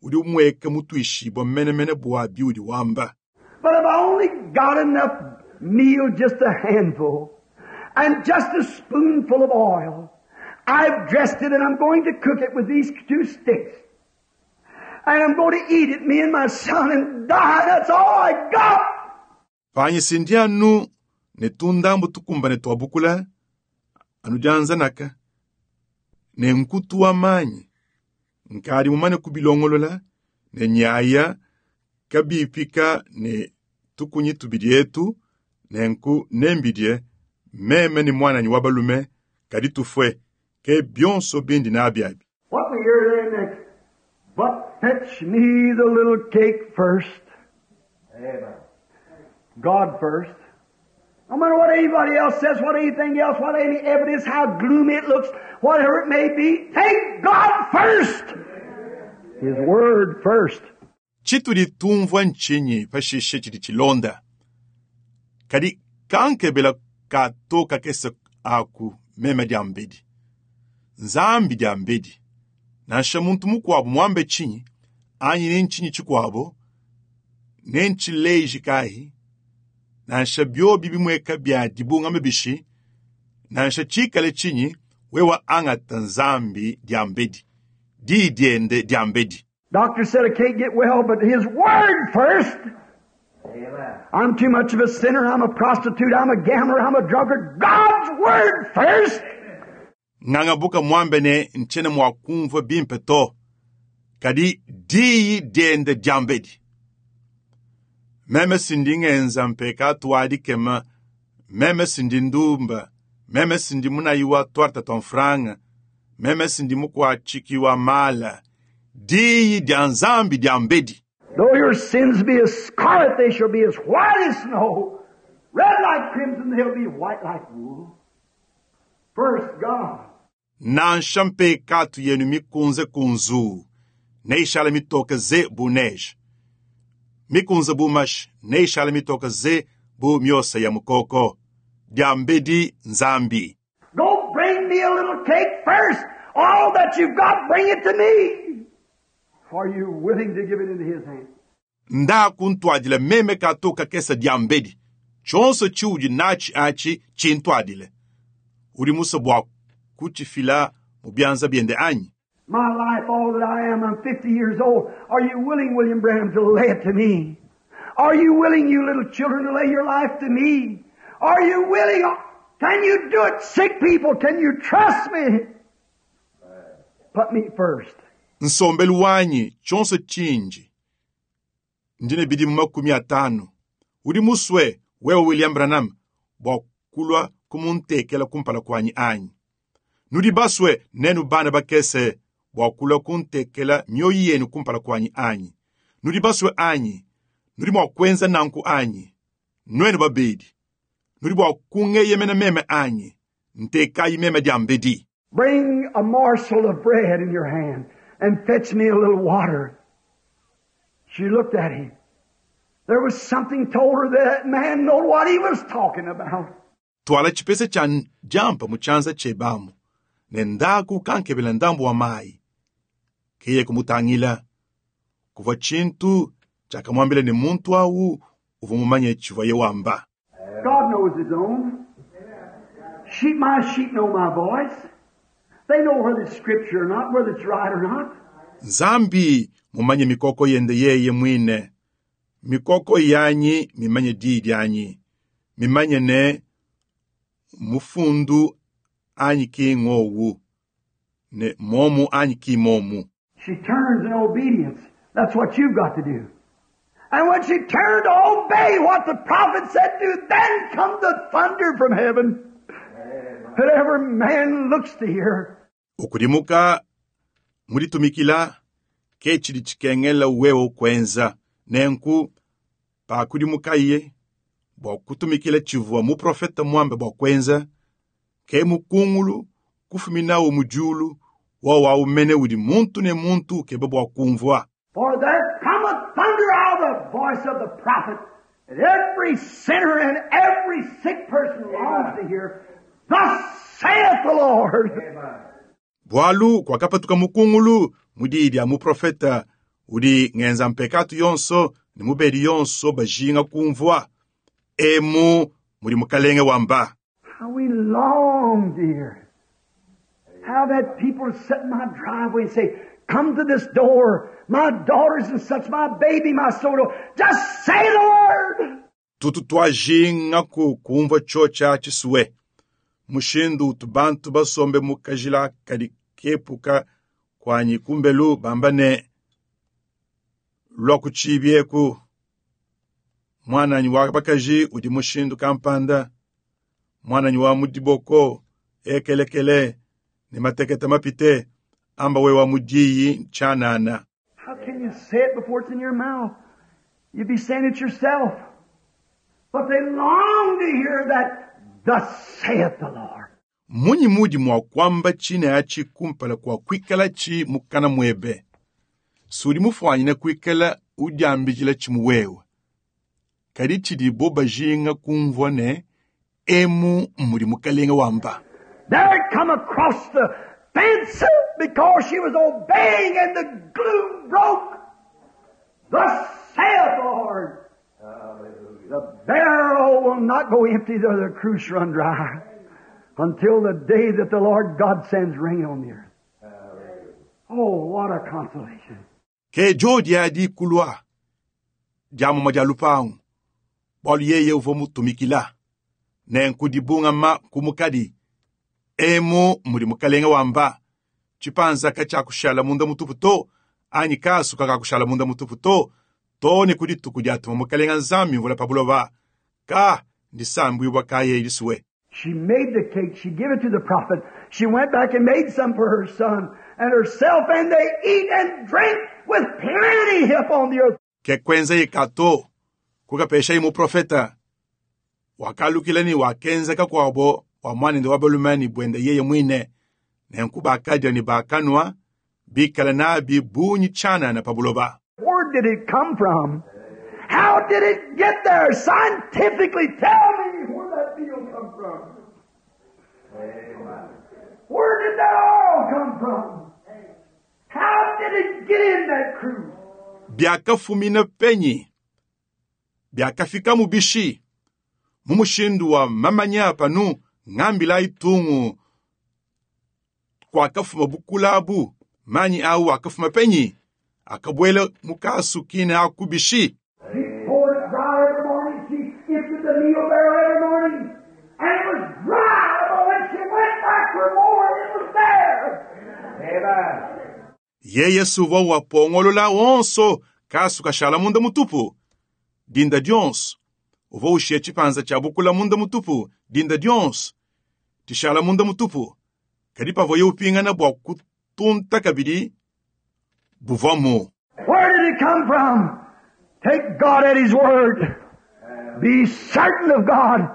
Udi umweka mutwishibwa menemene bwa biudi wamba. But if I only got enough meal, just a handful, and just a spoonful of oil, I've dressed it and I'm going to cook it with these two sticks. And I'm going to eat it, me and my son, and die. That's all I got. Panyi sindi anu ne tundambu tukumbane twabukula anu dianzanaka ne nkutu wa manyi nkadi mumane kubilongolola ne nyaya kabipika ne tukunyi tubidi etu nenku nembidie meme ni mwananyi wa balume kadi tufwe ke bionso bindi nabyabi. What we hear there next? But fetch me the little cake first. Amen. God first. No matter what anybody else says, what anything else, what any evidence, how gloomy it looks, whatever it may be, take God first. His Word first. Chitudi tumvwa nchinyi pashishe chidi chilonda. Kadi kankebela katoka kese aku meme diambedi. Nzambi diambedi. Nansha muntu mukuabu mwambe chinyi, anyi ne nchinyi chikuabo, ne nchileji kahi, nansha byobi bimweka bya dibungame bishi, nansha chikale chinyi, wewa angata nzambi diambedi. Di diende diambedi. Doctor said I can't get well, but His Word first. Amen. I'm too much of a sinner. I'm a prostitute. I'm a gambler. I'm a drunkard. God's Word first. Ngangabuka mwambe ne nchene mwa kumva bimpe to. Kadi diyi diende diambedi. Meme sindi ngenza mpeka twadi kema. Meme sindi ndumba. Meme sindi munayiwa twarta tonfranga. Meme sindi mukwa chikiwa mala. Diyi dia nzambi diambedi. Though your sins be as scarlet, they shall be as white as snow. Red like crimson, they'll be white like wool. First, God. Nansha mpekatu yenu mikunze kunzu. Neishala mitoka ze bu neige. Mikunze bu mash, neishala mitoka ze bu myosa ya mukoko. Diambedi nzambi. Go bring me a little cake first. All that you've got, bring it to me. Are you willing to give it into His hand? Nda kuntwadile meme katoka kesa diambedi. Chonso chiudi nachi achi chintwadile. Uri musa bwa kuchifila mubyanza biende anyi. My life, all that I am, I'm fifty years old. Are you willing, William Branham, to lay it to me? Are you willing, you little children, to lay your life to me? Are you willing? Can you do it, sick people? Can you trust me? Put me first. Nsombelu wanyi chonso chinji. Ndine bidi makumi atano. Uri muswe wewe William Branham bwa kulwa kumuntekela kumpala kwanyi anyi. Nudi baswe nenu bana bakese bwa kulwa kuntekela mioyo yenu kumpala kwanyi anyi. Nudi baswe anyi. Nudi mwa kwenza nanku anyi. Nwenu babedi. Nudi bwa kungeyemena meme anyi. Ntekayi meme diambedi. Bring a morsel of bread in your hand and fetch me a little water. She looked at him. There was something told her that man knew what he was talking about. Twala chipese cha jampa muchanza chebamu. Nendaku kankebela ndambu wa mai. Kiye kumutangila. Kuva chintu chakamwambile ni muntu au uvumumanye chivaye wamba. God knows His own. Sheep, my sheep know my voice. They know whether it's scripture or not, whether it's right or not. Nzambi mumanye mikoko yende yeye mwine. Mikoko yanyi mimanye didi yanyi. Mimanye ne mufundu anyi ki ngowu. Ne momu anyi ki momu. She turns in obedience. That's what you've got to do. And when she turned to obey what the prophet said to, then come the thunder from heaven. That every man looks to hear. Ukudimuka mulitumikila ke chili chikengela wewe kwenza nenku pakudimuka iye bwa kutumikila chivua muprofeta mwambe bwa kwenza ke mukungulu kufuminawo mujulu wa waumene udi muntu ne muntu kebe bwa kumvwa. For there cometh thunder out of the voice of the prophet, and every sinner and every sick person longs to hear, Thus saith the Lord. Amen. Bwalu kwakapatuka mukungulu mu diyi dia muprofeta udi ngenza mpekatu yonso ne mubedi yonso bajinga kumvwa. Emu mudi mukalenge wamba. How we long, dear. How that people sit in my driveway and say, come to this door, my daughters and such, my baby, my soul. Just say the word. Tutu twajinga ku kumvwa chocha chisuwe. Mushindu utu bantu basombe mu kajila kadi kepuka kwanyi kumbelu bamba ne lwa kuchibyeku. Mwananyi wa bakaji udi mushindu kampanda. Mwananyi wa mudiboko ekelekele ne mateketa mapite amba we wa mudiyi chanana. How can you say it before it's in your mouth? You'd be saying it yourself. But they long to hear that, thus saith the Lord. Munyi mudi mwa kwamba chine achi kumpala kwa kwikala chi mukana mwebe. Sudi mufwanyine kwikala udyambijila chimuwewe. Kadi chidi bo bajinga kumvwa ne emu mudi mukalenga wamba. There it come across the fence because she was obeying and the gloom broke. Thus saith the Lord. The barrel will not go empty though the cruse run dry until the day that the Lord God sends rain on the earth. Oh, what a consolation. Ke jodi adi kulwa diamuma dia lupangu bwalu yeye uvua mutumikila nenku dibungama kumukadi emu mudi mukalenga wamba chipanza kachakushala munda mutupu to anyi kasu kakakushala munda mutupu to to ne kudi tuku diatuma mukalenga nzambi mvula pa buloba ka ndisambwibwa kaye ilisuwe. She made the cake. She gave it to the prophet. She went back and made some for her son and herself, and they eat and drink with plenty upon the earth. Ke kwenza ikato kukapesha imu profeta wakalukila ni wakenza kakwabo wa mwanende wa balumani bwenda yeye mwine nenku bakadya ni bakanwa bikala nabi bunyi chana na pabuloba. Where did it come from? How did it get there? Scientifically, tell me where that meal come from. Where did that oil come from? How did it get in that cruse? Byakafumina penyi byakafika mubishi mu mushindu wa mamanya panu ngambila itungu kwakafuma bukulabu manyi awu akafuma penyi akabwela mukasu kine akubishi. She poured it dry every morning. She emptied the meal barrel every morning. And it was dry, but when she went back for more, it was there. Amen. Yeye suva wapongolola wonso kasu kashala munda mutupu dinda dionso uva ushie chipanza cha bukula munda mutupu dinda dionso tishala munda mutupu kadi pavoye upingana bwa kutunta kabidi buvamu. Where did it come from? Take God at His word. Be certain of God.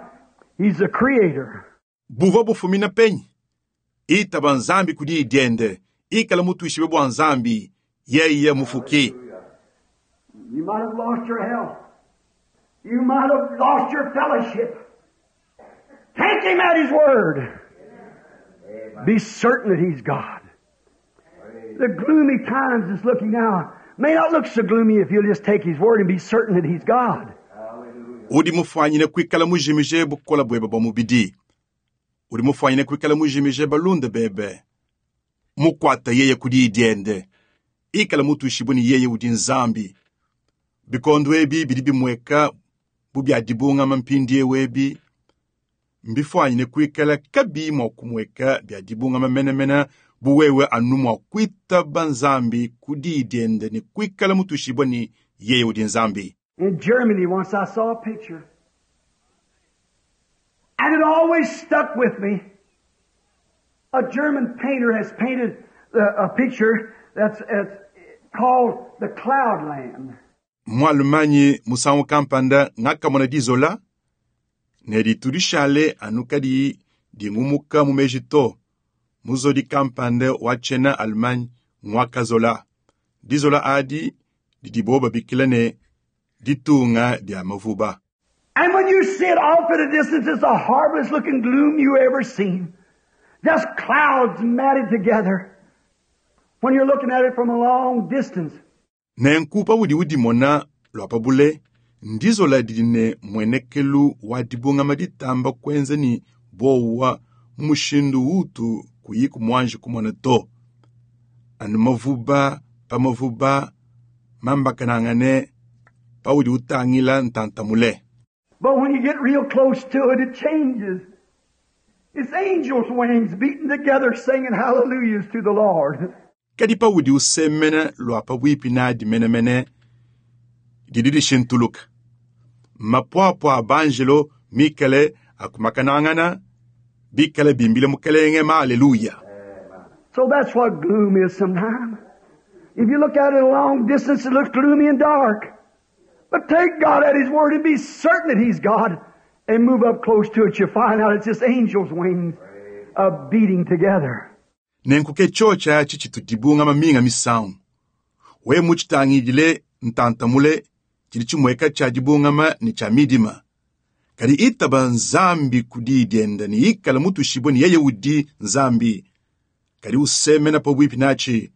He's the Creator. Buva bufumina penyi itaba nzambi kudi idiende ikala mutuishibe bwa nzambi yeye mufuki. You might have lost your health. You might have lost your fellowship. Take Him at His word. Be certain that He's God. The gloomy times is looking now may not look so gloomy if you'll just take His word and be certain that He's God. Udi mufwanyine kwikala mujimije bukola bwebe bwa mubidi. Udi mufwanyine kwikala mujimije balunda bebe. Mukwata yeye kudi idiende. Ikala mutuishibu ni yeye udi nzambi. Bikondo ebi bidi bimweka bubya dibungama mpindi ewebi. Mbifwanyine kwikala kabi mwa kumweka bya dibungama menemene buwewe anu mwa kwitaba nzambi kudi idiende ni kwikala mutuishibu ni yeye udi nzambi. In Germany once I saw a picture. And it always stuck with me. A German painter has painted a, a picture that's, that's called the Cloudland. Mwalumanyi musangu kampanda ngakamona dizola ne ditudishale anu kadi dingumuka mu meji to muzodi kampanda wa tshena Allemagne ngwakazola dizola adi didibo babikila ne ditunga dia mavuba. And when you see it off at a distance, it's the horriblest looking gloom you ever seen. Just clouds matted together when you're looking at it from a long distance. Nenku paudi udimona lwa pa bule ndizola didi ne mmuenekelu wa dibungama ditamba kuenza ne buowa mu mushindu utu kuyi kumuanji kumona to. Anu mavuba pa mavuba mambakanangane paudi utangila ntanta mule. But when you get real close to it, it changes. It's angels' wings beating together singing hallelujahs to the Lord. Kadi paudi usemena lwa pabuipi nadi menemene didi dishintuluka. Mapuapua a banjelo mikale akumakanangana bikale bimbila mukelenge ma aleluya. So that's what gloom is sometimes. If you look at it a long distance, it looks gloomy and dark. But take God at His word and be certain that He's God and move up close to it. You find out it's just angels' wings uh, beating together. Nenku ke tshotsha atshi tshitu dibungama minga misangu. We mutshitangidile ntanta mule tshidi tshimueka tshia dibungama ne tshia midima. Kadi itaba Nzambi ku diyi diende ne ikala mutushibue ne yeye udi Nzambi. Kadi usemena pabuipi natshi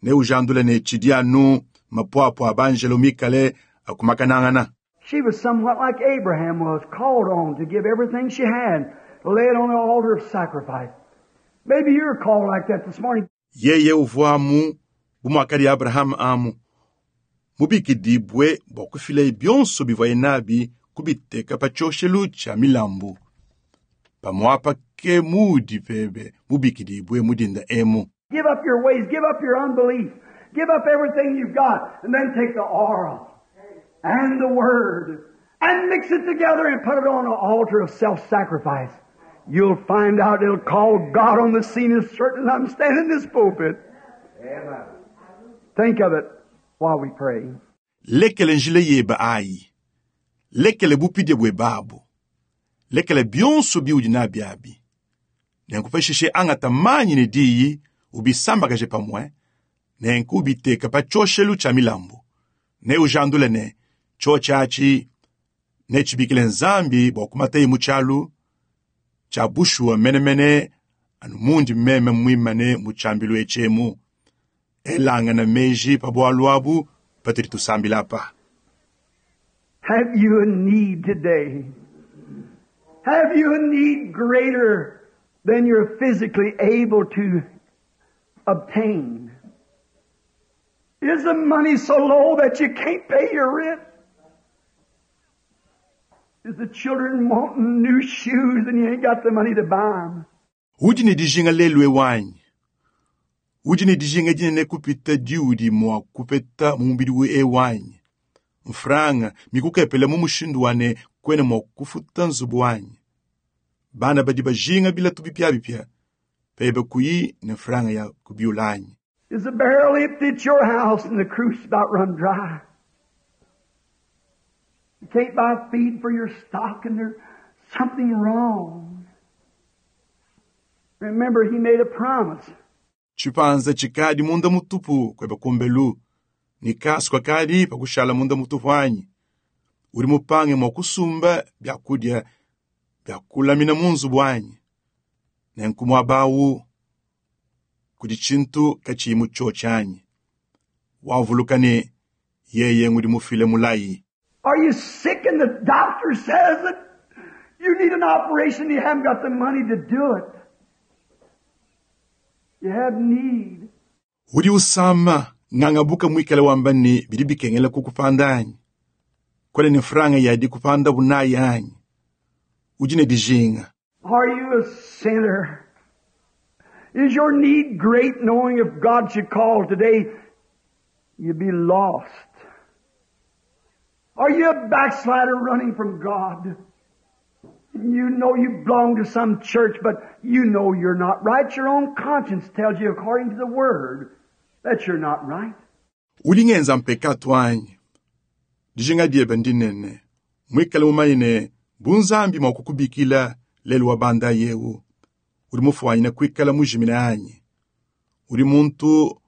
ne ujandula ne tshidi anu mapuapua a banjelo mikale akumakanangana. She was somewhat like Abraham was, called on to give everything she had, to lay it on the altar of sacrifice. Maybe you're called like that this morning. Yeye uvua amu bu muakadi Abraham amu mubikidibue bua kufila bionso bivuaye nabi kubiteka pa tshioshelu tshia milambu. Pamuapa ke muudi pebe mubikidibue mu dinda emu. Give up your ways, give up your unbelief, give up everything you've got, and then take the oil and the Word and mix it together and put it on an altar of self-sacrifice. You'll find out it'll call God on the scene as certain as I'm standing in this pulpit. Amen. Think of it while we pray. Lekele njila yebe ayi. Lekele bupidie bwebe abu. Lekele bionso biudi nabi abi. Nenku pashishe angata manyi ne diyi ubisambakaje pamue, nenku ubiteka pa tshioshelu tshia milambu. Ne ujandule ne tshotsha atshi ne tshibikile Nzambi bua kumataye mu tshialu tshia bushuwa menemene anu mundi meme muimane mu tshiambilu etshemu. Elangana meji pa bualu abu patudi tusambila apa. Have you a need today? Have you a need greater than you're physically able to obtain? Is the money so low that you can't pay your rent? Is the children wanting new shoes and you ain't got the money to buy 'em? Udi ne dijinga lelu ewanyi. Udi ne dijinga dinene kupita diudi mua kupeta mu mubidi ewanyi. Mfranga mikukepele mu mushindu wa ne kuena mua kufuta nzubu wanyi. Bana badi bajinga bilatu bipiabipia, pebe kuyi ne mfranga ya kubiulanyi. Is the barrel empty at your house and the cruse about run dry? You can't buy feed for your stock and there's something wrong. Remember, he made a promise. Tshipanza tshikadi munda mutupu kweba kumbelu, ni kasu kakadi pakushala munda mutupu anyi. Udi mupange mua kusumba byakudia bya kulamina mu nzubu wanyi. Nenku muaba awu kudi tshintu katshiyi mu tshotsha anyi. Wavuluka ne yeye ngudi mufile mulayi. Are you sick and the doctor says that you need an operation and you haven't got the money to do it? You have need. Udi usama ngangabuka mwikale wamba ne bidi bikengela kukupanda anyi. Kwele ne franga yadi kupanda bunayi anyi. Udi ne dijinga. Are you a sinner? Is your need great knowing if God should call today, you'd be lost? Are you a backslider running from God? You know you belong to some church, but you know you're not right. Your own conscience tells you according to the Word that you're not right. Udi ngenza mpekatu anyi. Dijinga diebe ndinene. Mwikale mumanye ne bunzambi mua kukubikila lelu wa banda yewu. Udi mufuanyine kuikala mujimine anyi. Udi muntu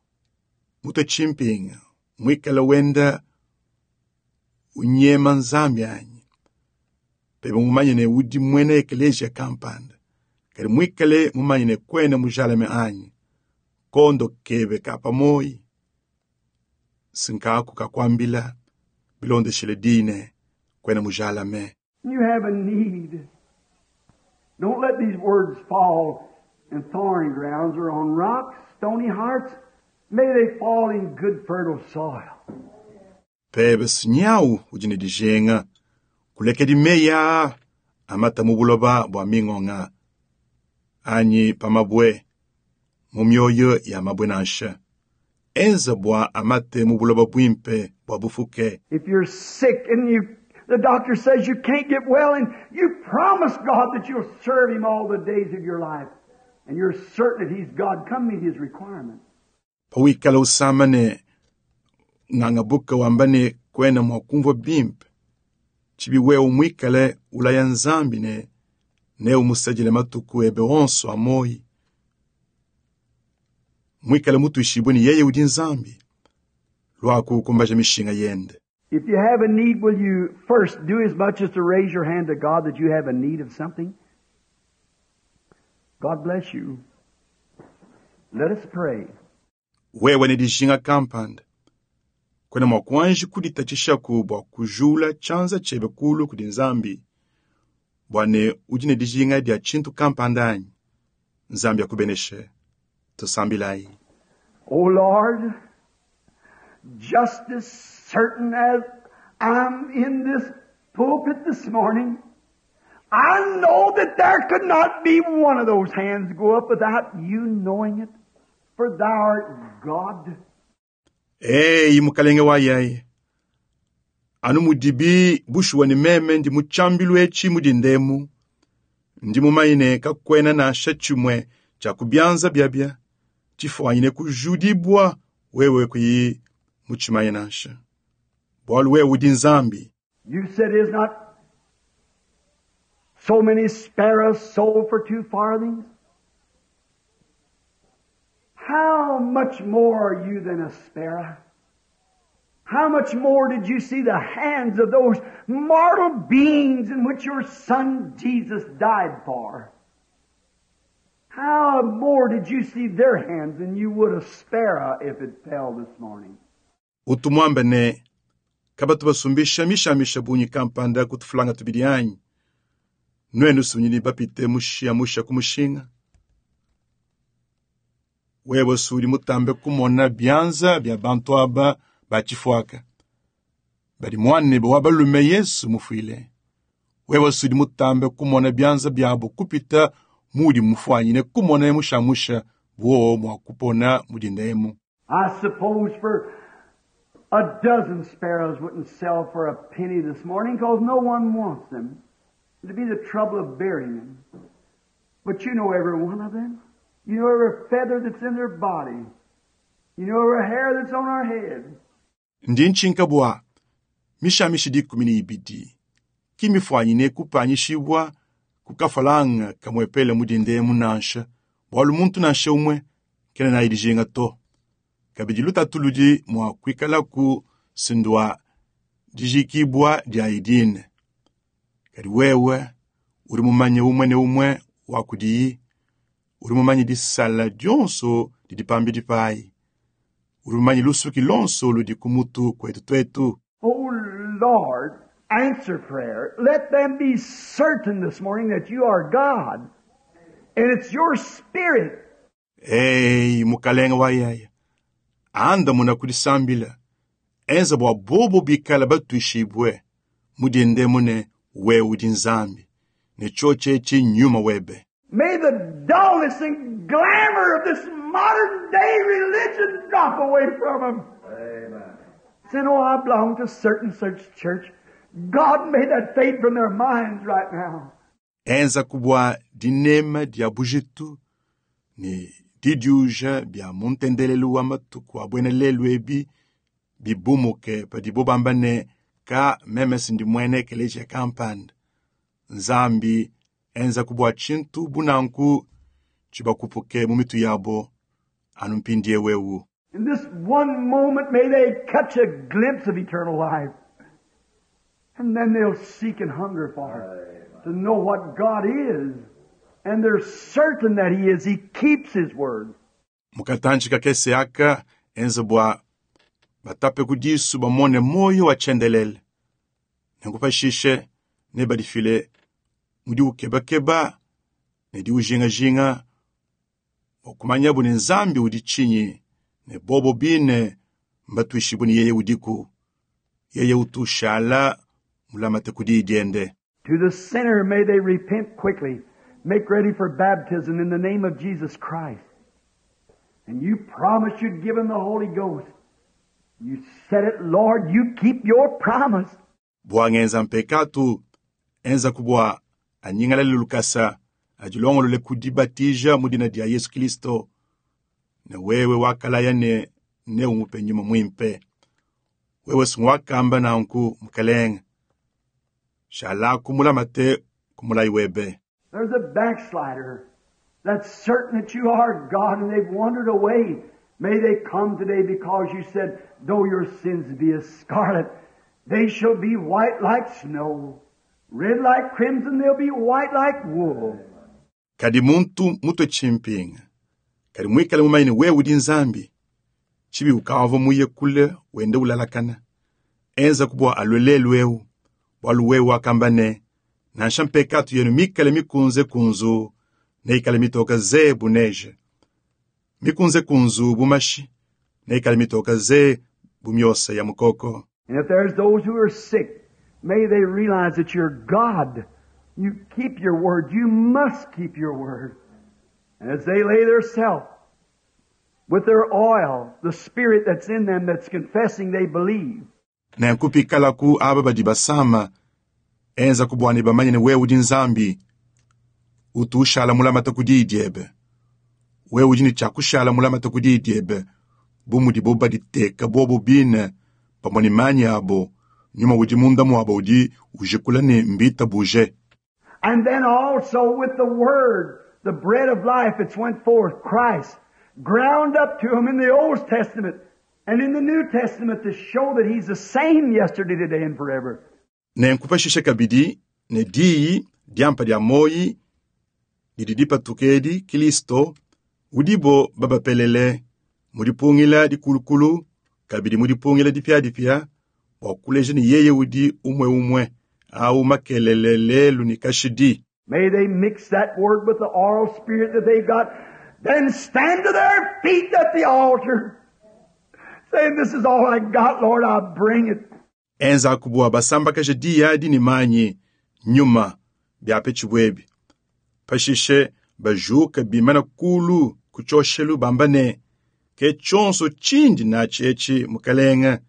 mutue tshimpinga. Mwikale wenda unyema Nzambi anyi. Pebe mumanye ne udi mwena eklesia kampanda. Kadi mwikale mumanye ne kwena mujalame anyi. Kondo kebe ka pamoyi. Sinkaku kakwambila bilondeshile dine kwena mujalame. You have a need. Don't let these words fall in thorny grounds or on rocks, stony hearts. May they fall in good fertile soil. Pebe sinyau udi ne dijenga. Kulekedi meya amata mu buloba bua mingonga. Anyi pamabwe mu mioyo ya mabwe nansha. Enza bua amate mu buloba bwimpe bua bufuke. If you're sick and you, the doctor says you can't get well and you promise God that you'll serve Him all the days of your life and you're certain that He's God, come meet His requirements. Pawikala usama ne ng'angabuka wamba ne kwena mwa kumvua bimpe. Tshibi wewe mwikale ulaya nzambi ne ne umusajile matuku ebe onso a moyi. Mwikale mutuishibwe ni yeye udi nzambi. Lwaku kumbaja mishinga yende. If you have a need, will you first do as much as to raise your hand to God that you have a need of something? God bless you. Let us pray. Wewe ne dijinga kampanda. Kwena mwa kuanji kuditatshishaku bua kujula tshianza tshiebe kulu kudi nzambi. Bua ne udi ne dijinga dia tshintu kampanda anyi. Nzambi akubeneshe. Tusambilayi. O Lord, just as certain as I'm in this pulpit this morning, I know that there could not be one of those hands go up without you knowing it, for thou art God. Ei mukalenge wa yaye. Anu mudibi bushuwa ni meme ndi mutshambilu etshi mudi ndemu. Ndi mumayine kakwena nansha tshimwe tshia kubyanza byabya. Tshifwanyine kujudibwa wewe kuyi mutshimaye nansha. Bwalu wewe udi nzambi. You said is not so many sparrows sold for two farthings? How much more are you than a sparrow? How much more did you see the hands of those mortal beings in which your Son Jesus died for? How more did you see their hands than you would a sparrow if it fell this morning? Utumwambe ne kabatu basumbisha mishamisha bunyi kampanda kutufulanga tubidi anyi. Nwenu sunyini bapite mushia musha kumushinga. Wewe suli mutambe kumona byanza bya bantu aba bachifwaka. Bali mwane bo wabalume Yesu mufwile. Wewe suli mutambe kumona byanza byabo kupita mudi mufwanyine kumona mushamusha bwo mwa kupona mudindemu. I suppose for a dozen sparrows wouldn't sell for a penny this morning because no one wants them. It'd be the trouble of burying them. But you know every one of them. You know every feather that's in their body. You know every hair that's on our head. Ndi nchinka bwa mishamishi dikumi ni ibidi. Kimifwanyine kupanyishibwa kukafalanga kamwepele mudindemu nansha. Bwalu muntu nansha umwe kena na idijinga to. Kabidi lutatu ludi mwa kwikala ku sindwa dijikibwa dia idine. Kadi wewe uri mumanye umwe ne umwe wa kudiyi. Uri mumanye disala dionso didi pambidi pai. Uri mumanye lusuki lonso ludi kumutu kwetu twetu. Oh Lord, answer prayer. Let them be certain this morning that you are God. And it's your spirit. Ei, mukalenga wa yaya. Anda muna kudisambila. Enza bua bobo bikala batuishibwe. Mudinde mune wewe udi nzambi. Ne choche chi nyuma webe. May the dullness and glamour of this modern day religion drop away from them. Amen. Saying, oh, I belong to certain such church. God, may that fade from their minds right now. Enza kubwa dinema dia bujitu ni didiuja bya muntendelelu wa matuku abwene lelu ebi bibumuke padibo bamba ne ka meme sindi mwene ekelesia kampanda. Nzambi enza kubwa tshintu bunanku tshibakupuke mu mitu yabo anu mpindie wewu. In this one moment, may they catch a glimpse of eternal life. And then they'll seek and hunger for it, to know what God is And they're certain that He is. He keeps His word. Mukatanji kakese aka enze bua batape ku disu bamone moyo wa tshiendelele nenku pashishe ne badifile mu diukebakeba ne diujingajinga bua kumanyabu ne Nzambi udi tshinyi ne bobo bine mbatuishibue ne yeye udiku yeye utushala mulamate ku diyi diende. To the sinner, may they repent quickly, make ready for baptism in the name of Jesus Christ. And you promised you'd give them the Holy Ghost. You said it, Lord, you keep your promise. Bua ngenza mpekatu enza kubwa anyingalale lukasa ajilongolole kudibatija mu dina dia Yesu Kristo ne wewe wakalaya ne ne umupe nyuma mwimpe wewe singwakamba nanku mukalenge shala kumulamate kumulayi webe. There's a backslider that's certain that you are God and they've wandered away. May they come today because you said, though your sins be as scarlet, they shall be white like snow. Red like crimson, they'll be white like wool. Kadi muntu mutwe chimpinga kadi mwikale mumaine wewe udi Nzambi chibi ukava muye kule wende ulalakana enza kubwa alwelelu eu bwalu wewe wakamba ne nansha mpekatu yenu mikale mikunze kunzu neikale mitoka ze buneje mikunze kunzu bumashi neikale mitoka ze bumyosa ya mukoko. And if there's those who are sick, may they realize that you're God. You keep your word. You must keep your word. And as they lay their self with their oil, the spirit that's in them that's confessing they believe. Nenkupikalaku aba badi basama enza kubwani bamanye ne wewe udi Nzambi utu ushala mulamata ku diyi diebe wewe udi ne tshiakushala mulamata ku diyi diebe bu mudibo baditeka bobo bine pamue ne manyi abo nyuma udi munda muabo udi ujikula ne mbita buje. And then also with the word, the bread of life that's went forth, Christ, ground up to him in the Old Testament and in the New Testament to show that He's the same yesterday, today, and forever. Nenkupashishe kabidi ne diyi diampa dia moyi didi dipatukedi Kristo udibo babapelele mudipungila dikulukulu kabidi mudipungila dipiadipia bua kuleja ne yeye udi umwe umwe au makelele lelu ni kashidi. May they mix that word with the oral spirit that they've got, then stand to their feet at the altar, saying, This is all I got, Lord, I bring it. Enza kubwa basambakaje diyi adi ne manyi nyuma byape tshibwebi pashishe bajuka bimana kulu kuchoshelu bamba ne ke tshonso tshindi natshi etshi mukalenga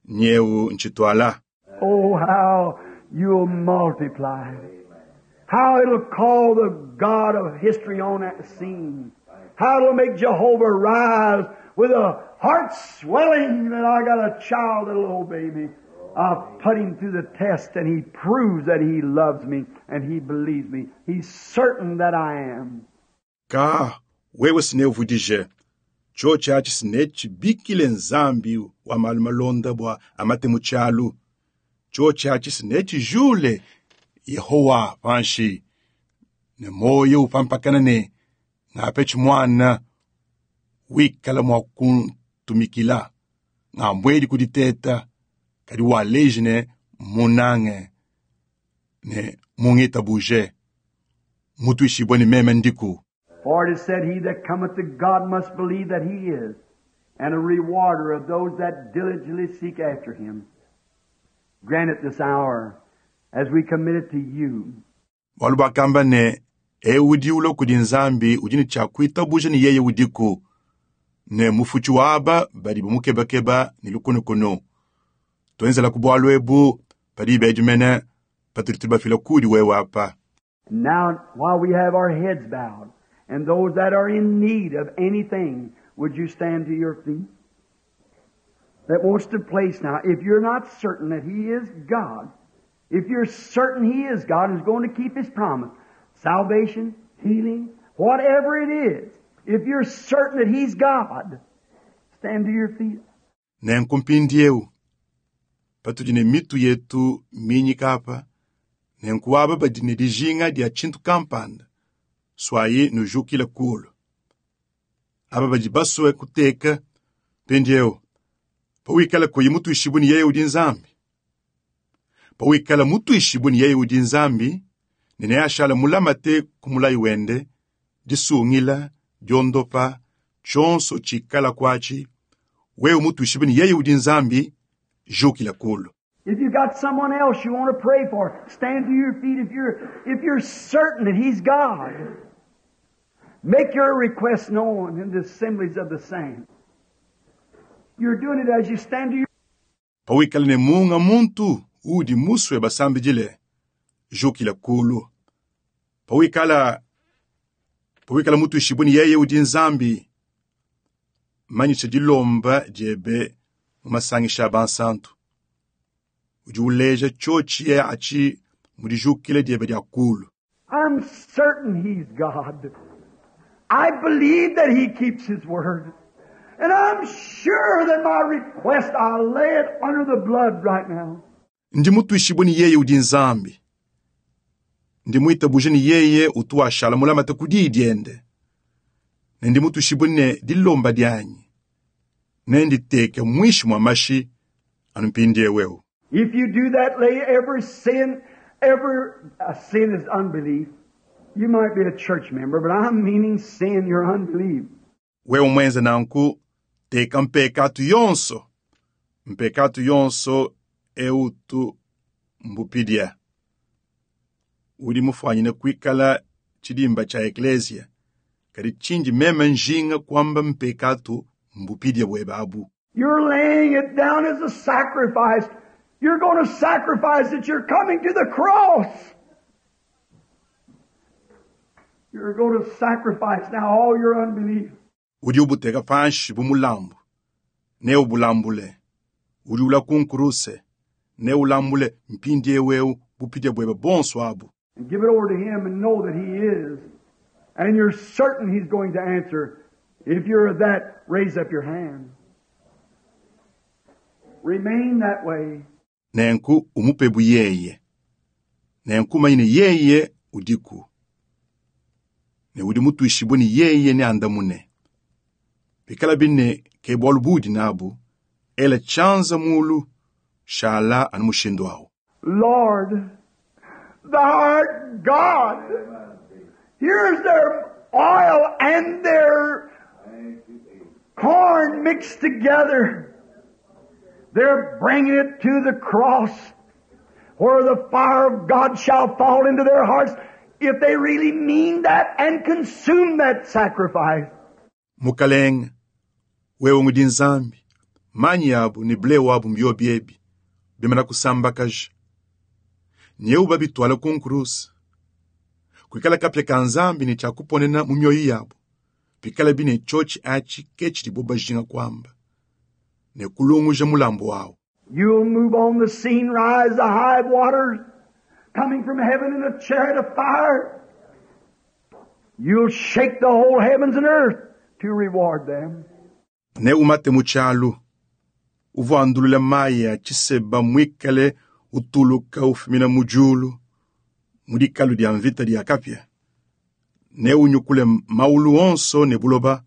nyeu ntshitwala. Oh, how you'll multiply. How it'll call the God of history on that scene. How it'll make Jehovah rise with a heart swelling that I got a child that'll obey me. I've put him through the test and he proves that he loves me and he believes me. He's certain that I am. Ka wewe sineuvudije cho chachi sinechibikile Nzambi wa malu malonda bwa amate muchalu cho chachi sinechijule Yehowa panshi ne moyo upampakana ne ngapechi mwana wikala mwa kuntumikila ngambwedi kuditeta kadi waleji ne munange ne mungitabuje mutuishibwe ne meme ndiku. For it is said, he that cometh to God must believe that he is, and a rewarder of those that diligently seek after him. Grant it this hour as we commit it to you. Bwalu bakamba ne eudi ulo kudi Nzambi udi ne tshiakuitabuja ne yeye udiku ne mufuchi waba badi bamukebakeba ne lukunukunu twenzela ku bwalu ebu padi bedimene patudi tubafila kudi wewe apa. Now, while we have our heads bowed, and those that are in need of anything, would you stand to your feet? That wants to place now, if you're not certain that He is God, if you're certain He is God and is going to keep His promise, salvation, healing, whatever it is, if you're certain that He's God, stand to your feet. Nenkumpindiewu patudi ne mitu yetu minyika apa nenkuaba badi ne dijinga dia tshintu kampanda Suayi nujukile kulu. Aba badi basue kuteka mpindieu. Pawikala kuyi mutuishibue ne yeye udi Nzambi. Pawikala mutuishibue ne yeye udi Nzambi, ne neashala mulamate ku mulayi wende, disungila, diondopa, tshionso tshikala kwatshi, wewe mutuishibue ne yeye udi Nzambi, jukila kulu. If you got someone else you want to pray for, stand to your feet if you're, if you're certain that He's God. Make your request known in the assemblies of the saints. You're doing it as you stand to your Pawikala ne munga muntu udi musue basambidile, jukila kulu. Pawikala pawikala mutuishibue ne yeye udi Nzambi, manyisha dilomba diebe mu masangisha a bansantu. Udi uleja tshotshi ye atshi mu dijukila diebe dia kulu. I'm certain He's God. I believe that He keeps His word. And I'm sure that my request, I'll lay it under the blood right now. Ndi mutuishibue ne yeye udi Nzambi. Ndi muitabuje ne yeye utu washala mulamate ku diyi diende. Ne ndi mutuishibue ne dilomba dianyi. Ne nditeke mwishi mwa mashi anu mpindiewu eu. If you do that, lay every sin, every uh, sin is unbelief. You might be a church member, but I'm meaning sin, your unbelief. Wewe mwenze nanku teka mpekatu yonso. Mpekatu yonso eutu mbupidia. Udi mufwanyine kuikala tshidimba tshia eklesia. Kadi tshindi meme njinga kwamba mpekatu mbupidia bwebe abu. You're laying it down as a sacrifice. You're going to sacrifice it. You're coming to the cross. You're going to sacrifice now all your unbelief. Udi ubuteka panshi bu mulambu. Ne ubulambule. Udi ula kunkuruse. Ne ulambule mpindiewu eu bupidia bwebe bonso abu. And give it over to Him and know that He is. And you're certain He's going to answer. If you're that, raise up your hand. Remain that way. Nenku umupebu yeye. Nenku manyine yeye udiku. Ne udi mutuishibue ne yeye ne andamune. Bikala bine ke bualu budi nabu, ela tshianza mulu, shala anu mushindu awu. Lord, thou art God. Here's their oil and their corn mixed together. They're bringing it to the cross where the fire of God shall fall into their hearts if they really mean that and consume that sacrifice. Mukalenge, wewe ngudi Nzambi, manyi yabu ne ble wabu mbio biebi, bimana kusambakaja. Nyeu babitwala ku nkurusi. Kuikala kapya ka Nzambi ne tshiakuponena mu mioyo yabu. Pikala bine tshotshi atshi ke tshidibo bajinga kwamba. Ne kulunguja mulambu wawu. You'll move on the scene, rise the high waters, coming from heaven in a chariot of fire. You'll shake the whole heavens and earth to reward them. Ne umate mu tshialu. Uvua andulula mayi a tshiseba mwikale utuluka ufumina mu djulu, mu dikalu dia mvita dia kapya. Ne unyukule maulu onso ne buloba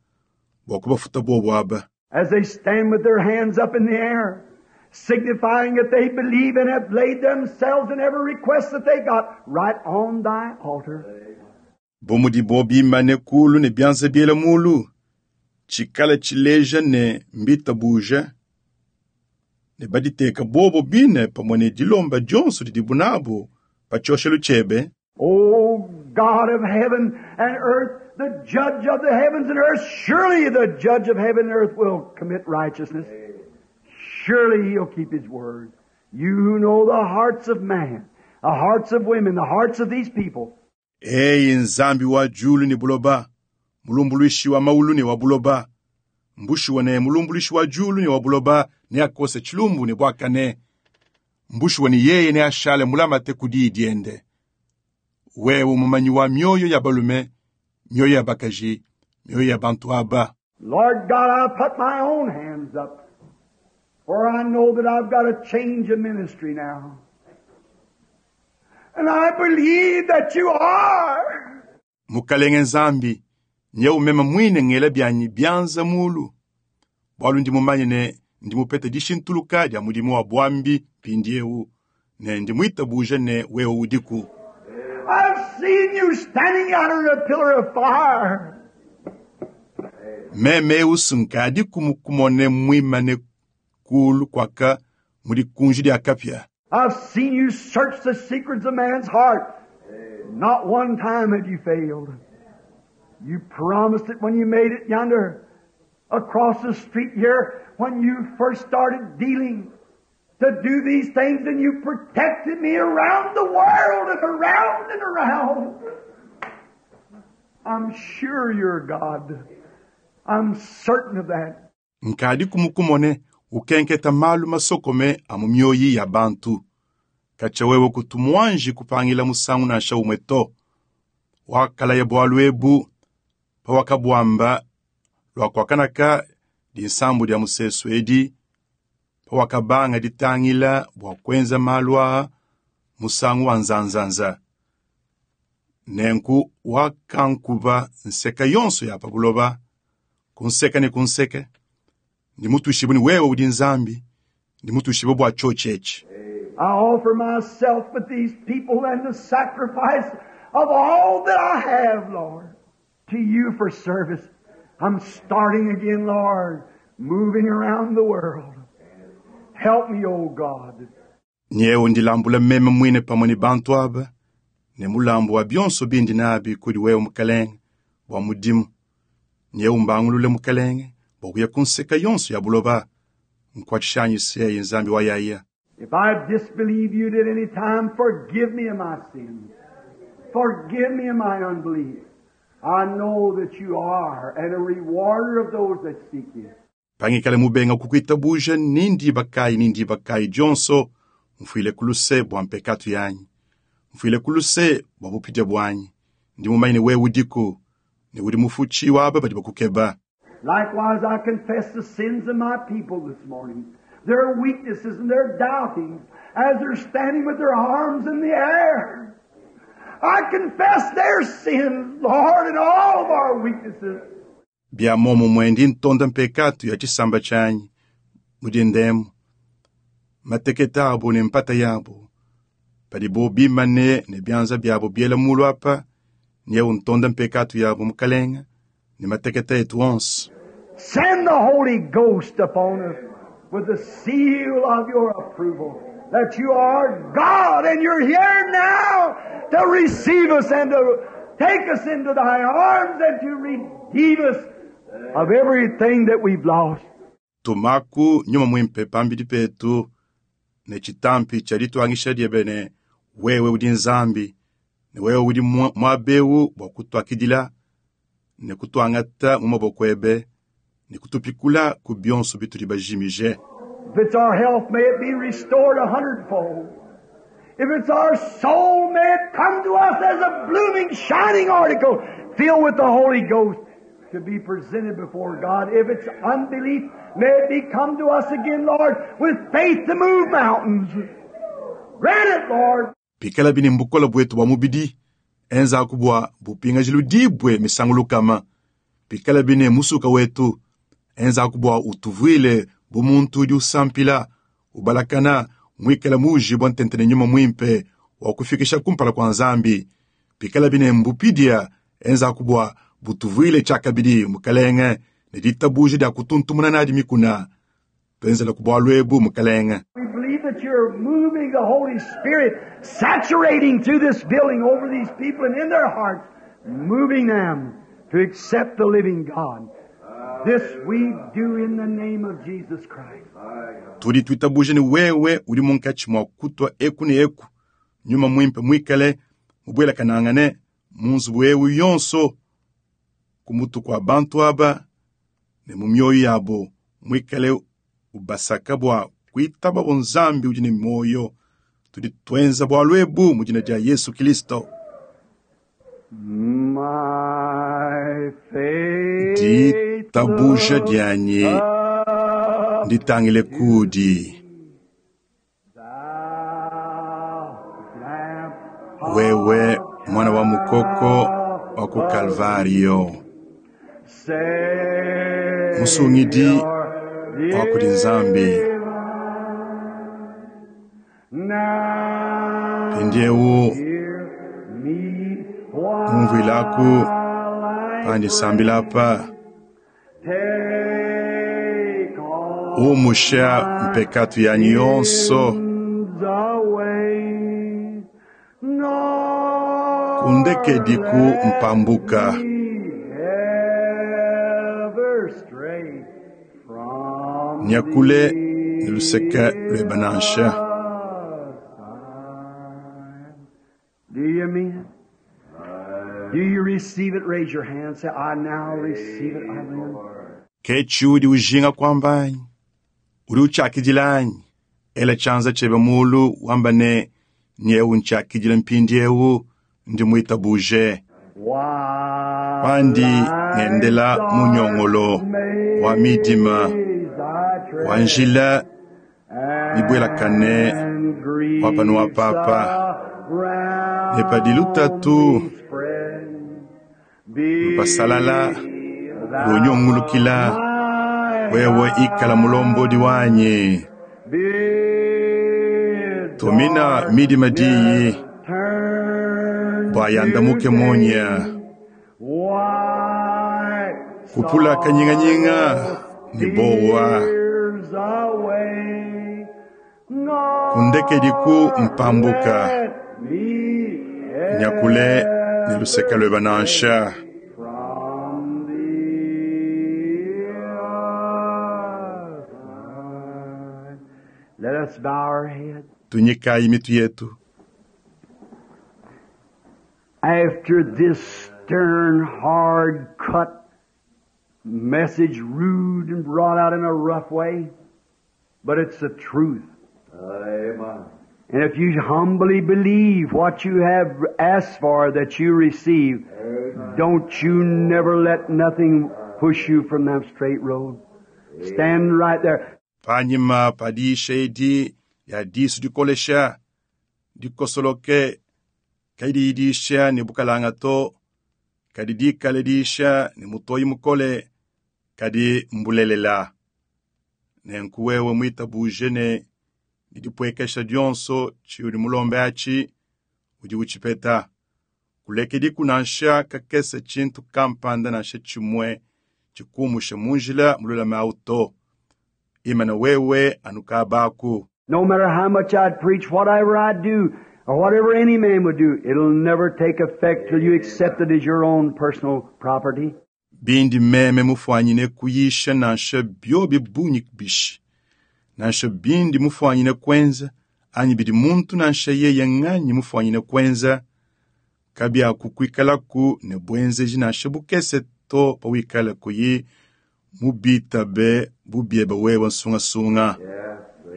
bua kubafuta bobo aba. As they stand with their hands up in the air, signifying that they believe and have laid themselves in every request that they got right on thy altar. Bo mudibo bimane kulu ne bianza biela mulu, tshikala tshileja ne mbita buja, ne baditeka bobo bine pamue ne dilomba dionso didibu nabu pa tshioshelu tshiebe. O God of heaven and earth, the judge of the heavens and earth, surely the judge of heaven and earth will commit righteousness. Surely he'll keep his word. You who know the hearts of man, the hearts of women, the hearts of these people. Eyi Nzambi wa djulu ne buloba, mulumbuluishi wa maulu ne wa buloba, mbushuwa ne mulumbuluishi wa djulu ne wa buloba ne akose tshilumbu ne bwakane. Mbushuwa ne yeye ne ashale mulamate ku diyi diende. Wewe mumanyi wa mioyo ya balume, mioyo ya bakaji, mioyo ya bantu aba. Lord God, I put my own hands up, for I know that I've got a change of ministry now. And I believe that you are. Mukalenge Nzambi, nyeu meme mwine ngela byanyi byanza mulu. Bwalu ndi mumanye ne ndi mupete dishintuluka dia mudimu wa bwambi mpindiewu, ne ndi mwitabuja ne wewe udiku. I've seen you standing out in a pillar of fire. Meme eusu nkadi kumukumone mwimane kulu kwaka muli kunji lya kapya. I've seen you search the secrets of man's heart. Not one time have you failed. You promised it when you made it yonder across the street here when you first started dealing to do these things, and you protected me around the world and around and around. I'm sure you're God. I'm certain of that. Nkadi kumukumone ukenketa malu masokome a mu mioyi ya bantu. Katya wewe kutu mwanji kupangila musangu nansha umwe to. Wakalaya bwalu ebu pawakabwamba lwakwakanaka dinsambu dia musesu edi pawakabanga ditangila bwa kwenza malu aa musangu wa nzanzanza. Nenku wakankuba nseka yonso ya pabuloba, kunseka ne kunseke. Ndi mutushibu ni wewe udi Nzambi, ndi mutushibu bwa chochechi. I offer myself with these people and the sacrifice of all that I have, Lord, to you for service. I'm starting again, Lord, moving around the world. Help me, O God. Nyewe ndilambula meme mwine pamwe ni bantu aba, ne mulambu wa byonso bindi nabi kuli wewe mukalenge bwa mudimu. Nyewe mbangulule mukalenge bwa kuya kunseka yonso ya buloba, nkwachishanyi seye Nzambi wa yaya. If I disbelieve you at any time, forgive me of my sins. Forgive me of my unbelief. I know that you are and a rewarder of those that seek you. Pangikale mubenga kukuitabuja nindi bakai nindi bakai jonso mfuile kuluse bwa mpekatu yanyi. Mfuile kuluse bwa bupidya bwanyi. Ndi mumaine wewe udiku ne udi mufuchi waba badi bakukeba. Likewise, I confess the sins of my people this morning, their weaknesses and their doubtings, as they're standing with their arms in the air. I confess their sins, Lord, and all of our weaknesses. Bya momo mwendi ntonda mpekatu ya chisamba chanyi mudi ndemu mateketa abo ne mpata yabo padibo bimane ne byanza byabo byela mulu apa nyewu ntonda mpekatu yabo mukalenga ne mateketa etu onso. Send the Holy Ghost upon us with the seal of your approval that you are God and you're here now to receive us and to take us into thy arms and to redeem us of everything that we've lost. Tumaku nyuma mwimpe pambidi petu ne chitampi cha litwangisha dyebe wewe udi Nzambi ne wewe udi mwa- mwabewu bwa kutwakidila ne kutwangata mu maboko ebe ne kutupikula ku byonso bituli bajimije. If it's our health, may it be restored a hundredfold. If it's our soul, may it come to us as a blooming, shining article filled with the Holy Ghost to be presented before God. If it's unbelief, may it be come to us again, Lord, with faith to move mountains. Grant it, Lord. Pikala bini mbukola bwetu bwa mubidi enza kubwa bupingajilu dibwe misangulukama. Pikala bine musuka wetu enza kubwa utuvwile bumuntu udi usampila ubalakana mwikala muji bwa ntentene nyuma mwimpe wa kufikisha kumpala kwa Nzambi. Pikala bine mbupidia enza kubwa butuvwile chakabidi mukalenge ne ditabuji dia kutuntumuna nadi mikuna. Twenzela kubwa lwebu mukalenge. We believe that you're moving the Holy Spirit, saturating through this building over these people and in their hearts, moving them to accept the living God. This we do in the name of Jesus Christ. Tudi twitabuje ni wewe uli munkachi mwa kutwa eku ne eku nyuma mwimpe mwikale mubwela kanangane munzu wewe yonso kumutu kwa bantu aba ne mu mioyo yabo mwikale ubasaka bwa kwitaba bonzambi udi ne moyo. Tudi twenza bwa lwebu mu jina dia Yesu Kristo. My faith Ditabuja dyanyi looks nditangile kudi thou Lamb wewe mwana wa mukoko wa wa ku Kalvario. Musungidi wa kudi Nzambi. Mpindiewu umvuilaku pandisambila apa umusha mpekatu yanyi yonso kundekediku mpambuka nyakule ne luseke lwebanansha Do you mean it? Do you receive it? Raise your hand. Say, I now receive it. I will. Kechi udi ujinga kwambanyi udi uchakijilanyi ela chanza chebe mulu wamba ne nyewu nchakijila mpindiewu ndi mwitabuje pandi ngendela munyongolo wa midima wa njila mibwelakane wapano wa papa ne padi lutatu lupasalala lunyongulukila wewe ikala mulombodi wanyi tumina midima diyi bwayandamuke munya kupula kanyinganyinga ni bowa kundekediku mpambuka nyakule ni luseke lweba nansha From the other side. Let us bow our heads. tunyikayi mitu yetu After this stern, hard cut message, rude and brought out in a rough way, but it's the truth. Amen. And if you humbly believe what you have asked for that you receive, don't you never let nothing push you from that straight road. Stand right there. panyima padiisha edi ya disu dikolesha dikosoloke kadiidisha ne bukalanga to kadi dikale diisha ne mutoyi mukole kadi mbulelela nenku wewe mwitabuje ne didipwekesha dionso tshiudi mulombe atshi udi utshipeta kulekediku nansha kakese tshintu kampanda nansha tshimue tshikumusha munjila mululame awu to imana wewe anukabaku No matter how much I'd preach, whatever I'd do, or whatever any man would do, it'll never take effect till you accept it as your own personal property. Bindi meme mufwanyine kuyisha nansha byobi bunyi bishi nansha bindi mufwanyine kwenza anyi bidi muntu nansha yeye nganyi mufwanyine kwenza kabyakukwikalaku ne bwenzeji nansha bukese to pawikala kuyi mubitabe bubyebe wewe nsungasunga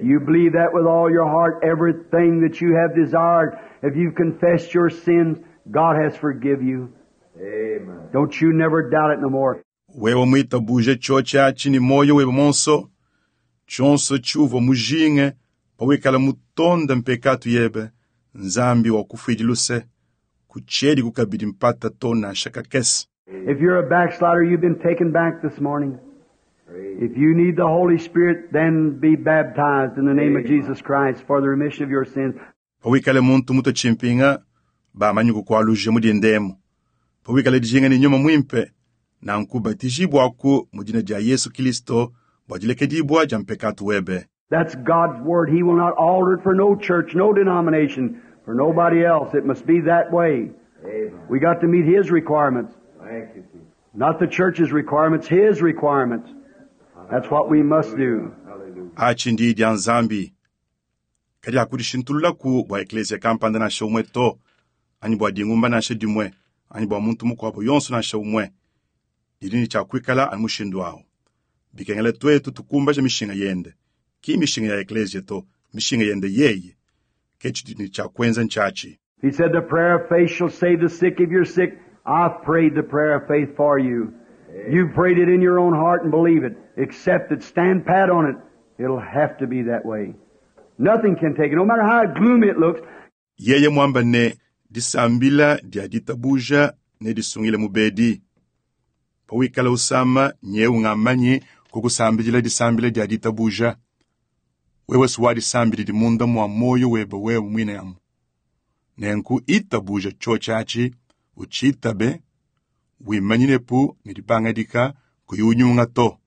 You believe that with all your heart, everything that you have desired. If you've confessed your sins, God has forgive you. Amen. Don't you never doubt it no more. Wewe mwitabuje chochi achi ni moyo webe monso chonso chuvo mujinge pawikala mutonda mpekatu yebe nzambi wakufwidi luse kuchedi kukabidi mpata to nansha kakese If you're a backslider, you've been taken back this morning. If you need the Holy Spirit, then be baptized in the name of Jesus Christ for the remission of your sins. Pawikale muntu muto chimpinga bamanyi kukwaluje mudi ndemu pawikale dijinga ni nyuma mwimpe nanku batijibwaku mu dina dia Yesu Kristo bwa dilekedibwa dia mpekatu webe That's God's Word. He will not alter it for no church, no denomination, for nobody else. It must be that way. Amen. We got to meet His requirements. Thank you, Jesus. Not the church's requirements, His requirements. That's what we must do. Hallelujah. Achi ndi dia nzambi kadi akudishintululaku bua eklesia kampanda nansha umwe to anyi bua dingumba nansha dimwe anyi bua muntu mukuabo yonso nansha umwe didi ne tshiakuikala anu mushindu awu bikengela twetu tukumbaja mishinga yende ki mishinga ya eklesia to mishinga yende yeye ke tshidi ne tshiakwenza ntshatshi He said, The prayer of faith shall save the sick. If you're sick, I've prayed the prayer of faith for you. You've prayed it in your own heart and believe it. Accept it. Stand pat on it. It'll have to be that way. Nothing can take it, no matter how gloomy it looks. Yeye mwamba ne disambila dia ditabuja nedisungile mubedi. Pawikala usama nyewu ngamanyi kukusambidila disambila dia ditabuja. Wewe suwadisambididi munda mwa moyo webe wewe mwine amu. Nenku itabuja chochachi uchitabe wimanyinepu ne dipangadika kuyunyunga to.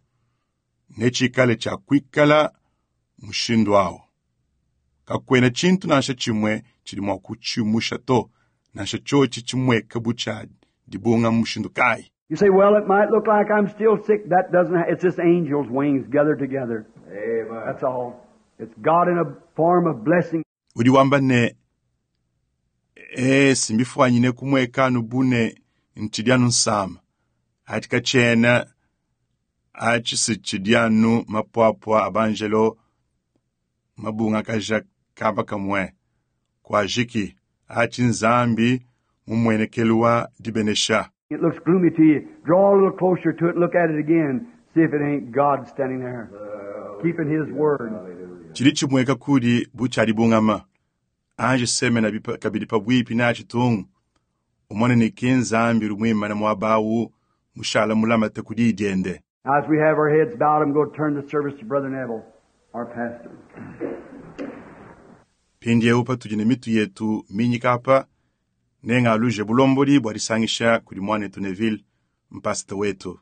Nechikale cha kwikala mushindu awo. Kakwena chintu nansha chimwe chili mwa kuchimusha to nansha chochi chimweka bucha dibunga mushindu kai. You say, well, it might look like I'm still sick. That doesn't, ha- it's just angels' wings gathered together. Amen. That's all. It's God in a form of blessing. Udi wamba ne e simbifwanyine kumwekanu bune nchidyanu nsama ati kachena achi sichidyanu mapwapwa abanjelo mabunga kaja kaba kamwe kwajiki achi nzambi mumwenekelwa dibenesha It looks gloomy to you. Draw a little closer to it, look at it again, see if it ain't God standing there, keeping His word. chili chimweka kudi buchali bungama anje semena bipa- kabidi pabwipi na chitungu umone niki nzambi lumwimana mwabawu mushala mulamate kudi idyende Now, as we have our heads bowed, I'm going to turn the service to Brother Neville, our pastor. pindiewu patudi ne mitu yetu minyika apa nenga aluje bulomboli bwa disangisha kudi mwanetu Neville mpasita wetu.